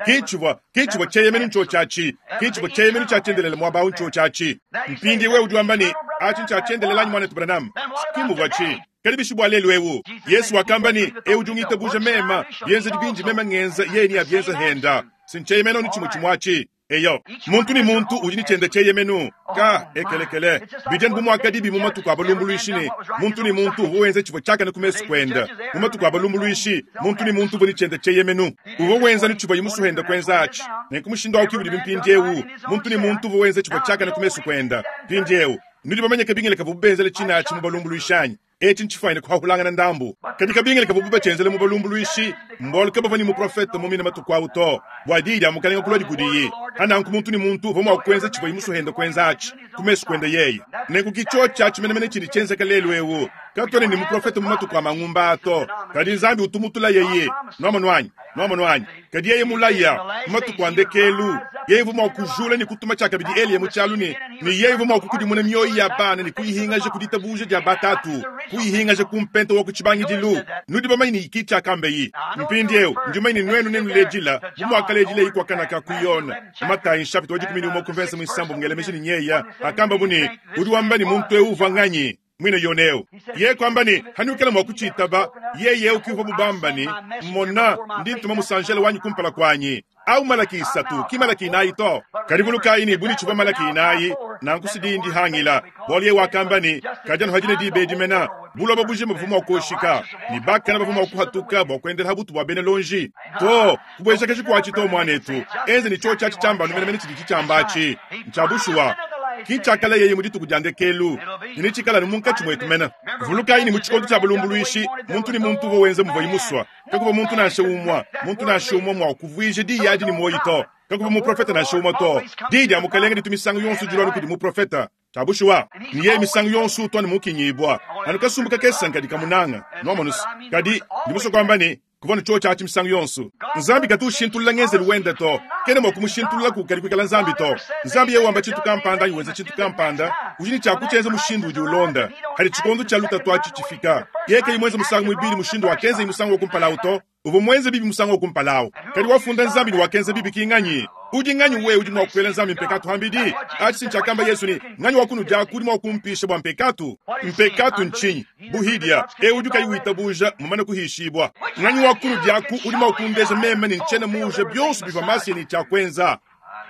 Kichivua, kichivua cheyemenu ncho chachi. Kichivua cheyemenu cha chendelele mwaba ncho chachi. Mpindi wewe udi wamba ne, achi ncha chendelele anyi mwana Branham. Sikimu vachi. Kadi bishi bua lelu ewu. Yesu wakamba ne, ewu udi ungitabuja mema, bienzedi binji mema ngenza, yeye ni abienza henda. Sincheyemenu ni chimwe chimwachi. Eyo, muntu ni muntu udi ni chende cheyemenu. Ka ekelekele. Bijeni bumwakadi bi mu matuku abalumbuluishi ne, muntu ni muntu uwo wenza chivua chakana ku mesu kwenda. Mu matuku abalumbuluishi, muntu ni muntu uwo ni chende cheyemenu. Uwo wenza ni chivua yimusuhenda kwenza achi. Nenku mushindo wa kibudi bimpindiewu. Muntu ni muntu uwo wenza chivua chakana ku mesu kwenda. Mpindiewu. Nudi bamanye kabingile kavu benzele china achi mu balumbuluishanyi. Echi nchifaine kuhahulangana ndambu. Kadi kabingile kavu bubachenzele mu balumbuluishi, mbolu kabava ni muprofeta mumina matuku awu to. Bua diyi dia mukalenga kulwa dikudiyi. Ananku muntu ni muntu uvo mwa kwenza chivua yimusuhenda kwenza achi. Ku mesu kwenda yeye. Nenku kicho chachi menemene chidi chenzeka lelu ewu. Katwene ni muprofeta mu matuku a mangumba ato. Kadi Nzambi utumutula yeye. Nwamonu anyi? Nwamonu anyi? Kadi yeye mulaya mu matuku a ndekelu. Yeye uvo mwa kujula ni kutuma tshiakabidi Eliya mu tshialu ne, ne yeye uvo mwa kukudimuna mioyo ya bana ne kuyihingaja ku ditabuja dia batatu, kuyihingaja ku mpenta wa ku tshibangidilu. Nudi bamanye ne iki tshiakambeyi. Mpindiewu, ndi mumanye ne nuenu nenuledila, bu muakaledila ikwakanaka ku Yona. Matayi nshapita wa dikumi ne umue ku mvensa muisambo mungelemeje ne nyeya, akamba bu ne, udi wamba ne muntu ewu uvua nganyi? Mwine Yoneo. Ye kwamba ne, hanukela mwa kuchitaba, yeye ukiuva bubamba ne, mona ndi ntuma musanjela wanyi kumpala kwanyi. Au Malaki isatu, ki Malaki inayi to. Kadi vulukayi ne buni tshivua Malaki inayi, nanku sidi ndi hangila. Bualu ye wakamba ne, kadi anu hadine dibe dimena, buloba bujima buvua mua kuoshika, ne bakana bavua mua kuhatuka bua kuendela ha butu bua bena lonji. To, kubuejakaji kuatshi to mwanetu. Enze ne tshiotshi atshi tshiamba anu menemene tshidi tshitshiamba atshi. Ntsha bushuwa. Ki tshiakala yeye mu dituku dia ndekelu, ne tshikala anu munkatshi mwetu mena. Vulukayi ne mu tshikondo tshia balumbuluishi, muntu ne muntu uvua wenza muvua yimusua. Kakuva muntu nansha umua, muntu nansha umua mua kuvuija diyi adi ne muoyo to. Kakuva muprofeta nansha umua to. Diyi dia mukalenge ditu misangu yonso dilua kudi muprofeta. Tshia bushuwa, ni yeye misangu yonso utwa ne mukinyibwa. Anu kasumbu kakesa nkadi kamunanga. Nwamonusi. Kadi, ndi musue kuamba ne, kuvua ne tshiotshi atshi misangu yonso. Nzambi katu ushintulula ngenzelu wende to. Kena mua kumushintulula ku kadi kuikala Nzambi to. Nzambi yeye wamba tshintu kampanda anyi wenza tshintu kampanda, udi ne tshia kutshienza mushindu udi ulonda. Hadi tshikondo tshia lutatu atshi tshifika. Yeye kayi muenze musangu muibidi mushindu wakenza musangu wa kumpala awu to. Uvua muenze bibi musangu wa kumpala awu. Kadi wafunda Nzambi ne wakenza bibi ki nganyi? Udi nganyi wewe udi mua kuela Nzambi mpekatu hambidi? Atshi ntshiakamba Yesu ne, nganyi wa kunudia kudi mua kumpisha bua mpekatu? Mpekatu ntshinyi? Buhidia, ewu udi kayi witabuja mumane kuhishibwa. Nganyi wa kunudia ku udi mua kundeja meme ne ntshiena muuja bionso bivua Masiya ne tshiakwenza.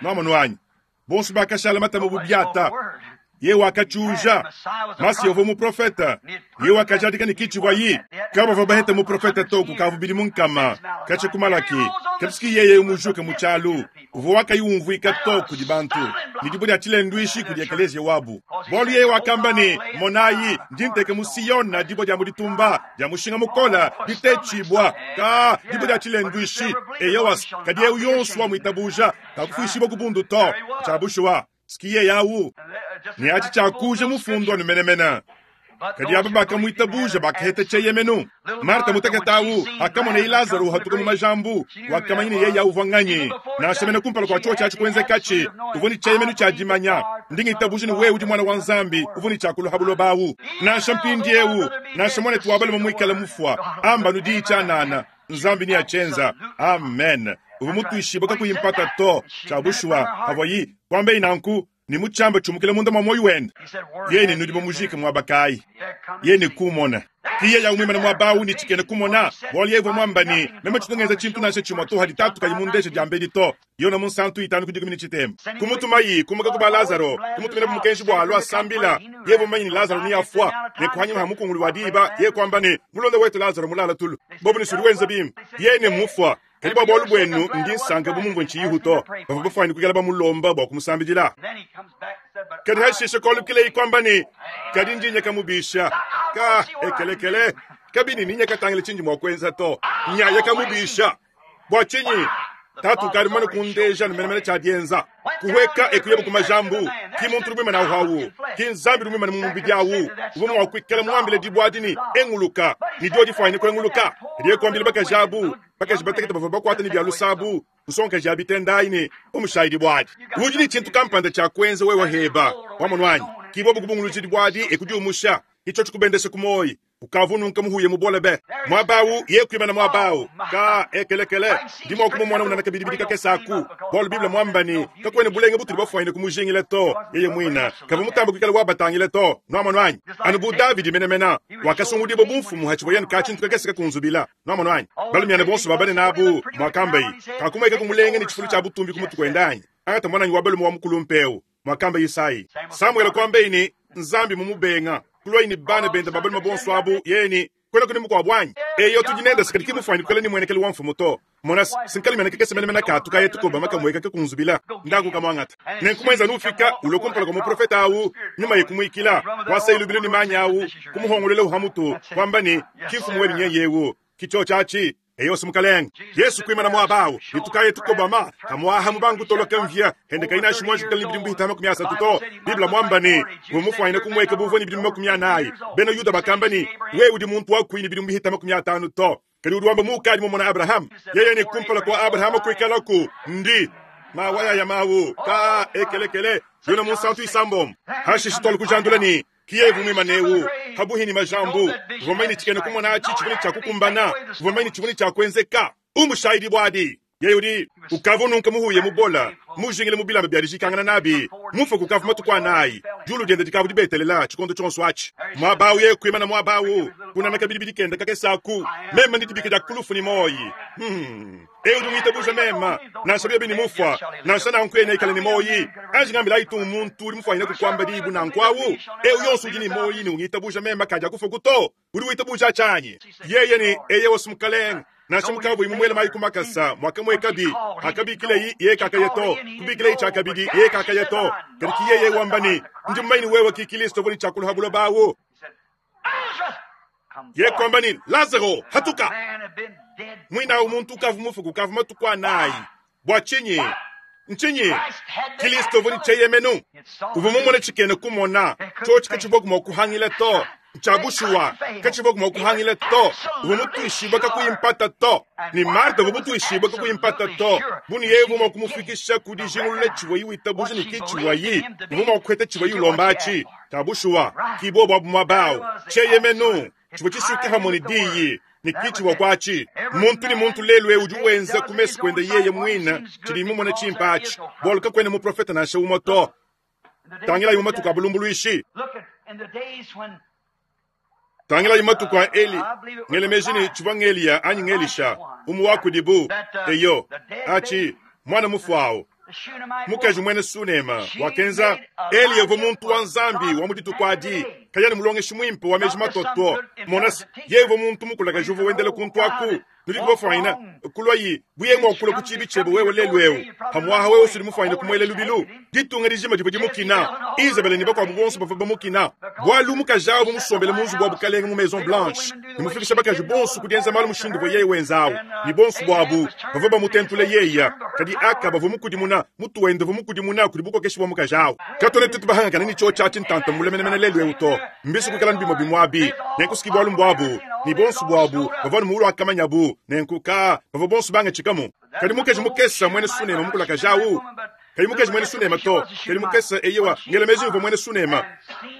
Nwamonu anyi? Bonso bakashala matama bu biata. Ye wakachuja. Masiya uvua muprofeta. Ye wakajadika ne kitshivua yi. Kabavua bahete muprofeta to kukavu bidi munkama. Katshia ku Malaki. Kadi yeye mujuke mu tshialu uvua wakayiumvuika to kudi bantu ne dibue dia tshilenduishi kudi ekeleziya wabu. Bualu yeye wakamba ne, monayi, ndi nteka mu Siyona dibue dia mu ditumba dia mushinga mukola ditetshibua ka dibue dia tshilenduishi. Eyowa, kadi eu yonso wamwitabuja kakufuishibua ku bundu to. Tshia bushuwa ski yawu ne achi tshiakuja mufundu anu menemene. Kadi aba bakamwitabuja bakaheta cheyemenu. Marta mutakatawu akamona Lazaro hatuka mu majambu wakamanya yeye uvua nganyi nansha mene kumpala kwa chuo chachi kuenzekachi uvua ni cheyemenu cha dimanya ndingitabuja ni wewe udi mwana wa Nzambi uvua ni chakulu habulobawu nansha mpindiewu nansha mwana tuwabale mwikala mufwa amba nudi chanana Nzambi ni achenza. Amen. Uvua mutuishiba kakuyimpata to chabushwa avoyi kwambe inanku ni muchamba chumukile munda mwa moyo wenda yene nudi bamujika mwabakayi yene kumona kiye ya umwimana mwabawu ni chikene kumona bwali yevo mwambani mema chitongeza chintu nashe chimwa to hadi tatu kayimundeshe jambedi to yona munsantu itanu kudikumi chitema kumutumayi kumuka kuba Lazaro kumutumira mukenshi bwa alwa sambila yevo manyi Lazaro ni afwa ne kuhanyima hamukungulu wa diba ye kwamba ni mulonda wetu Lazaro mulala tulu bobu ni suri bim yene mufwa kadi bwa bwalu bwenu ndi nsanga bumumvu nchiyihuto bava bafwani kukela bamulomba bwa kumusambidila kadi hashishe kolukile ikwamba ni kadi ndinya kamubisha ka ekelekele kabini ninya katangile chinji mwa kwenza to nyaya kamubisha bwa chinyi tatu kali mwana kundeja numenemene cha dienza kuweka ekuyebo kumajambu ki muntu rumwe na hawu ki nzambi rumwe na mumubidi awu ubo mwa kwikela mwambile dibwadini enguluka ni dio difwani ko enguluka ndiye kwambile bakajabu bakajibatekete bava bakwata ni bya lusabu nsonka jabitendaine omushahidi bwadi udi ni chintu kampanda cha kwenza wewe heba wamonwanyi kibobu kubunguluji bwadi ekudi umusha icho chikubendesha kumoyi ukavununka muhuye mubolebe mwabawu yekwimana mwabawu ka ekelekele ndimo kumumona unana kabidi kakesaku bolu biblia mwambani kakwene bulenge butuli bafwaine kumujingile to yeye mwina kava mutamba kwikala wabatangile to nwamonwanyi anu bu Davidi menemena wakasungudibo bumfumu hachiboyeni kachintu kakeseka kunzubila nwamonwanyi balumyane bonso babane nabu mwakambayi kakumweka kumulenge ni chifulu cha butumbi kumutu kwendanyi angata mwananyi wabalume wa mukulumpeu mwakamba Isai Samuel kwambeini Nzambi mumubenga kulwaini bana benda babalume bonso abu yeni kwena kuni mukwa bwanyi eyo tujinenda sikali kimufwani kukala ni mwenekele wa mfumu to mona sinkali mena kekese mena mena katuka yetu koba makamweka kekunzubila ndaku kamwangata nenkumwenza nufika ulokumpala kwa muprofeta awu nyuma yekumwikila wasa ilubilo ni manya awu kumuhongolele uhamutu kwamba ni kifumu webi nyeyewu kicho chachi eyo simukalenga Yesu kwimana mwabawu nitukaye tukobama kamwaha mubangu toloka mvya hende kaina shimwanji kukali bidimu bihitama makumi asatu to Biblia mwamba ni umufwaine kumweka buvoni bidimu makumi anayi beno Yuda bakamba ni we udi muntu wakwini bidimu bihitama makumi atanu to kali udi wamba mukali mumona Abraham yeye ni kumpala kwa Abraham kwikalaku ndi mawaya ya mawu ka ekelekele yona munsantu isambom hashishi kujandula ni kiyevu mwimanewu habuhini majambu vomaini chikene kumona achi chivuni cha kukumbana vomaini chivuni cha kwenzeka umushahidi bwadi yeye udi ukavununka muhuye mubola mujingile mubilamba byalijikangana nabi mufa kukavu matukwa nayi julu diende dikavu dibetelela chikondo chonso achi mwabawu ye kwimana mwabawu kunana kabidi kenda kakesaku mema ndidibike dia kulufu ni moyi hmm. eyo udi mema nansha bini mufwa nansha nankwene ikale ni moyi anjingambila itu muntu uli mufwanyine kukwamba dibu nankwawu eyo yonso udi ni moyi ni ungitabuja mema kaja kufa kuto uli witabuja chanyi yeye ni eye wosumukalenga nansha mukavu imumwele mayi kumakasa mwakamwe kabi akabikileyi ye kakayeto kubikileyi chakabidi ye kakayeto kadi kiyeye wambani ndi mmaini wewe kikilisto voli chakuluhabulo bawo ye kwambani Lazaro hatuka mwina umuntu ukavu mufu kukavu matukwa nayi bwa chinyi nchinyi Kristo voli cheyemenu uvumumone chikene kumona chochi kachivoku mwakuhangile to chabushuwa kachivoku mwakuhangile to uvumutuishiba kakuyimpata to ni Marta vumutuishiba kakuyimpata to buni yevu mwakumufikisha kudijingulule chiwayi witabuja ni kichiwayi uvumwakukhweta chiwayi ulombachi tabushuwa kibo bwa mwabawu cheyemenu chivo chisuke hamoni diyi ni kichiwa kwachi muntu ni muntu lelwe udi wenza kumesu kwenda yeye mwina chilimu mwana chimpachi boluka kwene muprofeta nansha umoto tangila yumatuka abulumbuluishi tangila yumatuka Eli ngelemejini chivwa ngeliya anyi ngelisha umu wakudibu eyo achi mwana mufwawo mukaji mwene sunema wakenza Eli yevo muntu wa Nzambi wa muditu kwadi kayani mulongeshi mwimpe wa meji matoto mona yevo muntu mukulaka juvo wendele kuntu aku Nudi kubafwanyina kulwayi buye mwakula ku chibi chebe wewe lelu eu. Pamwaha wewe usuli mufwanyina kumwele lubilu. Ditunga dijima dibwe dimukina. Isabel ni bakwa bonso bava bamukina. Bwalu mukajawo bumusombele munzu bwa bukalenga mu Maison Blanche. Nimufikisha bakaji bonso kudienza malu mushindu bwe yeye wenzawo. Ni bonso bwabu bava bamutentule yeya. Kadi aka bava mukudimuna mutuwende vumukudimuna kuli bukokeshi bwa mukajawo. Katone tutu bahangana ni chocha chintanta mulemenemene lelu eu to. Mbisu kukala ndimo bimwabi. Nenkuski bwalu mbwabu. Ni bonso bwabu bava mulu akamanyabu. Nenkuka bava bonso banga chikamu. Kadi mukeji mukesa mwene sunema mukula kajawu. Kadi mukeji mwene sunema to. Kadi mukesa eyewa ngelemezi uvo mwene sunema.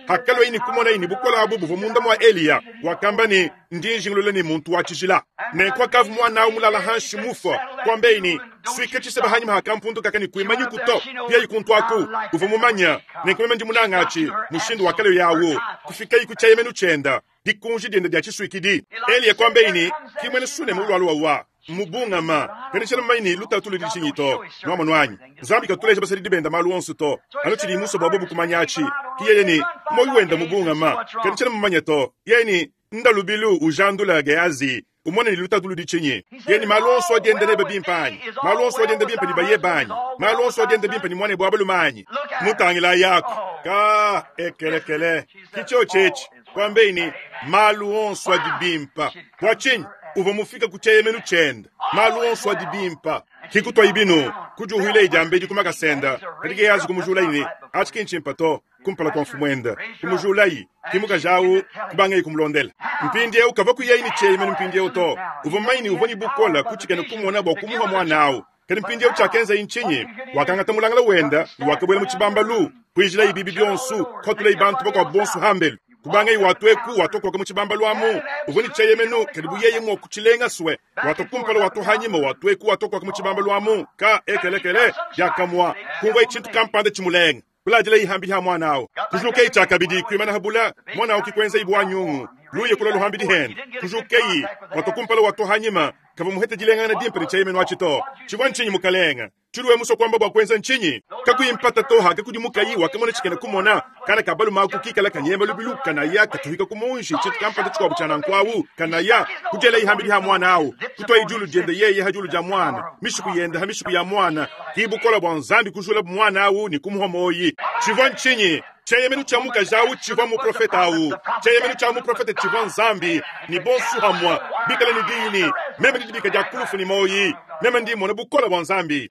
Hakalo ini kumona ini bukola abu buvo munda mwa Eliya. Wakamba ni ndinjingulule ni muntu wa chijila. Nenkwa kavu mwana umulala hanshi mufo. Kwambe ini swike chiseba hanyuma hakampundu kakani kuimanyi kuto. Pia ikuntwaku uvo mumanya. Nenkumeme ndi munangachi mushindu wakale yawo. Kufika ikuchayemenu chenda. Dikunji dienda dia chiswikidi. Eliya kwambe ini kimwene sunema ulwalu wa mubungama kanishela maini lutatu lidishinyito nwamo nwanyi Nzambi katuleja basali dibenda malu onso to anu chili muso bwabo bukumanyachi kiyeni moyi wenda mubungama kanishela mumanye to yeni ndalubilu ujandula Gehazi umone ni lutatu ludichinyi yeni malu onso agenda nebe bimpanyi malu onso agenda bimpa ni baye banyi malu onso agenda bimpa ni mwane bwabo lumanyi mutangila yako ka ekelekele kicho chechi kwambeini malu onso adibimpa kwachinyi uva mufika kucheyemenu chenda malu onso adibimpa kikutwa ibinu kujuhwile ijambe dikumakasenda kadi Gehazi kumujula ini achikinchimpa to kumpala kwa mfumwenda kumujulayi kimukajawu kubanga ikumulondela mpindi eu kava kuyaini cheyemenu mpindi eu to uva maini uva ni bukola kuchikene kumona bwa kumuha mwanawu kadi mpindi eu chakenza inchinyi wakangata mulangala wenda wakabwela muchibambalu kuijila ibibi byonsu khotula ibantu bakwa bonsu hambelu kubanga iwatweku watokoka muchibambalu amu uvuni cheyemenu kadi buyeye mwo kuchilenga swe watokumpala watohanyima watweku watokoka muchibambalu amu ka ekelekele yakamwa kungwa ichintu kampande chimulenga kulajila ihambi ha mwanawo kujukeyi chakabidi kwimana habula mwanawo kikwenza ibwanyungu luye kula luhambi dihenda kujukeyi watokumpala watohanyima kava muhete jilengana dimpe ni cheyemenu achito chibwa nchinyi mukalenga chiluwe muso kwamba bwa kwenza nchinyi kakuyimpata toha kakudimukayi wakamona chikene kumona kana kabalu maku kikala kanyemba lubilu kanaya katuhika kumunji chitu kampata chikwabu chana nkwawu kanaya kujela ihambi liha mwana awu kutwa ijulu jende yeye hajulu ja mwana mishiku yenda ha mishiku ya mwana kibukola bwa nzambi kujula mwana awu ni kumuha moyi chivwa nchinyi cheyemenu cha mukajawu chivwa muprofeta awu cheyemenu cha muprofeta chivwa nzambi ni bonsu hamwa bikala ni dini meme ndidibika dia kulufu ni moyi meme ndimona bukola bwa nzambi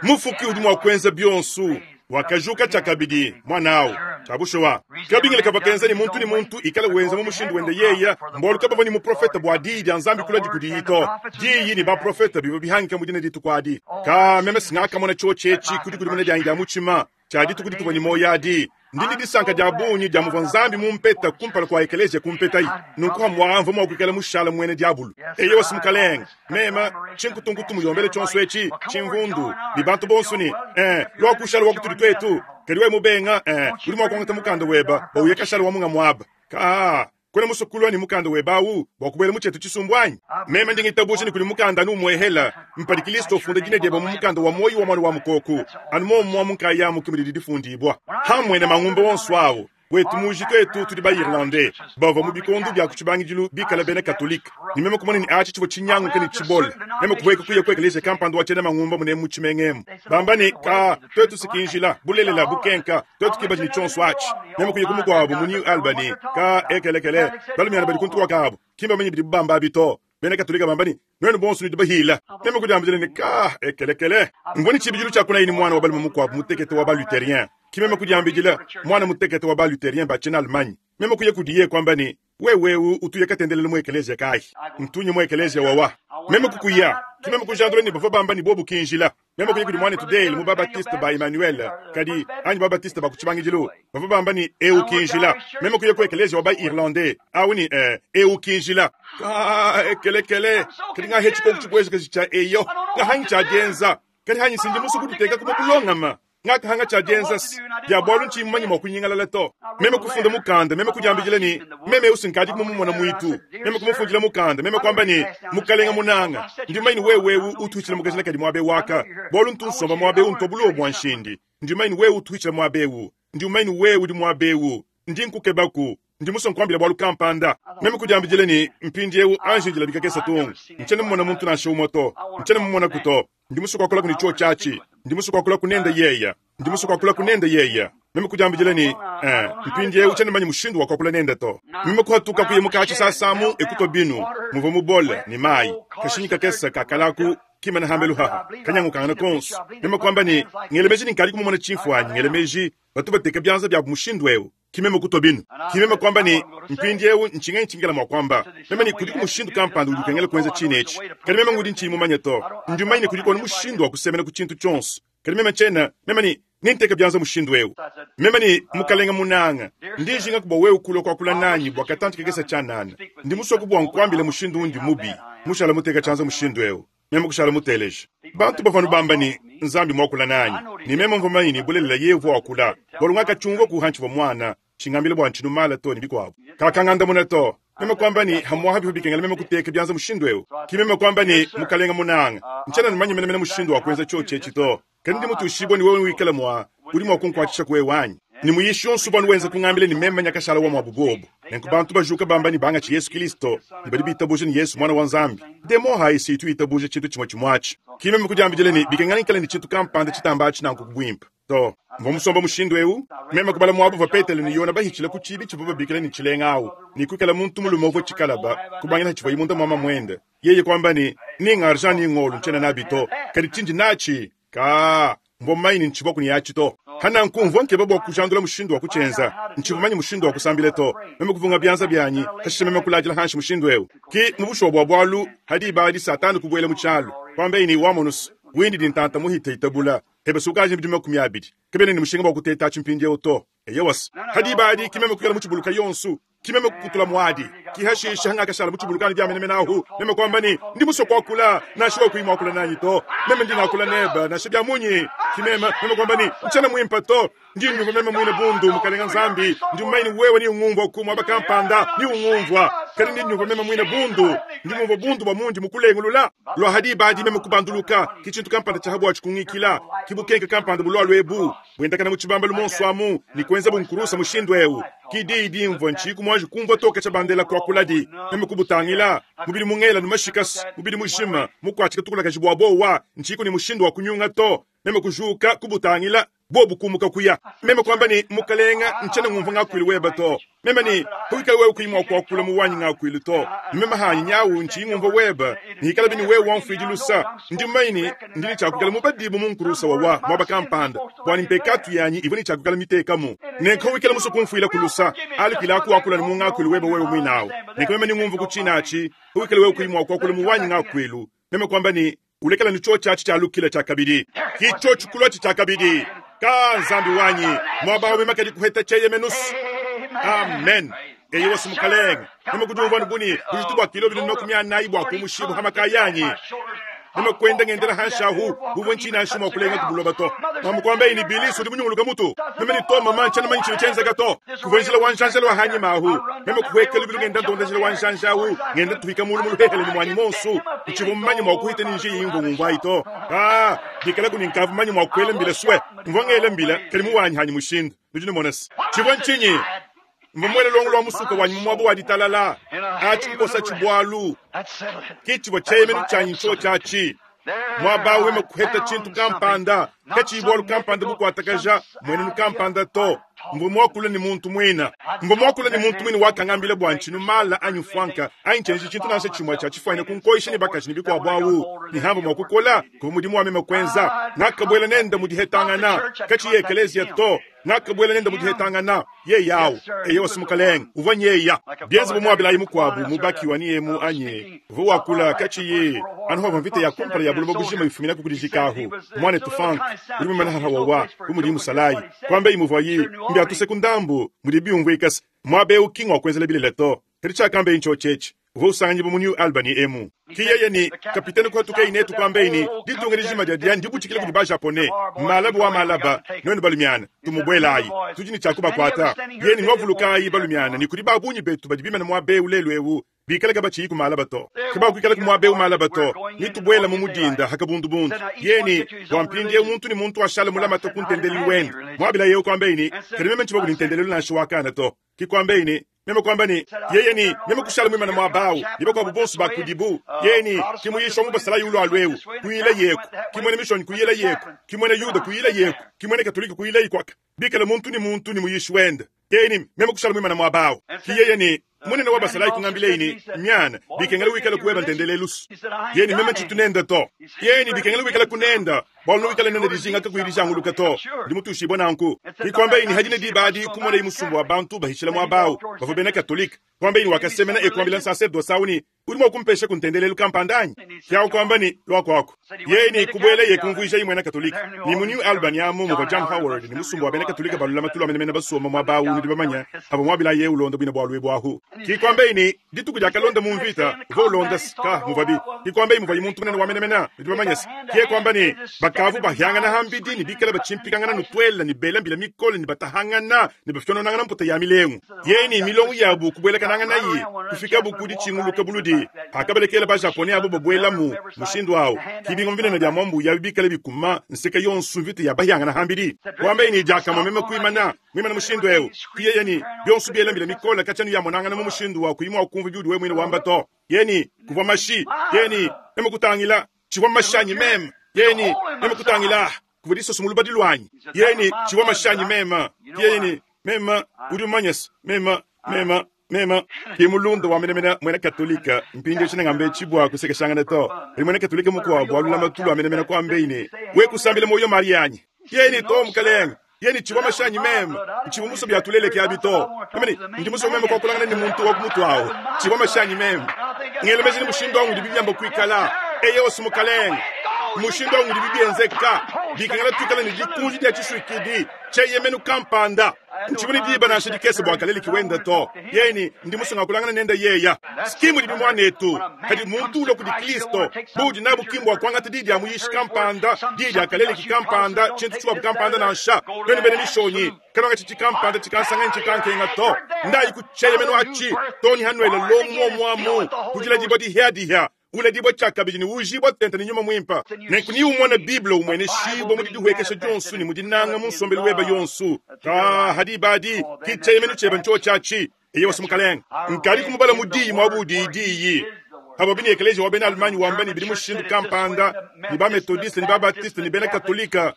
mufuki udi mwa kwenza byonsu wakajuka chakabidi mwanawu chabushowa kabingile kabakenza ni muntu ni muntu ikala wenza mu mushindu wende yeya mbolu kabava ni muprofeta bwa diyi dia nzambi kula dikudiito diyi ni baprofeta bibo bihangika mudina ditukwadi ka meme singakamona chochechi kudi kudi mune dyangi dia muchima chadi tukudi ni moyadi ndindi disanka dia bunyi dia muvua nzambi mumpeta kumpala kwa ekelesia kumpetayi nunku hamwamva mwakuikala mushala mwene diabulu eye wasi mukalenga mema chinkutunkutu muyombele chonso echi chimvundu ni bantu bonso ni eh lwakushala wakutuli twetu kadi we mubenga eh uli mwakwangata mukanda weba bauye kashala wamunga mwaba ka kwena musukulwa ni mukanda webawu bwakubwela muchetu chisumbwanyi meme ndingitabushi ni kuli mukanda numwehela mpali Kristo funda jine dyeba mu mukanda wa moyi wa mwana wa mukoku anu momwa munkayamu kimulili difundibwa hamwe na mang'umba wonso awo wetu muji twetu tuli ba Irlandais bava mu bikondu bya kuchibangijilu bikala bene katolika nimeme kumona ni achi chivo chinyangu ni chibola meme kuweka kuye kwekelesha kampando wachena mang'umba mune muchimengemu bambani ka twetu sikinjila bulelela bukenka twetu kibaji ni chonso achi meme kuye kumukwabu mu New Albany ka ekelekele balumyana bali kuntuwa kabo kimba menye bidi bamba bito bene katolika bambani nwenu bonso ni dibahila meme kujambile ni ka ekelekele mboni chibijilu chakuna ini mwana wa balume mukwabu mutekete wa ba luthérien kimeme kujambijila mwana mutekete wa ba luthérien bachina Allemagne meme kuye kudiye kwamba ni wewewu utuye katendelele mu ekelesia kai ntunye mu ekelesia wawa meme kukuya kimeme kujandule ni bava bamba ni bobu kinjila meme kuye kudi mwana today mu babatiste ba Emmanuel kadi anyi babatiste ba kuchibangijilu bava bamba ni eu kinjila meme kuye ku ekelesia wa ba irlandais au ni eh, eu kinjila ah ekelekele kadi nga hechi ko kuchikweza kachicha eyo nga hanyi chajenza kadi hanyi sindi musu kutiteka kumulongama ngakahanga chajenza ya bwalu nchimmanyi mwa kunyingalala to meme kufunda mukanda meme kujambijila ni meme usinkadi kumumona mwitu meme kumufundila mukanda meme kwamba ni mukalenga munanga ndimaini wewewu uthuchila mukajila kadi mwabe waka bwalu ntunsomba mwabe untobulo bwa nshindi ndimaini wewe uthuchila mwabewu ndimaini wewe udi mwabewu ndi nkukebaku Ndi musue nkuambila bualu kampanda. Meme kudiambidile ne, mpindieu anji ndilabika kesa tungu. Ntshiena mmona muntu nansha umue to. Ntshiena mmumonaku to. Ndi musue kuakula kuni tshiotshi atshi. Ndi musue kuakula kunende yeya. Ndi musue kuakula kunende yeya. Meme kudiambidile ne, eh, mpindieu tshiena manya mushindu wa kuakula nende to. Meme kuhatuka kuya mukatshi sasamu ekutwa binu. Muvua mubole ne mayi. Kashinyi kakesa kakalaku kimana hambelu haha. Kanyangukangana konso. Meme kuamba ne, ngelemeji ni nkadi kumumona tshimfuanyi, ngelemeji batu bateka byanza byabu mushindu eu. Kimeme kutwa binu. Kimeme kwamba ni mpindieu nchinga nchingela mwa kwamba. Meme ni kudiku mushindu kampanda udi ukengela kuenza chine echi. Kadi meme ngudi nchiyi mumanye to. Ndi mumanye kudiku onu mushindu wa kusemena ku tshintu tshionso. Kadi meme tshena, meme ni ninteka byanza mushindu eu. Meme ni mukalenga munanga. Ndi njinga kubwa wewe kulwa kwakula nanyi bwa katantu kekesa tshanana. Ndi musue kubwa nkuambila mushindu undi mubi. Mushala muteka tshanza mushindu eu. Meme kushala muteleje. Bantu bavanu bamba ni Nzambi mwakula nanyi. Ni meme mvua manyi ni bulelela yevu wakula. Bwalu ngakachungwa kuhanchi bwa mwana. Chingambile bwa nchinu mala to ni bikwabu. Kakanganda muna to. Meme kwamba ni hamwaha bihu bikengela meme kuteka byanza mushindu eu. Kimeme kwamba ni mukalenga munanga. Nchana nimanyi mene mene mushindu wa kuenza cho chechi to. Kandi ndi mutu ushibwa ni wewe wikala mwa. Uri mwa kunkwachisha kuwe wanyi. Ni muyishi onso bwanu wenza kungambile ni meme nyakashala wa mwabubobo. Nenku bantu bajuka bamba ni banga chi Yesu Kristo. Ni bali bitabuje ni Yesu mwana wa Nzambi. Demo hai si tu itabuje chintu chimwe chimwachi. Kimeme kujambijele ni bikengani nkale ni chintu kampanda chitamba chi nanku kubwimpa. To, mvua musomba mushindu eu, meme kubala mwabu va Petelo ni Yona bahichila ku chibi chivu babikila ni chilenga awu. Ni kwikala muntu mulume uvua chikalaba, kubangila chivua imunda mwama mwende. Yeye kwamba ni, ni ngarja ni ngolu nchena nabi to. Kadi chinji nachi, ka, mvua maini nchivua kuni yachi to. Hana nkumvua nkeba bwa kujandula mushindu wa kuchenza. Nchivumanyi mushindu wa kusambile to. Meme kuvunga byanza byanyi, hashishe meme kulajila hanshi mushindu eu. Ki mubusho bwa bwalu, hadi ibadi satani kubwela muchalu. Kwamba ini wamonus, windi dintanta muhite itabula. Hebe sukaje mbidima makumi abidi. Kebene ni mushinga bwa kuteta chimpindi oto. Eyewas. Hadi ibadi kimeme kukela muchibuluka yonsu. Kimeme kukutula mwadi. Kihashisha hanga kashala muchibuluka ni byamene menahu. Meme kwamba ni ndi musoko kwakula na shiwa kuimwa kula nanyi to. Meme ndi nakula neba na shibya munyi. Kimeme meme kwamba ni mchana mwimpa to. Ndi nyuva meme mwine bundu mukalenga Nzambi. Ndi maini wewe ni ungumvwa kumwa bakampanda ni ungumvwa. Kali ndi nyuva meme mwine bundu. Ndi mumva bundu bwa mundi mukulengulula. Lwa hadi ibadi meme kubanduluka. Kichintu kampanda chahabwa chikungikila. Kibukenke kampanda bulwa lwebu. Bwendakana muchibamba lumonso amu ni kwenza bunkurusa mushindu eu. Kidi idi mvwa nchiku mwaji kumvwa toka cha bandela kwa kuladi. Meme kubutangila. Mubili mungela numashikas. Mubili mushima. Mukwachika tukula kajibwa bowa. Nchiku ni mushindu wa kunyunga to. Meme kujuka kubutangila. Bobu kumuka kuya. Meme kwamba ni mukalenga nchena ngumva ngakwili weba to. Meme ni huikala wewe kuimwa kwa kula muwanyi ngakwili to. Meme hanyi nyawu nchi ngumva weba. Ni hikala bini wewe wamfidi lusa. Ndi maini ndili chakukala mubadibu munkurusa wawa mwaba kampanda. Bwani mpekatu yanyi ivuni chakukala mitekamu. Nenko wikala musu kumfuila kulusa. Alikila ku akula ni mungakwili weba wewe mwinao. Nenko meme ni ngumva kuchinachi. Huikala wewe kuimwa kwa kula muwanyi ngakwilu. Meme kwamba ni ulekela ni cho chachi cha lukila cha kabidi. Kicho chukulwa cha kabidi. Ka Nzambi wanyi mwaba wa mema kadi kuheta cheye menus. Amen. Eyi wasu mukalenga. Nima kujumva nubuni kujitubwa kilo binu nokumya naibu akumushibu hamakayanyi. Nima kwenda ngendera hanshahu buvwe nchina nshimo kulenga kubuloba to. Mamukwamba ini bilisi udi munyunguluka mutu. Meme ni to mama nchana manyi chino chenza gato. Kuvenjila wanshanjela wa hanyi mahu. Meme kuweka lubilu ngenda ndonda jila wanshanshahu. Ngenda tuhika mulu mulu hehele ni mwanyi monsu. Nchivu mmanyi mwa kuhite ninji ingo ngumva ito. Ah, dikala kuninkavu manyi mwa kuele mbila swe. Mvongele mbila kalimu wanyi hanyi mushindu. Nujini monas. Chivu nchinyi. Mbomwele longo lwa musuka wanyi mwabu wa ditalala. Achi kukosa chibwalu. Kichibo cheyemenu chanyi ncho chachi. Mwaba weme kuheta chintu kampanda. Kachibwalu kampanda bukwatakaja. Mwenenu kampanda to. Mbomwakula ni muntu mwina. Mbomwakula ni muntu mwina wakangambile bwa nchinu mala anyu fwanka. Ayi chintu nashe chimwa cha chifwane kunkoisha ni bakashi ni bikwa bwawu. Ni hambo mwakukola kumudimu wa meme kwenza. Nakabwela nenda mudihetangana. Kachi ekelezia to. Nakabwela nenda mudihetangana. Ye yao. Eye wasimukaleng. Uvanye ya. Bienzi bumwabila imukwabu mubaki wani emu anye. Vuwakula kachi ye. Anuha mvite ya kumpala ya bulobo bujima ifumina kukudijikahu. Mwane tufank. Ulimu manaha wawa. Umudimu salai. Kwambe imuvayi. Mbya tusekundambu. Mudibi umwekas. Mwabe ukingwa kwenzele bile leto. Tericha kambe incho chechi. Uvusanyi bu New Albany emu. Kiyeye ni kapiteni kwa tuke inetu kwambe ini. Ditunga rijima dia dia ndibu chikile kudiba Japone. Malabu wa malaba. Nwenu balumiana. Tumubwela ayi. Tujini chakuba kwata. Yeni nwavuluka ayi balumiana. Ni kudiba bunyi betu badibima na mwabe ulelu ewu. Bikala gaba chiyiku malaba to. Kiba kwikala kumwabe umalaba to. Nitubwela mumudinda hakabundu bundu. Yeni wampindi muntu ni muntu ashala mulama to kuntendeli wende. Mwabila yeo kwambe ini. Karimeme nchiba kulintendeli na shiwakana to. Kikwambe ini. Meme kwamba ne yeye ni meme kushala mwimana mwabawu ni bakuabu bonso bakudibu yeye ni kimuyisha mu basalayi ulwalwewu kuyila yeku kimwene mishoni kuyila yeku kimwene yuda kuyila yeku kimwene katolika kuyila ikwaka bikala muntu ni muntu ni muyishi wenda yeye ni meme kushala mwimana mwabawu kiyeye ni munene wa basalayi kungambila ini myana bikengela wikala kuweba ntendelelusu yeni meme nchitunenda to yeni bikengela wikala kunenda bwalo wikala nenda dijinga kakuyilijanguluka to ndi mutushibwa nanku ikwamba ini hadine dibadi kumona imusumbu wa bantu bahishila mwabawu bavua bena katolika kwamba ini wakasemena ekwambila nsacerdote sauni udi mua kumpesha kuntendelelu kampandanyi kyawu kwamba ni lwakwako yeni kubwela ye kumvuija imwena katolika ni mu New Albany amu muvua John Howard ni musumbu wa bena katolika balula matulu amenemene basoma mwabawu nudi bamanya abo mwabila ye ulonda bwina bwalwe bwahu kikwamba ini dituku lyakalonda mu mvita uva ulonda ka muvabi kikwamba ini muvayi muntu munene wamenemena nudi bamanya se kiye kwamba ni bakavu bahyangana hambidi ni bikala bachimpikangana nutwela ni bela mbila mikole ni batahangana ni bafyononangana mputa ya milengu yeni milongo yabu kubwelekanangana yi kufika bukudi chinguluka buludi akabalekela ba japonais abo babwelamu mushindu awo kibingo vinene bya mwambu ya bikala bikuma nseka yonsu mvita ya bahyangana hambidi kwamba ini jakama meme kuimana mwimana mushindu ewu kiyeyeni byonsu byela mbila mikole kachanu ya monangana mu mushindu wa kuimwa kumva byudi we mwine wamba to yeni kuvwa mashi yeni meme kutangila chivwa mashanyi meme yeni meme kutangila kuvwa disoso mu lubadi lwanyi yeni chivwa mashanyi mema yeni mema udi umanyesa mema mema mema kimulunda wamenemena mwena katolika mpindi chinang'ambe chibwa kusekeshangana to ali mwena katolika mukwabo alula matulu amenemena kwambe ine wekusambila moyo marianyi yeni to mukalenga yeni chibwa mashanyi mema nchibwa muso byatuleleke abi to amene ndi muso mema kwakulangana ni muntu wakumutu awo chibwa mashanyi mema ngelo mezi mushindo wangu ndibibyamba kuikala eye osu mukalenga mushindo wangu ndibibyenzeka bikangala twikala ni dikunji dia chishwikidi cheyemenu kampanda nchibuni diba nashe dikese bwakaleli kiwenda to yeni ndi musunga kulangana nenda yeya skimu libi mwanetu kadi muntu ulo kudi kristo budi nabu kimbo akwangata didi amuyishi kampanda didi akaleli kikampanda chintu chuwa kampanda nansha benu bene mishonyi kanonga chichi kampanda chikansanga nchikankenga to ndayi kucheyemenu achi toni hanwele lomwo mwamu kujila dibwa dihya ule dibwa chakabiji ni ujibwa tenta ni nyuma mwimpa nenku ni umona biblia umwene shibwa mudi dihwekesha jonsu ni mudinanga munsombeli weba yonsu ka hadibadi kicheyemenu cheba ncho chachi eye wasumukalenga nkali kumubala mudiyi mwabudi idiyi abo bini ekelesia wa bena Allemagne wamba ni bidi mushindu kampanda ni ba methodiste ni ba baptiste ni bena katolika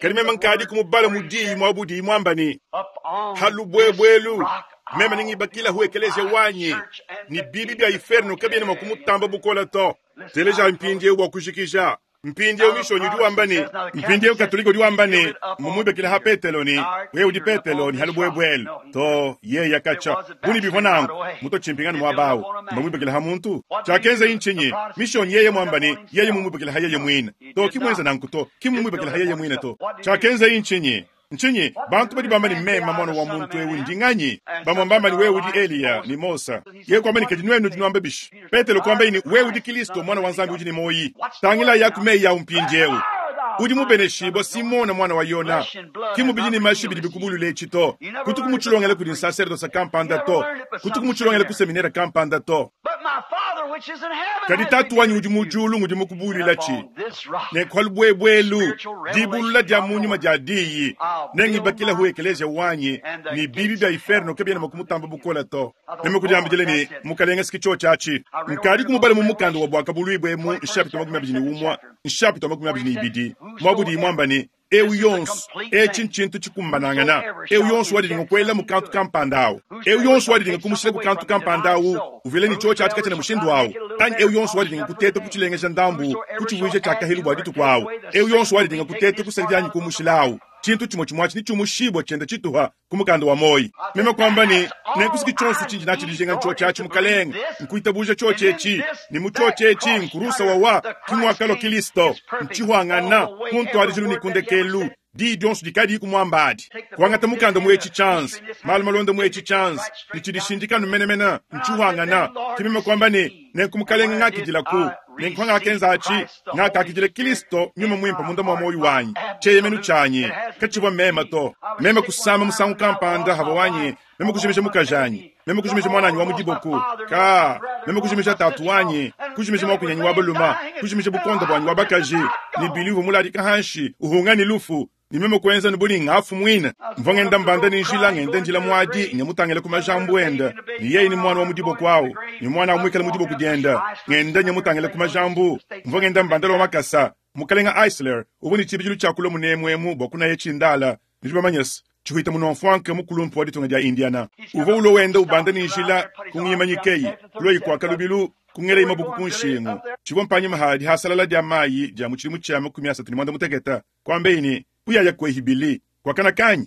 kadi mema nkadi kumubala mudiyi mwabudi mwamba ni halubwebwelu mema ningibakila hu ekelesia wanyi ni bibi bya inferno kabyene mwakumutamba bukola to teleja mpindi wa kushikisha mpindi mishonyi udi wamba ni mpindi katolika udi wamba ni mumwibekela ha petelo ni wewe udi petelo ni halubwebwelu to ye yakacha buni bivwa nangu muto chimpingani mwabawu mbamwibekela ha muntu chakenza inchinyi mishonyi yeye mwamba ni yeye mumwibekela ha yeye mwina to kimwenza nangu to kimumwibekela ha yeye mwina to chakenza inchinyi nchinyi bantu badi bamba ni mema mwana wa muntu ewu ndinganyi bamwambamba ni wewe udi Eliya ni Mosa ye kwamba ni kadi nwenu dinwamba bishi Petelo kwamba ini wewe udi Kristo mwana wa Nzambi udi ni moyi tangila yakumeyi ya umpindi ewu udi mubeneshibwa Simona mwana wa Yona kimubidi ni mashi bidi bikubulula echi to kuti kumuchilongela kudi nsacerdoce kampanda to kuti kumuchilongela ku seminera kampanda to kadi tatu wanyi udi mujulu ngudi mukubulula chi nenkhwalubwebwelu dibulula dia munyuma dia diyi nengibakila hu ekelesia wanyi ni bibi bya inferno kabyena makumutamba bukola to nemekudiambidile ni mukalenga siki cho chachi nkadi kumubala mu mukanda wa bwakabulwibwemu nshapita makumi abidi ni umwa nshapita makumi abidi ni ibidi mwabudi mwamba ni eu yonsu echi nchintu chikumbanangana eu yonsu wadilinga kwela mukantu kampanda awo eu yonsu wadilinga kumushila kukantu kampanda awo uvile ni cho chachi kachena mushindu awo anyi eu yonsu wadilinga kuteta kuchilengesha ndambu kuchivuisha chakahilu bwa dituku awo eu yonsu wadilinga kuteta kusandianyi kumushila awo chintu chimwe chimwachi ni chumushibwa chenda chituha kumukanda wa moyi meme kwamba ni nenkusiki chonsu chinji nachilijenga ncho chachi mukalenga nkuitabuja cho chechi ni mucho chechi nkurusa wawa kimwakalo kilisto nchihwangana kuntwalijilu nikundekelu di dyonso dikadi kumwambadi kuangata mukanda muechi chance malu malonda muechi chance nichidishindikanu menemena nchihwangana kimeme kwamba ni nenkumukalenga ng'akijilaku nenkhwanga akenza achi ng'akakijila kilisto nyuma mwimpa munda mwa moyo wanyi cheyemenu chanyi kachibwa mema to mema kusama musangu kampanda hava wanyi mema kujimisha mukajanyi mema kujimisha mwananyi wa mudiboku ka mema kujimisha tatu wanyi kujimisha mwakunyanyi wa baluma kujimisha bukonda bwanyi wa bakaji ni bilivu muladika hanshi uhunga ni lufu Ne meme kuenza ne buni ngafu muine. Mvua ngenda mbanda ne njila, ngenda ndila muadi, nyamutangila ku majambu enda. Ne yeye ni mwana wa mu diboko awu, ne mwana awu muikale mu diboko dienda. Ngenda nyamutangila ku majambu. Mvua ngenda mbanda wa makasa. Mukalenga Eisler, uvua ne tshibidilu tshia kulua munemuemu bua kunaya tshindala. Nudi bamanye se, tshihuita munomfuanke mukulumpu wa ditunga dia Indiana. Uvua ulua wenda ubanda ne njila kungimanyikeyi, kulua ikwaka lubilu, kungelei mabuku ku nshingu. Tshivua mpanyima hadi hasalala dia mayi dia mu tshidimu tshia makumi asatu ne mwanda mutekete. Kwambeyi ne, uyaya kwehi bili, kwakana kanyi?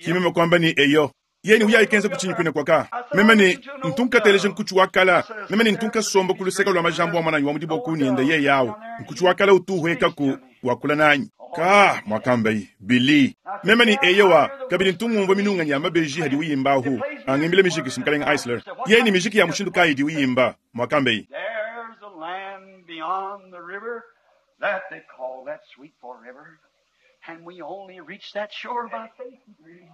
Kimeme kwamba ni eyo. Yeni uyayi kenza kuchinyi kwine kwaka. Meme ni ntunkateleje nkuchu wakala. Meme ni ntunkasomba ku luseka lwa majambo wa mwananyi wa mu diboko nienda ye yawo. Nkuchu wakala utuhwekaku wakula nanyi. Ka mwakambayi Billy. Meme ni eyowa kabili ntungumva minunga nya mabeji hadi uyimbahu. Angimbile miziki simkalenga Eisler. Yeni miziki ya mushindu kayi di uyimba mwakambayi. There's a land beyond the river that they call that sweet forever. And we only reach that shore by faith and grace.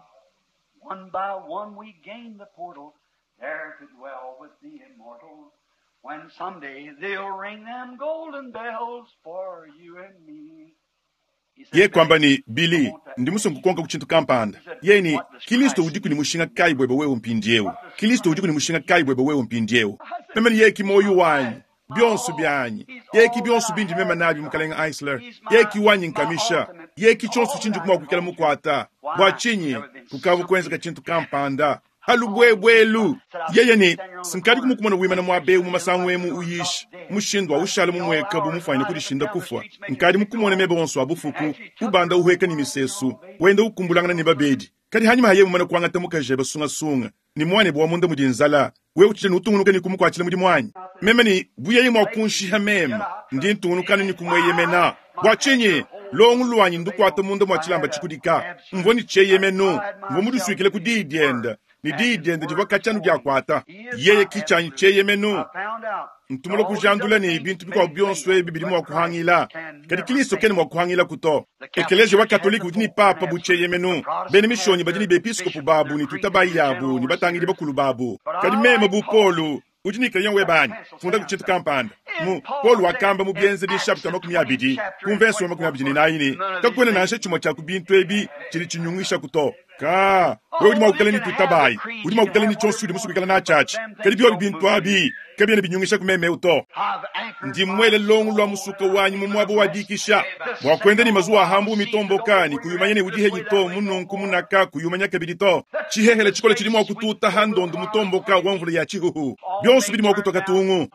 One by one we gain the portal, there to dwell with the immortals. When someday they'll ring them golden bells for you and me. He said, Ye kwamba ni Billy ndi musungu konka ku tshintu kampanda. Ye ni Kristo udiku ni mushinga kayi bwebe wewe mpindiewu. Kristo udiku ni mushinga kayi bwebe wewe mpindiewu. Meme ni yeki moyo wanyi, bionso byanyi. Yeki bionso bindi meme nabi mukalenga Eisler. Yeki wanyi nkamisha. Yeki chonso chindi kumwa kuikala mukwata. Bwa chinyi kukavu kwenzeka tshintu kampanda. Halubwebwelu. Yeye ni sinkali kumukumona wimana mwabe mu masango emu uyishi. Mushindwa ushala mumweka bumufanya kudishinda kufwa. Nkali mukumona mebe onso abufuku, ubanda uhweka ni misesu, wenda ukumbulangana ni babedi. Kadi hanyuma haye mumana kuangata mukaje basunga sunga. Ni mwane bwa munda mudinzala. We uchije nutungunuka ni kumukwachila mudi mwanyi. Meme ni buyeye mwa kunshiha mema. Ndi ntungunukana ni kumweyemena. Bwa chinyi longu lwanyi ndukwata munda mwa chilamba chikudika. Mvoni cheyemenu. Mvo muduswikile kudidienda. Ni didienda divwa kachanu diakwata. Yeye kichanyi cheyemenu. Ntumula kujandula ni bintu bikwa byonso ebi biri mwa kuhangila. Kadi Kristo kene mwa kuhangila kuto. Ekeleje wa Katoliki udi ni papa bucheyemenu. Bene mishonyi badi ni bepiskopu babu ni tutabayi yabu ni batangili bakulu babu. Kadi meme bu Polu udi ni crayon webani funda ku tshintu kampanda. Mu Paul wakamba mu bienze di chapter makumi abidi ku verse wa makumi abidi ni naini. Kakwena nansha chimwe cha ku bintu ebi chili chinyungisha kuto. Ka wewe udi mwa kukala ni tutabayi, udi mwa kukala ni chonso udi musukikala na chachi. Kadi byo bintu abi kabyene binyungisha kumeme uto. Ndi mwele longu lwa musuka wanyu mu mwabo wadikisha. Bwa kwenda ni mazuwa hambu mitomboka ni kuyumanya ni udihe nyito mununku munaka kuyumanya kabili to. Chihehele chikole chili mwa kututa handondo mutomboka wa mvula ya chihuhu. Byonso bili mwa kutoka tungu.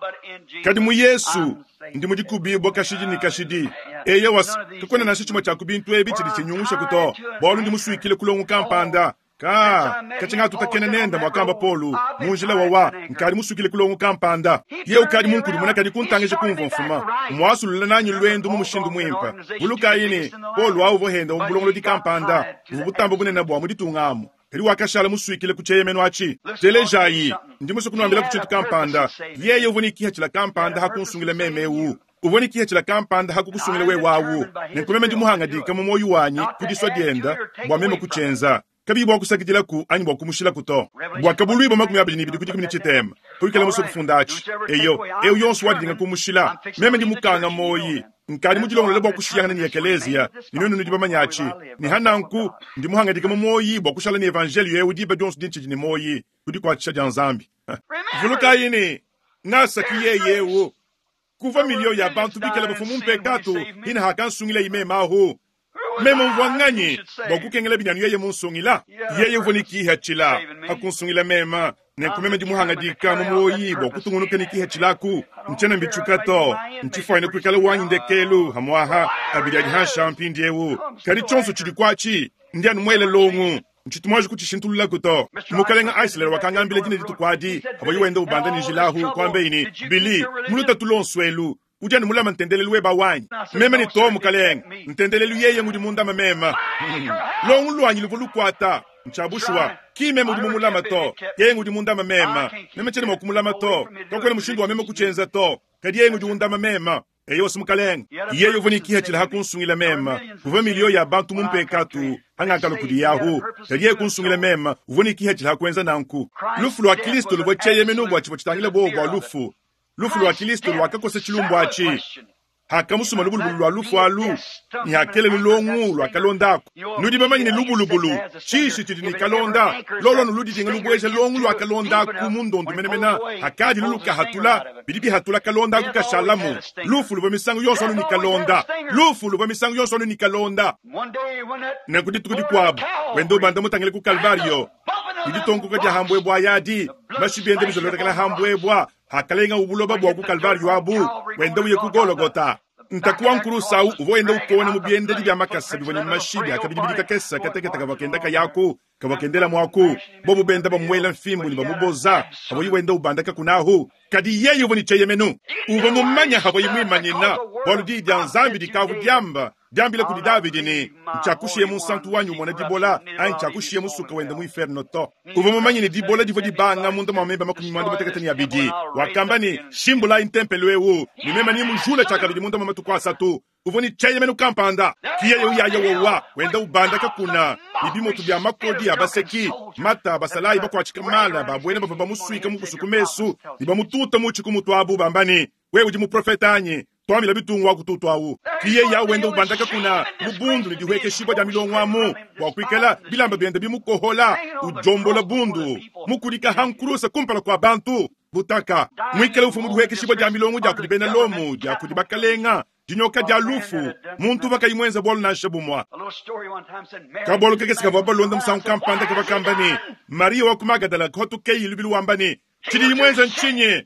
Kadi mu Yesu ndi mudikubi bwa kashidi ni kashidi. Eyo was kakwena na chimwe cha kubintu ebi chili chinyungusha kuto. Bwalu ndi musuikile kulongu kampanda. Ka kachinga tutakene nenda mwakamba Polu munjila wawa nkali musukile kulongo kampanda. Ye ukali munkulu munakali kuntangeje kumva mfuma. Mwasulula nanyu lwendo mu mushindu mwimpa. Buluka yini Polu awu vohenda umbulongolo di kampanda. Ubutambo bunene bwa muditungamo. Kali wakashala muswikile kucheyemeno achi. Telejayi ndi musukunuambila kuchintu kampanda. Yeye uvunikiha chila kampanda hakunsungila memewu. Uvunikiha chila kampanda hakukusungila we wawu. Nenkumeme ndi muhangadika mu moyo wanyi kudiswa dienda bwa meme kuchenza. Kabi bwa kusakidila ku anyi bwa kumushila kuto. Bwa kabulwi bwa makumi abiri n'ibiri kudi kumi n'itema. Kuikala muso kufunda achi. Eyo, eyo yonso wadinga kumushila. Meme ndi mukanga moyi. Nkali mudilongolola bwa kushiyangana ni ekelezia. Ni nunu ndi bamanyachi. Ni hananku ndi muhangadika mu moyi bwa kushala ni evangelio yewu diba dyonso dinchi ni moyi. Kudi kwa chisha Nzambi. Vuluka yini nasa kiyeyewu. Kuva milio ya bantu bikala bafumu mpekatu ina hakansungila ime mahu. Meme mvua nganyi bwa kukengela binanu yeye munsungila. Yeye uvunikiha chila hakunsungila mema. Nenkumeme ndi muhangadika mu moyi bwa kutungunuka nikiha chilaku. Nchena mbichuka to. Nchifaine kuikala wanyi ndekelu hamwaha abili adi hansha mpindiewu. Kadi chonso chili kwachi ndi anu mwele longu. Nchitumwaje kuchishintulula kuto. Mukalenga Eisler wakangambile dine ditukwadi. Abo yuwenda ubanda ni jilahu kwambe ini. Billy, muluta tulonswelu. Ujani mulama ntendelelu weba wanyi. Meme ni to mukalenga. Ntendelelu yeye ngudi munda mema. Longu lwanyi luvu lukwata. Nchabushwa. Ki meme udi mumulama to. Yeye ngudi munda mema. Meme chene mwakumulama to. Kakwena mushindu wa meme kuchenza to. Kadi yeye ngudi unda mema. Eyo simukalenga. Yeye uvunikiha chila hakunsungila mema. Kuva milio ya bantu mumpekatu. Hangakalo kudi yahu. Kadi yeye kunsungila mema. Uvunikiha chila hakwenza nanku. Lufu lwa Kristo luvwa cheyemenu bwa chipo chitangila bo bwa lufu. Lufu lwa Kristo lwakakose chilumbu achi. Hakamusuma lubulubulu lwa lufu alu, ne hakela lulongu lwa kalonda aku. Nudi bamanye ne lubulubulu, tshishi tshidi ne kalonda, lolo nuludidinga lubweja longu lwa kalonda aku mu ndondu menemene, hakadi lulukahatula, bidi bihatula kalonda aku kashalamu. Lufu luvua misangu yonso anu ne kalonda. Lufu luvua misangu yonso anu ne kalonda. Nenku dituku dikuabu, wenda ubanda mutangile ku Kalvario, ditonkoka dia hambwebwa yadi, mashi biende bizolondakela hambwebwa, hakalenga ubuloba bwa ku Kalvario abu, wenda uye ku Golgotha. Ntakuwa nkurusa uvua wenda ukona mu biendedi bia makasa bivua ne mashi biakabidi bidi kakesa kateketa kavua kenda kayaku, kavua kendela muaku. Bobu benda bamuela mfimbu ne bamuboza, havua wenda ubanda kakunahu. Kadi yeye uvua ne tsheyemenu, uvua mumanya havua mwimanyina, bualu diyi dia Nzambi dikavu diamba, diambila kudi Davidi ne, ntshiakushiye munsantu wanyi umona dibola, anyi ntshiakushiye musuka wenda mu inferno to. Uvua mumanye ne dibola divua dibanga munda mua meba makumi muanda mutekete ne abidi. Wakamba ne, shimbulayi ntempelo ewu, ne mema ni mujula tshiakabidi munda mua matuku asatu. Uvua ne tsheyemenu kampanda. Kiyeye uyaya wowa, wenda ubanda kakuna, ne bimoto bia makodi ya baseki, mata basalayi bakuatshika mala, babuena bavua bamusuika mu kusuku mesu, ne bamututa mu tshikumutu abu bamba ne, wewe udi muprofeta anyi? Twamila bitungu wa kututu awu. Kiye ya wenda ubanda kakuna, mubundu ne dihwekeshibwa dia milongo amu, bua kuikala bilamba biende bimukohola, ujombola bundu, mukulika hankurusa kumpala kwa bantu, butaka. Mwikale ufu mu dihwekeshibwa dia milongo dia kudi bena Lomu, dia kudi bakalenga, dinyoka dia lufu, muntu bakayimwenza bwalu nansha bumwa. Kabwalu kakese kavua balonda musangu kampanda kavakamba ne, Maria wa ku Magadala kotukeyi lubilu wamba ne, tshidi imwenza ntshinyi?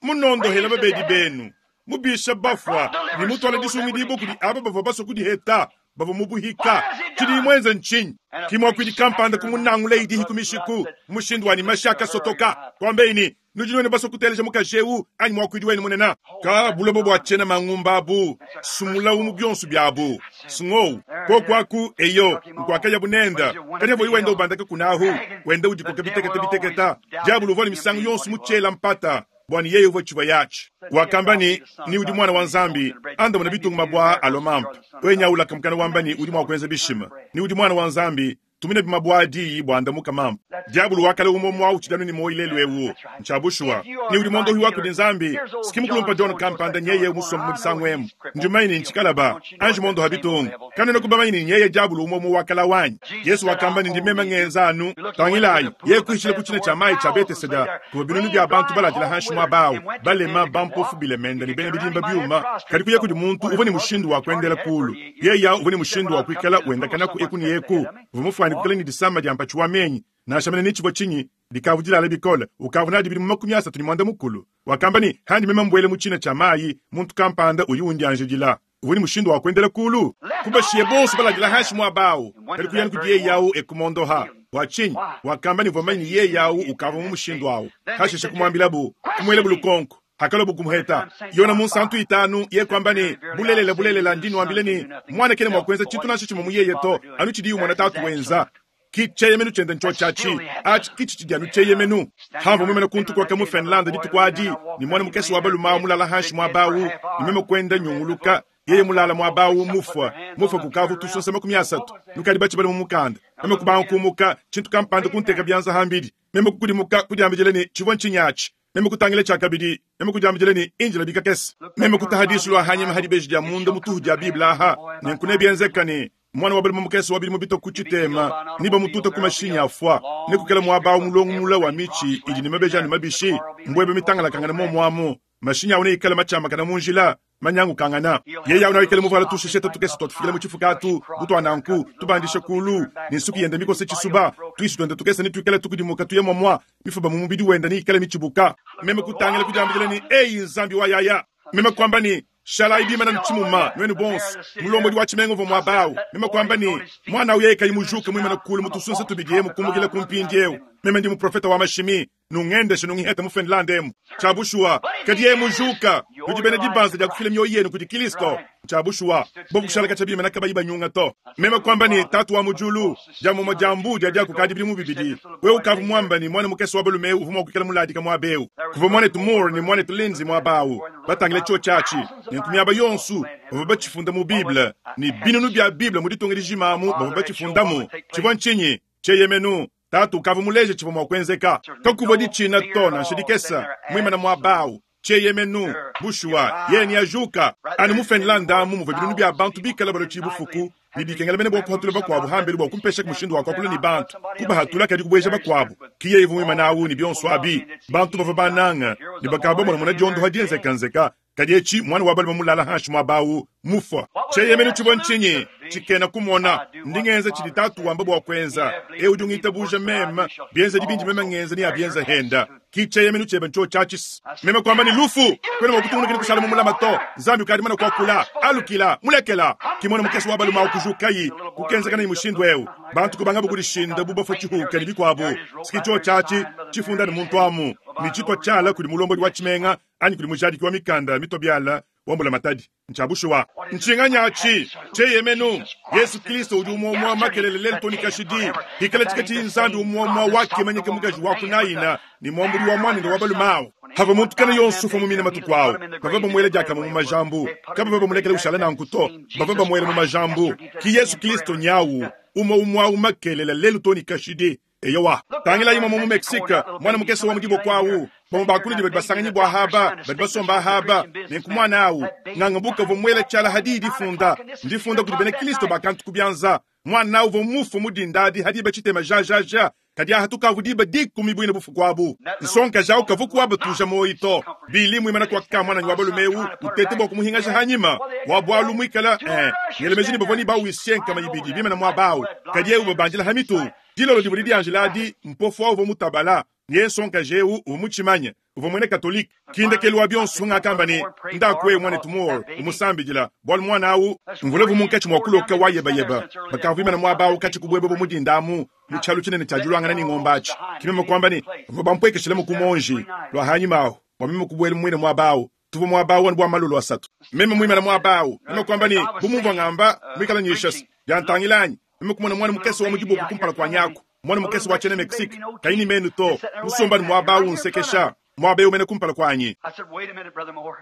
Munondohela babedi benu, mubisha bafwa, ne mutwala disungidibo kudi aba bavua basua kudiheta, bavua mubuhika. Tshidi imwenza ntshinyi? Kimwa kwidi kampanda kumunangula idihi kumishiku, mushindu wa ni mashaka sotoka. Kwambeyi ni, nudi nuenu basua kuteleja mukaji ewu, anyi mwakwidi wenu munena. Ka bulobo bua tshiena mangumba abu, sumula umu bionso biabu. Sungou, kokwaku eyo, nkwakaya bunenda. Kadi avo iwenda ubandaka kunahu, wenda udikoka biteketa biteketa. Diabulu uvua ne misangu yonso mutshela mpata, bwani yeye uvua tshivua yatshi. Wakamba ni, ni udi mwana wa Nzambi, anda muna bitungu mabwa alomampa. Wenya ulaka mukana wamba ni udi mwa kuenza bishima. Ni udi mwana wa Nzambi, tumina bimabwa diyi bwa andamuka mampa. Diabulu wakale umo mwa uchidanu ni moyi lelu ewu. Nchabushwa. Ni udi mondo huwa kudi Nzambi. Sikimu kulumpa John kampanda nyeye umusoma mu disangu emu. Njumaini nchikalaba. Anji mondo habitungu. Kanena kubamaini nyeye diabulu umo mu wakala wanyi. Yesu wakamba ni ndimema ngenzanu. Tangilayi. Ye kuishile kuchina cha mai cha Betesda. Kuwa binunu bya bantu baladila hanshi mwa bao. Balema bampofu bilemenda ni bene bidimba byuma. Kadi kuye kudi muntu uva ni mushindu wa kuendela kulu. Yeya uva ni mushindu wa kuikala uendakana ku eku ni eku. Vumufwani kukala ni disamba dia mpachi wa menyi. Nashamene ni chibwa chinyi, likavudila bikole, ukavuna dibili mu makumi asatu ni mwanda mukulu. Wakamba ni handi mema mbwele mu china cha mayi, muntu kampanda uyu undi anjidila. Uva ni mushindu wa kuendela kulu. Kubashiye bonso baladila hanshi mwa bao. Kadi kuyani kudiye yawu ekumondoha. Wa chinyi, wakamba ni vomanyi ye yawu ukava mu mushindu awu. Hasheshe kumwambilabu, kumwele bulukonko. Hakalo bukumuheta. Yona munsantu itanu, ye kwamba ni, bulelela bulelela ndinu wambile ni, mwana kene mwa kuenza chitu nasho chimo muyeye to, anu chidi mwana tatu wenza. Ki cheyemenu chenda ncho chachi, achi kichi chidi anu cheyemenu. Hambo mwemene kuntu kwa kamu Finland ditu kwa adi, ni mwana mukesi wa balu mulala hanshi mwa bawu, ni mweme kwenda nyunguluka, yeye mulala mwa bawu mufwa, mufwa kukavu tusonsa makumi asatu, nukadi bachi bali mumukanda. Meme kubanga kumuka, chintu kampanda kunteka byanza hambidi, meme kukudimuka kudiambijele ni chivwa nchinyachi. Meme kutangile chakabidi, meme kudiambijele ni injila bikakesi. Meme kutahadisu lwa hanyima hadibeji dia munda mutuhu dia Biblia aha, nenkune bienzeka ni mwana wa bali mumukesi wabili mubito kuchitema, niba mututa kumashinya afwa, nekukela mwa mulongo mula wa michi, idi ni mabeja ni mabishi, mbwebe mitangala kangana mo mwamu, mashinya une ikala machama kana munjila, manyangu kangana. Yeya una ikala muvala tushesheta tukesi tufikile muchifukatu, butu ananku, tubandisha kulu, ninsuki yenda mikose chisuba, tuishi tuende tukesa ni tuikala tukudimuka tuye mwamwa, mifuba mumubidi wenda ni ikala michibuka. Meme kutangila kujambijele ni, eyi nzambi wa yaya. Meme kwamba ni, shalai bima na mchimuma, nwenu bonsi, mulombo di wachimengo vo mwabao. Meme kwamba ni, mwana uyeka imujuke mwima na kulu mutusunsa tubidiye mukumukila kumpindieu. Meme ndi muprofeta wa mashimi, nungendeshe nungiheta mu Finland emu. Chabushua, kadiye mujuka, nujibene dibanza dia kufile mioyo yenu kudi Kristo. Chabushua, bobu kushala kachabima nakabayiba nyunga to. Meme kwamba ni tatu wa mujulu, jamu majambu dia dia kukadi bilimu bibidi. Wewe ukavu mwamba ni mwana mukesi wa balume uvuma kukela muladi kama abeu. Kuva mwana tumur ni mwana tulinzi mwabawu. Batangile chuo chachi, ni nkumiaba yonsu, bava bachifunda mu Bible, ni binunu bya Bible muditunga dijimamu, bava bachifundamu. Chivwa nchinyi, cheyemenu. Tatu ukavu muleje chivwa mwakwenzeka. Kakuva di china to na nshidikesa, mwima na mwabawu. Tshieyemenu, bushuwa, yeye neajuka. Anu mu Finlande amu muvua binunu bia bantu bikale balua tshibufuku ne bikengela mene bua kuhatula bakuabu hambelu bua kumpesha mushindu wa kuakula ne bantu, kubahatula kadi kubueja bakuabu. Ki yeye uvua muimane awu ne bionso abi, bantu bavua bananga ne bakaba bamonamona diondoha dienzekanzeka. Kadi etshi mwana wa balume mulala hanshi muaba awu mufua. Tshieyemenu tshivua ntshinyi? Tshikena kumona. Ndi ngenza tshidi tatu wamba bua kuenza. Eu udi ungitabuja meme, bienzedi bindi meme ngenza ne abienza henda. Ki tshieyemenu tshiebe ntsho tshiatshisi. Meme kuamba ne lufu, kwena mua kutungunuka ne kushala mu mulama to. Nzambi ukadi mana kuakula, alukila, mulekela. Ki mwana mukese wa balume awu kujukayi, kukenzeka ne mushindu eu. Bantu kubanga bukudishinda bu bafua tshihuka ne bikuabu. Siki tsho tshiatshi, tshifunda ne muntu amu. Ne tshitwa tshiala kudi mulombodi wa tshimenga, anyi kudi mujadiki wa mikanda mitobiala wa mbulamatadi. Ntshiabushuwa. Ntshinganyatshi, tshieyemenu, Yesu Kristo udi umuomua makelele lelu to ne kashidi. Hikala tshikatshi Nzambi umuomua wakimanyika mukaji wa kunayina ne muambuli wa mwanende wa balume awu. Hava muntu kana yonso ufa mumina matuku awu. Bava bamuela diakamue mu majambu. Kabava bamulekela ushala nanku to. Bava bamuela mu majambu. Ki Yesu Kristo nyawu, umue umue awu makelele lelu to ne kashidi. Eyowa, tangila imwe mu Mexique, mwana mukese wa mudiboko awu. Bamwe bakulidi badi basanganyi bua haba, badi basomba haba, nenku mwana awu. Nganga buka uvua muela tshiala hadi difunda, ndifunda kudi bena Kristo bakantu kubianza. Mwana awu uvua mufu mudindadi hadi bachitema ja ja ja. Kadi aha tukavu diba dikumi buine bufuku abu. Nsonka jau kavuku waba tuja moyi to. Bili muimana kwa ka mwana wa balume eu, utete bua kumuhingasha hanyima. Wa bwalu muikala, eh, ngelemeji ni bavua ni bawisye nkama ibidi, bimana mwa Kadi eu babandila hamitu. Dilolo divua didianjila adi, mpofu awu uvua mutabala. Ye nsonka jeu uvua mutshimanye, uvua muena Katolike. Kindekelu wa bionso ngakamba ne, ndakwe mwanetu Moore, umusambidila. Bwalu mwana awu, mvula munkatshi mua kuloka wa yebayeba. Bakavua mwaba awu katshi kubwebwe bwa mudindamu, mu tshialu tshinene tshia dilwangana ne ngombatshi. Kimeme kwamba ne, bavua bampwekeshela mu kumonji, lwa hanyima awu, bua meme kubuela mwine mwaba awu. Tuvua mwaba awu anu bua malolo asatu. Meme muimana mwaba awu, meme kwamba ne, bu mumvua ngamba, muikala nyishasa, byantangilanyi. Meme kumona mwana mukese wa mudiboko kumpala kwa nyaku. Mwana mukese wa tshiena Mexique, kaini menu to. Musomba ni mwaba awu nsekesha. Mwaba eu mene kumpala kwanyi. I said, wait a minute, Brother Moore.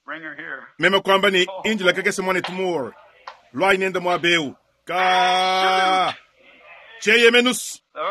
Bring her here. Meme kwamba ni injila kakese mwanetu Moore. Lwa inenda mwaba eu. Ka Tshieyemenu.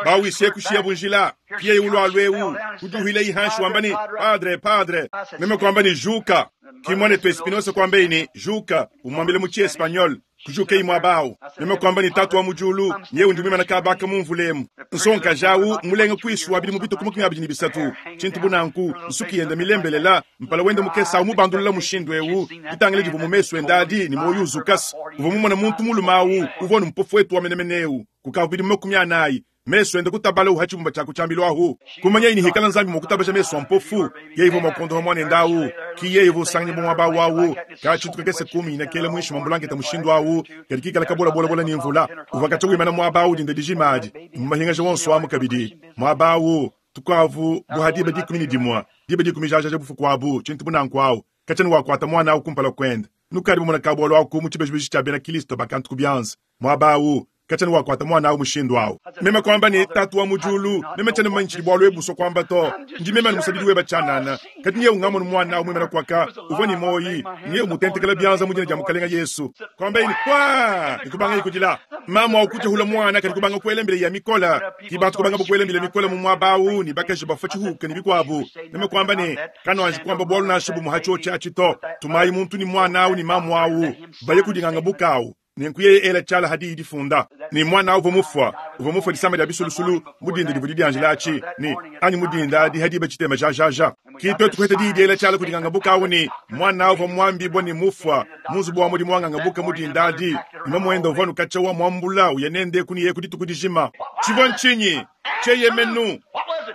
Bawisye kushia bunjila. Kiye ulwa lweu. Kuduhile ihanshi wamba ni, Padre, padre. Meme kwamba ni juka. Ki mwanetu Espinosa kwamba ini, juka. Umwambile mu Chiespanyol. Kujuka imwe awu. Meme kwamba ni tatu wa mujulu, nyewe ndi mwimana kabaka mumvulemu. Nsonka jawu, mulenga kwiswa bili mubito kumukumi abili ni bisatu. Chintu bunanku, nsuki yenda milembelela, mpala wenda mukesa awu mubandulula mushindu ewu. Bitangile divu mu mesu endadi, ni moyo uzukasi. Uva mumona muntu mulume awu, uvua ni mpofu wetu wa menemeneu. Kukavu bili makumi anayi. Mesu enda kutabala uha chibumba cha kuchambilwa ahu. Kumanya ini hikala nzambi mukutabaja mesu ampofu. Yeye ivo makondo mwane ndawu. Ki yeye ivo sanganya bwa mwa wawu. Ka chitu kese kumi ina kele mwisho mambulangeta mushindu awu. Kadi kikala kabola bola bola ni mvula. Uva kacha wimana mwa bawu dinda dijimadi. Mmahinga jawonso wa mukabidi. Mwa bawu tukavu buhadi ba dikumi ni dimwa. Diba dikumi jaja jabufu kwabu. Chintu bunanku awu. Kachani wa kwata mwana awu kumpala kwenda. Nukari mwana kabolo awu kumu chibejibeji cha bena Kristo bakantu kubianza. Mwa bawu kachani wa kwata mwana awu mushindu awu. Meme kwamba ni tatu wa mujulu, meme chane manchi bwalu ebuso kwamba to. Ndi meme ni musabidi weba chanana. Kati niye ungamono mwana awu mwimana kwaka, uvua ni moyi, niye umutentekela bianza mujina ja mukalenga Yesu. Kwamba ini kwa, nikubanga ikujila. Mama wa kuja hula mwana kati kubanga kuele mbele ya mikola. Kibatu kubanga kuele mbele ya mikola mu mwabawu, ni bakaji bafa chihuka ni bikwabu. Meme kwamba ni, kano anji kwamba bwalu na shubu muhacho cha chito. Tumai muntu ni mwana awu ni mamu awu. Baye kudinganga bukawu. Nenkuye ela tshiala hadi difunda. Ni mwana uvua mufua. Uvua mufua disamba dia bisulusulu, mudinda divua didianjila atshi. Ni, anyi mudinda adi hadi bachitema ja ja ja. Ki twetu kuheta di ela tshiala kudinganga bukawu ni, mwana uvua mwambibwa ni mufua. Munzubu wa mudi mwanganga buka mudinda adi. Ima mwenda uvua nukacha wa mwambula, uyenende kuni ye kuditu kudijima. Tshivua ntsinyi? Tshieyemenu.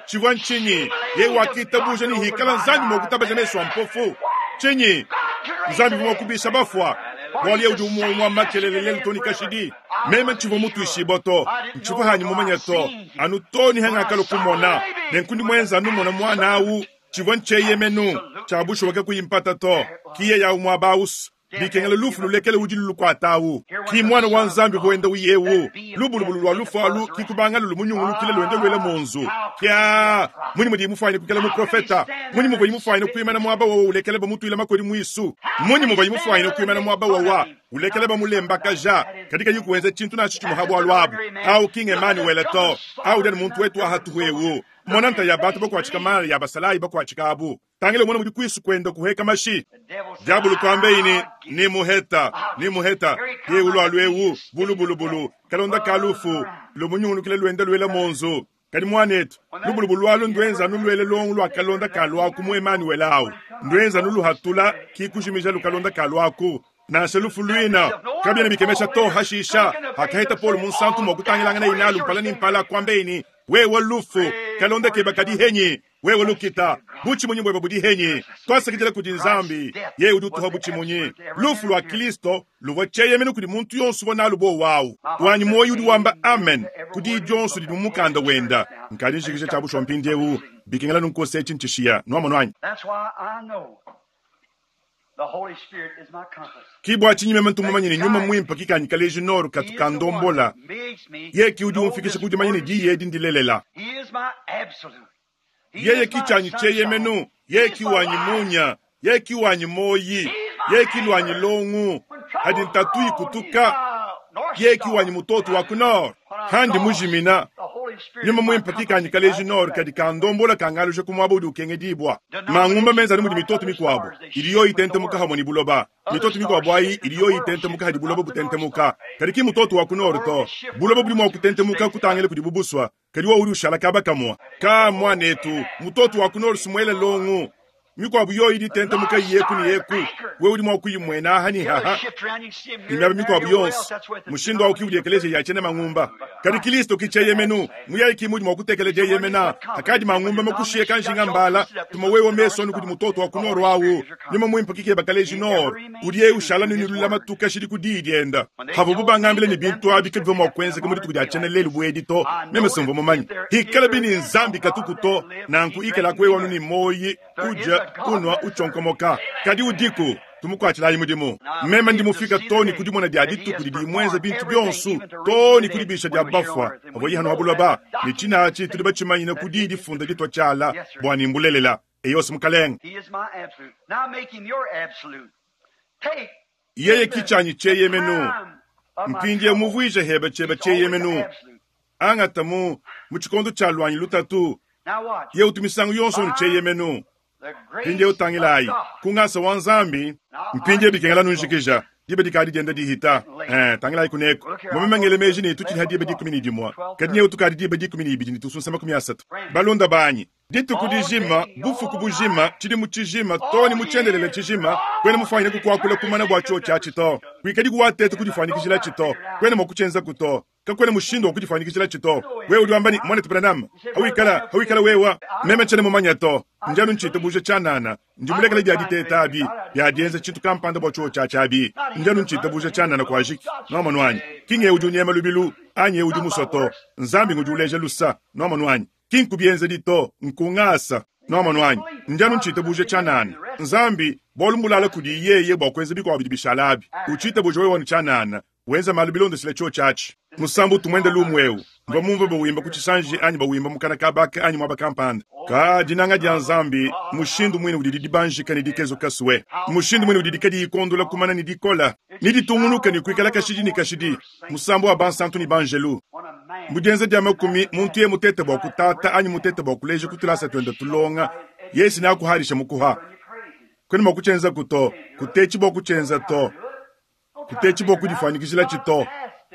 Tshivua ntsinyi? Ye wakitabuja ni hikala nzambi mwa kutabaja mesu a mpofu. Tsinyi? Nzambi mwa kubisha bafua. Bwali udi umwe mwa makelele lelu toni kashidi. Meme ntshivua mutuishi boto. Ntshivua hanyi mumanya to. Anu toni hanga kalo kumona. Nenkundi mwenza anu mona mwana awu. Tshivua ntsheyemenu. Tshiabushu wake kuyimpata to. Kiye ya umwa bausu. Bikengela lufu lulekele udi lulukwatawu. Ki mwana wa nzambi voenda uyewu. Lubulubulu lwa lufu alu kikubanga lulu munyungulukile lwende lwele munzu. Kya muni mudi mufanye kukela mu profeta. Muni mudi mufanye kuimana mwaba wa ulekele bamutuila makodi mwisu. Muni mudi mufanye kuimana mwaba wa wa. Ulekela bamulembakaja kadi kayi kuenza tshintu nansha tshimue ha bualu abu. Awu ki ng'Emanuele to, awu udi anu muntu wetu wa hatuhu ewu. Mona nta ya bantu bakuatshika mala ya basalayi bakuatshika abu. Tangila umone mudi kuisu kuenda kuheka mashi. Diabulu kuambeyi ne, ni muheta, ni muheta. Ye ulualu ewu, bulubulubulu, kalonda ka lufu, lumunyungulukile luenda luela monzu. Kadi muanetu, lubulubu lualu nduenza anu luele longo lua kalonda ka luaku mu Emanuele awu. Nduenza anu luhatula ki kujimija lukalonda ka luaku. Nansha lufu luina, kabiena bikemesha to hashisha. Hakaheta Paul munsantu mua kutangilangana inalu mpala ni mpala kuambeyi ne, wewe lufu, kalonda keba kadi henyi. Wewe lukita, butshimunyi bweba budi henyi. Twasakidila kudi Nzambi, yeye udi utuha butshimunyi. Lufu lua Kristo luvua tsheyemene kudi muntu yonso uvua nalu bowawu. Wanyi moyo udi wamba amen kudi dionso didi mu mukanda wenda. Nkadi njikija tshia bushuwa mpindiewu, bikengela nunkose etshi ntshishiya. Nuamonu anyi? That's why I know the Holy Spirit is my compass. Ki bua tshinyi meme ntumumanye ne nyuma muimpe kikanyi kaleji noro katu kandombola. Ye ki udi umfikisha ku dimanya ne diyi edi ndilelela. He is my absolute. He Yeye is ki my tshanyi tsheyemenu, sunshine. ye ki wanyi munya, ye ki wanyi moyi, ye ki lwanyi longu. Hadi ntatu ikutuka, ye ki wanyi mutoto wa ku nord. Handi mujimina, nyuma muimpe kikanyi kaleji nord kadi kandombola kangaluja ku muaba udi ukengedibwa. Mangumba menza anu mudi mitoto mikuabo, idi yo itentemuka hamwe ni buloba. Mitoto mikuabo ayi idi yo itentemuka hadi buloba butentemuka. Kadi ki mutoto wa ku nord to. Buloba budi mua kutentemuka kutangila kudi bubuswa. Kadi wo udi ushala kaba kamwa. Ka mwanetu, mutoto wa ku nord sumuele longu. Mikuabo yo idi itentemuka yeku ni yeku. We udi mua kuyimwena aha ni haha. Imyaba mikuabo yonso. Mushindu awu ki udi ekeleziya ya tshiena mangumba. Kadi Kristo ki tsheyemenu, muyayi ki mudi mua kutekeleja yemena. Akadi mangumba makushiye kanjinga mbala, tuma wewe meso anu kudi mutoto wa ku nord awu. Nyuma muimpe kikeba kaleji nord. Udi yeye ushala nunulula matuka shidi ku diyi dienda. Havo bubangambile ne bintu abi kabivua mua kuenzeka mu dituku dia tshiena lelu buedi to. Meme simvua mumanye. Hikala bini Nzambi katuku to, nanku ikala kwewa anu ni moyi, uja, kunwa, uchonkomoka. Kadi udiku, tumukuatshilayi mudimu. Meme ndi mufika to ni kudimona dia dituku didi mwenza bintu bionso, to ni kudibisha dia bafwa. Avo yihanu habuloba, ni tshinatshi tudi batshimanyina ku diyi difunda ditwa tshiala, bua ni mbulelela. Eyose mukalenge. He is my absolute. Now make him your absolute. Take Yeye ki tshanyi tsheyemenu. time of my Mpindie trouble. muvuije heba tshieba He's always tsheyemenu. absolute. Angata mu, mu tshikondo tshia lwanyi lutatu. Now watch. Ye utu misangu yonso nu tsheyemenu. The grace Mpindie utangilayi. of God. Kungasa wa Nzambi, mpindie bikengela nunjikija. Diba dikadi dienda dihita. Eh, tangilayi kuneko. Mumemengele meji ne tutshidi ha diba dikumi ne dimue. Kadi nye utukadi diba dikumi ne ibidi ne tusunsa makumi asatu. Balonda banyi. Dituku dijima, bufuku bujima, tshidimu tshijima, to ni mutshendelele tshijima, kwena mufanyine kukuakula kumana bua tshio tshiatshi to. Kuikadi kuwateta kudifanyikijila tshito. Kwena mua kutshenza kuto. Kakwena mushindu wa kudifanyikijila tshito. Wewe udi wamba ni mwana Branham. Hawikala, hawikala wewa. Meme tshene mumanya to. Njanu nchita buja tshanana. Ndi mulekele bya diteta abi, bya dienza tshintu kampanda bua tshio tshiatshi abi. Njanu nchita buja tshanana kwa jiki. Nwamonu anyi. Kinge udi unyema lubilu, anyi udi musoto. Nzambi ngudi uleja lusa. Nwamonu anyi. Kinku bienza dito, nkungasa. Nwamonu anyi. Njanu nchita buja tshanana. Nzambi, bolu mbulala kudi yeye bua kuenza bikuabo bidi bishala abi. Uchita buja wewe wanu tshanana. Wenza malu bilondeshile tshio tshiatshi. Musambu tumwende lumwewu. Mva mumve bawimba ku tshisanji anyi bawimba mukana kabaka anyi mwaba kampanda. Ka dinanga dia Nzambi, mushindu mwine udi dibanjika ne dikezo kaswe. Mushindu mwine udi dikadi ikondola kumana ne dikola. Ni ditungunuka ne kuikala kashidi ne kashidi. Musambu wa bansantu ni banjelu. When a man Mudienza dia makumi, muntu ye mutete bua kutata anyi mutete bua kuleja kutulasa twenda tulonga. Yesu ne akuharisha mukuha. Kwene mua kutshenza kuto, kutetshi bua kutshenza to. Kutetshi bua kudifanyikijila tshito.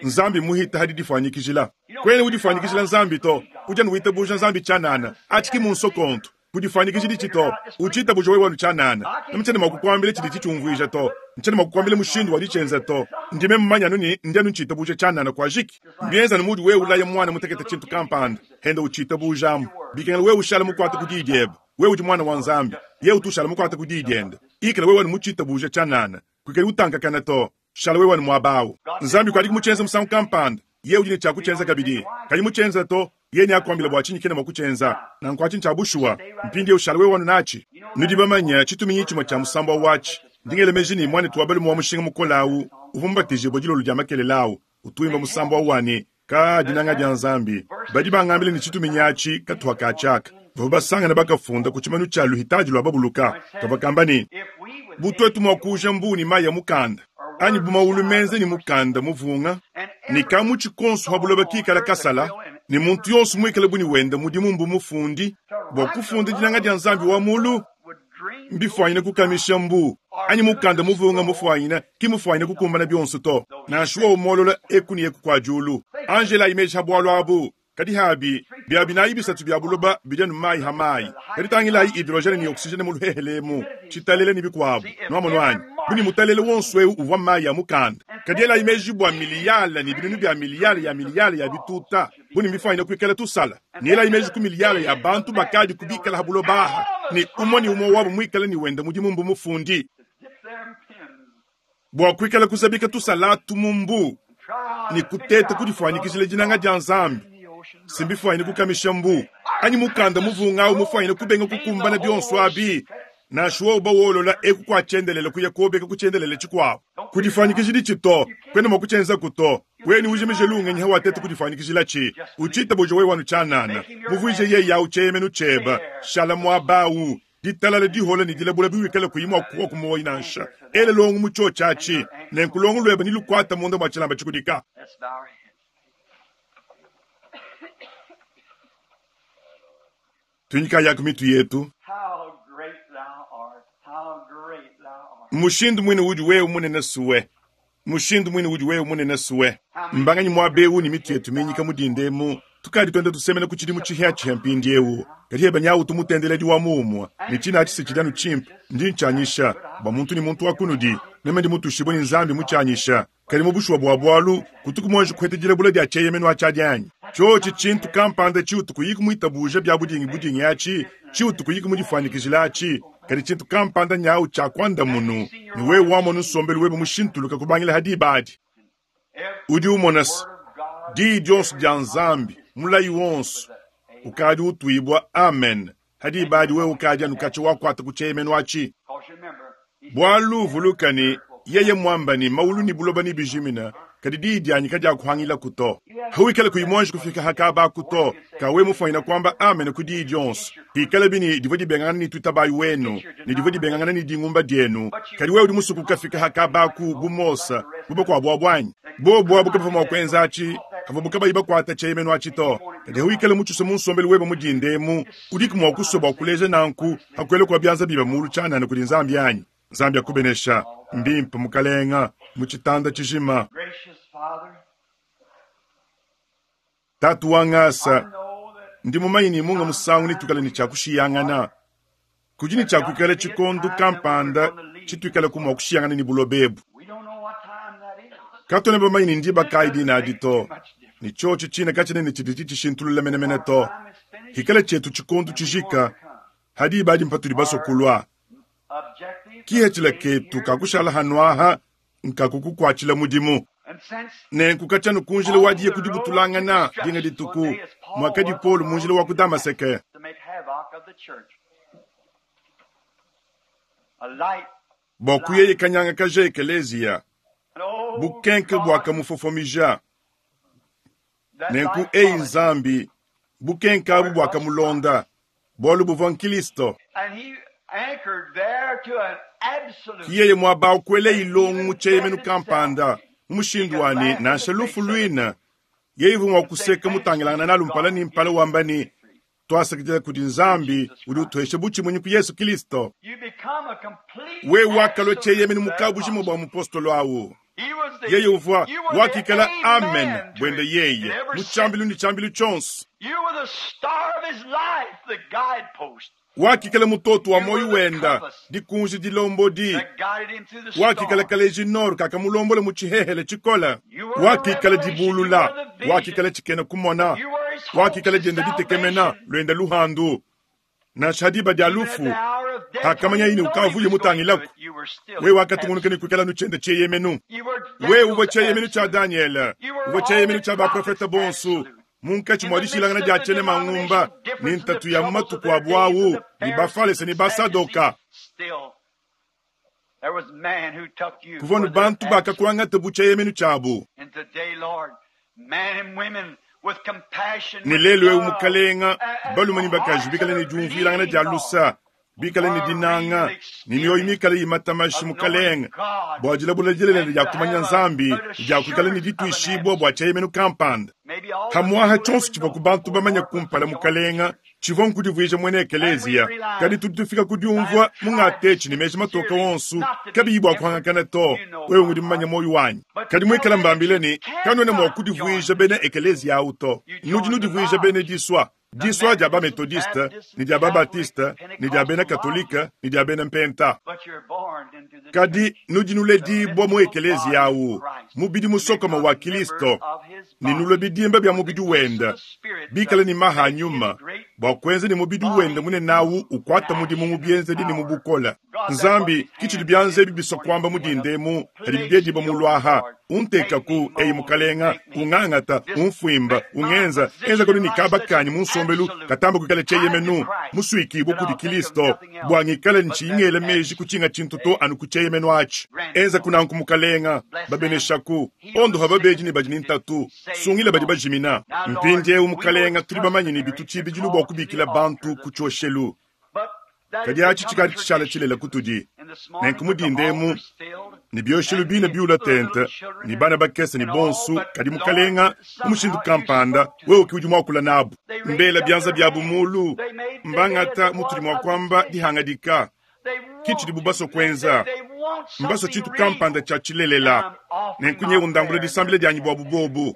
Nzambi muhita hadi difanyikijila. Kwene udifanyikijila Nzambi to, uja nuwitabuja Nzambi tshanana, atshiki munsokonto. Kudifanyikijili tshito, uchitabuja wewe wanu tshanana. Namtshene mua kukuambila tshidi tshitshiumvuija to. Ntshene mua kukuambila mushindu wa ditshenza to. Ndime mmanya anu ni ndi anu ntshitabuja tshanana kwa jiki. Mbienza nu mudi wewe ulaya mwana mutekete tshintu kampanda, henda uchitabujamu. Bikengela wewe ushala mukwata ku diyi diebe. Wewe udi mwana wa Nzambi. Ye utushala mukwata ku diyi diende. Ikala wewe wanu muchitabuja tshanana. Kuikali utankakana to. Shala wewe wanu muabawu. Nzambi kwadi kumutshenza musangu kampanda. Ye udi ne tshia kutshenza kabidi. Kadi mutshenza to, ye ne akuambila bua tshinyi kena mua kutshenza. Nanku atshi ntshia bushuwa. Mpindiewu shala wewe wanu natshi. Nudi bamanya tshituminyi tshimue tshia musambu wa watshi. Ndingele meji ni mwana tuwa balume wa mushinga mukole awu, uvua mubatijibue dilolo dia makelele awu, utuimba musambu wa wani, ka dinanga dia Nzambi. Badi bangambile ne tshituminyi atshi katuha katshiaka. Bavua basangana bakafunda ku tshimanu tshia luhitaji lua babuluka. Kavua kamba ne, If we would butwetu mua kuuja mbu ni mayi ya mukanda. Anyi bu mawulu menza ne mukanda muvunga, ne kamutshi konso ha buloba kikala kasala, ne muntu yonso muikale buni wenda mudimu mbu mufundi, bua kufunda dinanga dia Nzambi wa mulu, mbifwanyine kukamisha mbu, anyi mukanda muvunga mufwanyine, ki mufwanyine kukumbana bionso to. Nansha wowo molola eku ne eku kwa diulu. Angela imeji ha bwalu abu, kadi habi, bia binayi bisatu bia buloba bidi anu mayi ha mayi. Kadi tangilayi hydrogène ne oxygène mu luhehelemu, tshitalele ne bikuabu. Nwamonu anyi? Buni mutalele wonso ewu uvua mayi ya mukanda. Kadi elayi meji bua miliyala ne binunu bia miliyala ya miliyala ya bituta, buni mbifwanyine kuikala tusala. Ne elayi meji ku miliyala ya bantu bakadi kubikala ha buloba aha, ne umwe ne umwe wabo muikale ne wenda mudimu mbu mufundi. Bua kuikala kuzabika tusalatu mu mbu, ne kuteta kudifwanyikijila dinanga dia Nzambi. Simbifwanyine kukamisha mbu, anyi mukanda muvunga mufwanyine kubenga kukumbana bionso abi, nansha wowo bawolola eku kwa tshiendelele kuya kuobeka ku tshiendelele tshikuabu. Kudifwanyikijila tshito, kwena mua kutshienza kuto. Weni ujimije lungenyi hawateta kudifwanyikijila tshi. Uchita bojo wewe wanu tshianana. Muvuije yeye au tshieyemenu tshieba. Shala muabawu. Ditalala dihola ne dilabula biwikala kuyimwa kuwa kumoyi nansha. Ele longu mu tsho tshiatshi. Nenku longu lweba ni lukwata munda mwa tshilamba tshikudika. Let's bow our heads. Tunyika yaku mitu yetu. How great thou art. How great thou art. Mushindu mwine udi wewe munene suwe. Mushindu mwine udi wewe munene suwe. Mbanganyi mwabewu ni mitu yetu minyika mudindemu. Tukadi twenda tusemena ku tshidimu tshihia tshihia mpindiewu. Kadi heba nyawu tumutendeledi wa mumwa. Ni tshina atshi se tshidanu tshimpe. Ndi ntshianyisha. Bua muntu ni muntu wa kunudi. Meme ndi mutushibwe ni Nzambi mutshianyisha. Kadi mubushwa bua bwalu, kutuku mwanji kuhete bula dia tsheyemenu atshiadianyi. Tshotshi tshintu kampanda tshiutu kuyiku muitabuja bya budingi budingi atshi, tshiutu kuyiku mudifwanyikijila atshi. Kadi tshintu kampanda nyawu tshia kwanda munu, ni wewe wamonu nsombelu webe mushintuluka kubangila hadi badi. Udi umona se, di dionso dia Nzambi, mulayi wonso, ukadi utuibwa amen. Hadi badi wewe ukadi anu katshi wakwata ku tsheyemenu atshi. Because remember, he Bwalu vulukani, yeye mwamba ni maulu ni buloba ni bijimina, kadi di dianyi kadi akuhangila kuto. Hawikala kuyimonji kufika hakaba kuto, kawe mufanyina kwamba amen ku di dionso. Hikala bini divo dibengana ni tutabayi wenu, ni divo dibengana ni dingumba dienu. Kadi wewe udi musuku kafika hakaba ku bumosa, buba kwa bwabwanyi. Bo bwabu kabafa mwa kwenza achi, avo bukabayi bakwata tsheyemenu atshi to. Kadi hawikala mutshusa munsombelu webe mudindemu, udiku mwa kusoba kuleja nanku, hakwele kwa byanza biba mulu tshanana kudi Nzambi yanyi. Nzambi akubenesha, mbimpe mukalenga, muchitanda tshijima. Gracious Father, Tatu wangasa, I know that ndi mumanyi ni munga musangu nitukale ni tshakushiyangana. Kudi ni tshakuikala tshikondu kampanda tshituikala kumwa kushiyangana ni bulobebu. we don't know what time that is. Katone bamanyi ni ndiba kayi dina adi to. Ni tshotshi tshina katshinene tshidi tshishintulula menemene to. Time is finished. Hikala tshetu tshikondu tshijika, hadi badi mpatudi basokulwa. Objective. Kihetshila ketu kakushala hanwaha, nkakukukwatshila mudimu. And since Nenku katshanu kunjila wadiye kudibutulangana dinga dituku, mwakadi Paul munjila wa ku Damaseke. to make havoc of the church. A light. Bua kuyeye kanyanga kaja ekeleziya, And oh, bukenke God, bwakamufofomija. that Nenku light eyi followed. Nzambi, bukenke abu bwakamulonda, bwalu buvua nkilisto. And he anchored there to an absolute. Kiyeye mwaba ukwele ilongu mu tsheyemenu kampanda, mu mushindu wani nansha lufu luina. Yeye vumwa kuseka mutangilangana nalu mpala ni mpala wamba ni, twasakidila kudi Nzambi udi utuhesha butshimunyi ku Yesu Kristo. You become a complete Wewe wakalwa absolute tsheyemenu mukabujima bua mupostolo awu. He was the, Yeye uvua you were the wakikala amen amen to bwende it in yeye every mu tshambilu ni tshambilu tshonso. You were the star of his life, the guidepost Wakikala mutoto wa moyo wenda dikunji dilombodi. that guided him through the Wakikala storm. kaleji noro kakamulombola mu tshihehele tshikola. Wakikala dibulula, wakikala tshikena kumona, You were his hope, wakikala his dienda ditekemena salvation. lwenda luhandu. Nansha diba dia Even at lufu the hour of death, hakamanya when yini you know he ukavuye was going to mutangilaku. it, you were still Wewe wakatungunuka absolute. ni kuikala nuchenda tsheyemenu. You were Wewe uvua Daniel's tsheyemenu tsha absolute. Daniel, You were uvua all tsheyemenu the tsha baprofeta prophets bonso. absolute. Munkatshi In mwa the midst dishilangana of dia the tshene mangumba, denominational ni difference and the ntatu ya troubles of matuku their abu days and awu, the ni Pharisees bafalese and ni the basadoka. Sadducees, still there was man who took you Kuvua for nu their bantu absolute. bakakuangata bu tsheyemenu tshiabu. And today, Lord, men and women with compassion, Ni with lelu ewu love, mukalenga, and, and balume ni bakaji hearts bikale that ne are diumvuilangana bleeding, dia Lord. lusa. Bikale ne dinanga ne mioyo mikale imatamashi mukalenge bua dilabula dilelela dia kumanya Nzambi ne dia kuikala ne dituishibua bua tshieyemenu kampanda. Pamu'apa tshionso tshivua ku bantu bamanye kumpala mukalenga tshivua nkudivuija muena ekeleziya, kadi tudi tufika ku diumvua mungatetshi ne meji matoke wonso kabiyi bua kuhangakana to. Wewe ngudi mumanye muoyo wanyi. Kadi muikala mbambile ne kanuena mua kudivuija bena ekeleziya awu to, nudi nudivuija bena disua. Disua dia ba-methodiste ne dia ba-baptiste ne dia bena katolike ne dia bena mpenta. Kadi nudi nuledibua mu ekeleziya awu, mubidi musokoma wa Kilisto, ne nulue bidimba bia mubidi wende, bikale ne maha a nyuma, bua kuenza ne mubidi wende munene awu ukuata mudimu mu bienzedi ne mu bukole. Nzambi, ke tshidi bianza ebi bisua kuamba mu dinda emu, padibi biedibua mu luaha. Untekaku, eyi Mukalenga, ungangata, umfuimba, ungenza, enza kanu ne kaba kanyi mu nsombelu katamba kuikala tshieyemenu, musuikibue kudi Kilisto, bua ngikale ntshiyi ngela meji ku tshinga tshintu to anu ku tshieyemenu atshi. Enza kunanku Mukalenga, babeneshaku, ondoha babedi ne badi ne ntatu, sungila badi bajimina. Mpindieu Mukalenga, tudi bamanye ne bitu tshibidilu bua kubikila bantu ku tshioshelu, kadi atshi tshikadi tshishala tshilela kutudi. Nenku mu dinda emu ne bioshelu bine biula tente ne bana bakese ne bonso, kadi Mukalenga, mu mushindu kampanda wewe ke udi muakula nabu. Mbela bianza biabu mulu, mbangata mutudi mua kuamba dihangadika, ke tshidibu basua kuenza. Mbasua tshintu kampanda tshia tshilelela. Nenku nyewu ndambula disambila dianyi buabu bobu.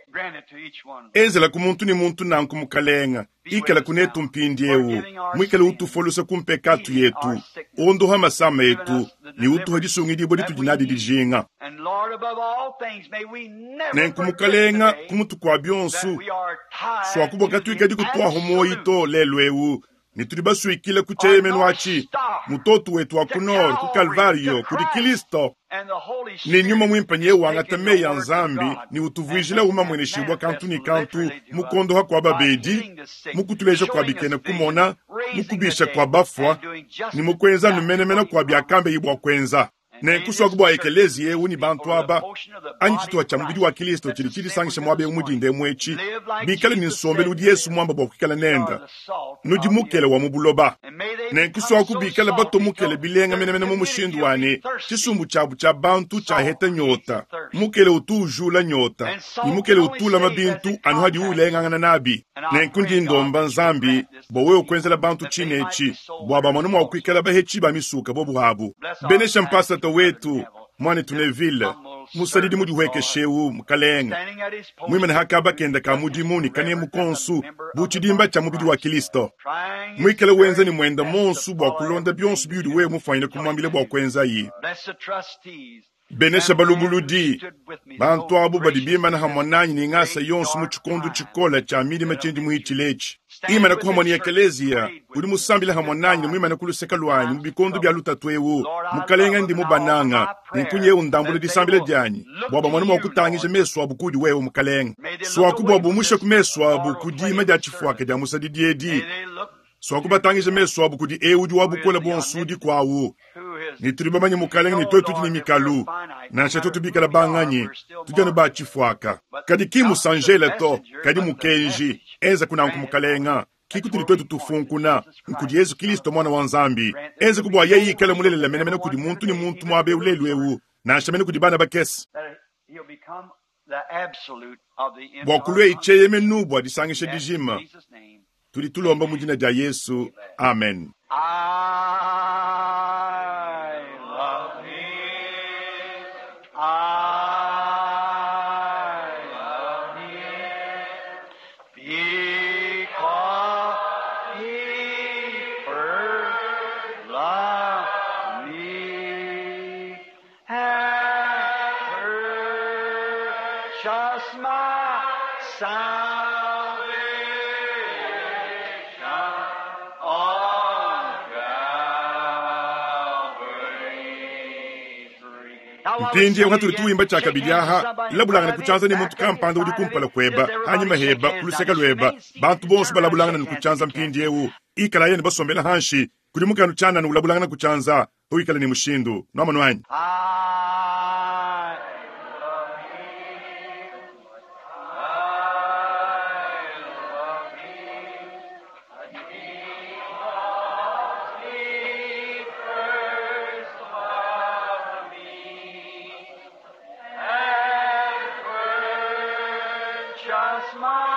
Enzela ku muntu ne muntu nanku Mukalenga, ikala kunetu mpindieu, muikale utufolusa ku mpekatu yetu, ondoha masama etu ne utuha disungidibua ditudi nadi dijinga. Nenku Mukalenga, ku mutu kua bionso, suaku bua katuikadi kutuaho muoyo to lelu eu, ne tudi basuikile ku tshieyemenu atshi, mutoto wetu wa ku nord, ku Kalvario, kudi Kilisto. Ne nyuma muimpe nyeye wangata meyi a Nzambi ne utuvuijila umamueneshibua kantu ne kantu mu kuondoha kua babedi, mu kutuleja kua bikena kumona, mu kubisha kua bafua, ne mu kuenza anu menemene kua biakambeyi bua kuenza. Nenku suaku bua ekeleziya eu ne bantu aba, anyi tshituha tshia mubidi wa Kilisto tshidi tshidisangisha muaba eu mu dinda emu etshi, bikale ne nsombelu udi Yesu muamba bua kuikala nende, nudi mukele wa mu buloba. Nenku suaku bikale batua mukele bilenga menemene mu mushindu wa ne tshisumbu tshiabu tshia bantu tshiaheta nyota. Mukele utu ujula nyota, ne mukele utu ulama bintu anu hadiwu ulengangana nabi. Nenku ndi ndomba Nzambi bua wewe kuenzela bantu tshine etshi, bua bamone mua kuikala bahetshi ba misuka bobu abu. Benesha mpasata wetu, muanetu Neville, musadidi mudihuekeshe eu Mukalenga, muimane hakaba kenda ka mudimu ne kanemu konsu bu tshidimba tshia mubidi wa Kilisto, muikale wenza ne muenda monsu bua kulonda bionso biudi wewe mufuanyine kumuambila bua kuenzayi. Benesha balubuludi, bantu abu badi bimana hamwe nanyi ne ngasa yonso mu tshikondo tshikole tshia milima tshindi muhitshile etshi. Imana ku hamwe ne ekeleziya udi musambila hamwe nanyi ne muimane ku luseke luanyi mu bikondo bia lutatu eu. Mukalenga ndi mubananga, nenku nyewu ndambula disambila dianyi bua bamone mua kutangija mesu abu kudi wewe Mukalenga. Suaku bua bumushe ku mesu abu ku dima dia tshifuaka dia musadidi edi, suaku batangija mesu abu kudi eu udi wa bukole buonso udi kuawu. Ne tudi bamanye Mukalenga ne tuetu tudi ne mikalu, nansha tuetu bikala banganyi, tudi anu ba tshifuaka. Kadi ki musanjele to, kadi mukenji. Enza kunanku Mukalenga, ki kutudi tuetu tufunkuna, nkudi Yesu Kilisto Mwana wa Nzambi. Enza ku bua yeye ikale mulelela menemene kudi muntu ne muntu muaba eu lelu eu, nansha mene kudi bana bakese. Bua kulua tshieyemenu bua disangisha dijima, tudi tulomba mu dina dia Yesu. Amen. I love him. I love him because he first loved me and purchased my salvation on Calvary's tree. Mpindieu hatudi tuwimba tshiakabidi aha, labulangana ku tshianza ne muntu kampanda udi kumpala kueba, hanyima heba, ku luseke lueba, bantu bonso balabulangana ne ku tshianza mpindieu. Ikala yene basombela hanshi, kudi mukanu tshianana ulabulangana ku tshianza, uikale ne mushindu. Nuamanu anyi? I love him. I love him. Because he my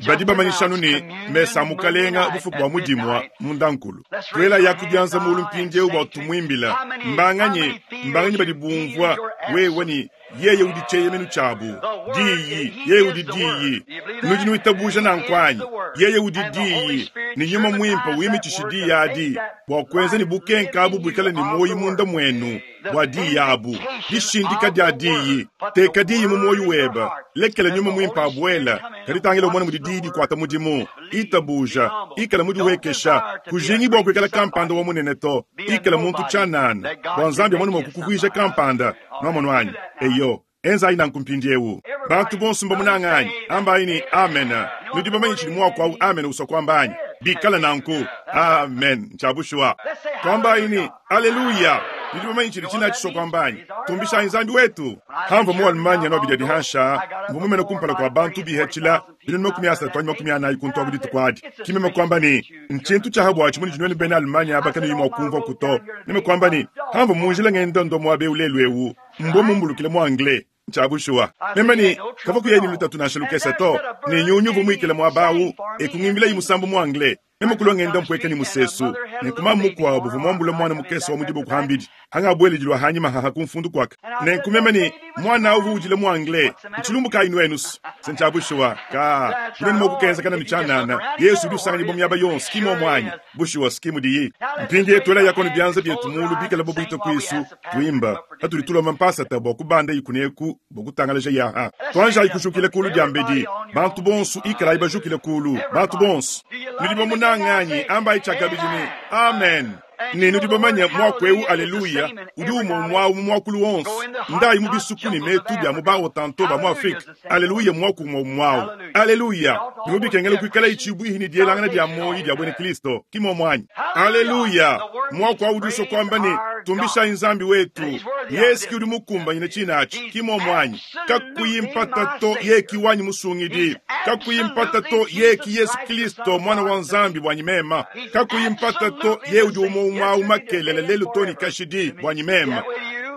Badi bamanyishanu ne mesa mukalenga bufuku bwa mudimwa mundankulu. Twela yakubyanza mulu mpindieu bwa tumwimbila. Mbanganye, mbanganye badi bumvwa wewe ni yeye udi cheyemenu chabu. Diyi, yeye udi diyi. Nudi nuitabuja nankwanyi. Yeye udi diyi. Ni nyuma mwimpa wimichishi adi. Bwa kwenza ni bukenka abu bwikala ni moyi munda mwenu. Bwa diyi abu. Dishindika dia diyi. Teka diyi mu moyi weba. Lekela nyuma mwimpa abuela. Kalitangila umwana mudi diyi dikwata mudimu. Itabuja. Ikala mudi wekesha. Kujingi bwa kwikala kampanda wa munene to. Ikala muntu chanana. Bwa nzambi mwana mwakukuvuisha kampanda. Nwamonwanyi. Eyo. Enza ina nkumpindiewu. Bantu bonso mbamunanganyi. Ambayi ni amen. Nudi bamanyi chili mwako au amen usokwambanyi. Bikala nanku. Amen. Nchabushwa. Twambayi ni haleluya. Nudi bamanyi chili china chisokwambanyi. Tumbisha nzambi wetu. Hamva mu Almanya no bidya dihansha. Mvumumene kumpala kwa bantu bihechila. Bino makumi asatu anyi makumi anayi kuntwa budi tukwadi. Kimema kwamba ni nchintu cha habwa chimuni jinweni bena Almanya abakani yimwa kumva kuto. Nime kwamba ni hamva munjila ngenda ndo mwabe ulelwewu. Mbo mumbulukile mu anglais. Nchabushwa. Mema ni kavaku yeni lutatu na shalukesa to. Ni nyunyu vumwikile mwabawu. Ekungimbila yimusambu mu anglais. Mema kulwa ngenda mpweke ni musesu. Nenkuma mukwabo vumwambula mwana mukesa wa mudibo kuhambidi. Hanga abwele jilwa hanyima haha kumfundu kwaka. Nenkumema ni mwana uvu ujile mu anglais. Nchilumbu ka inuenus. Senchabushwa. Ka. Kuneni mokukenza kana michanana. Yesu udi usanga nibomu yaba yonsi. Kimo mwanyi. Bushuwa skimu diyi. Mpindi yetu ela yakoni byanza byetu mulu bikala bobuito kwisu. Tuimba. Hatuli mampasa tabo kubanda ikuneku bokutangalaja yaha. Twanja ikushukile kulu dyambedi. Bantu bonsu ikala ibajukile kulu. Bantu bonsu. Nudi bamunanganyi amba ichakabijini. Amen. Ni nudi bamanya mwakweu aleluya. Udi umwe mwawu mwakulu wonsu. Ndayi mubisuku ni metu bya mubawo tanto ba mu Afrika. Aleluya mwaku mwa mwawu. Aleluya. Nubikengele kwikala ichibwihi ni dielangana dya moyi dya bwene Kristo. Kimo mwanyi. Aleluya. Mwaku awuduso kwamba ni tumbisha nzambi wetu. Yesu ki udi mukumba nyine chinachi. Kimo mwanyi. Kakuyimpata to yeki wanyi musungidi. Kakuyimpata to yeki Yesu Kristo mwana wa nzambi bwanyi mema. Kakuyimpata to ye udi umwe umwa umakelele lelu toni kashidi bwanyi mema.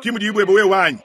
Kimudi ibwebe we wanyi.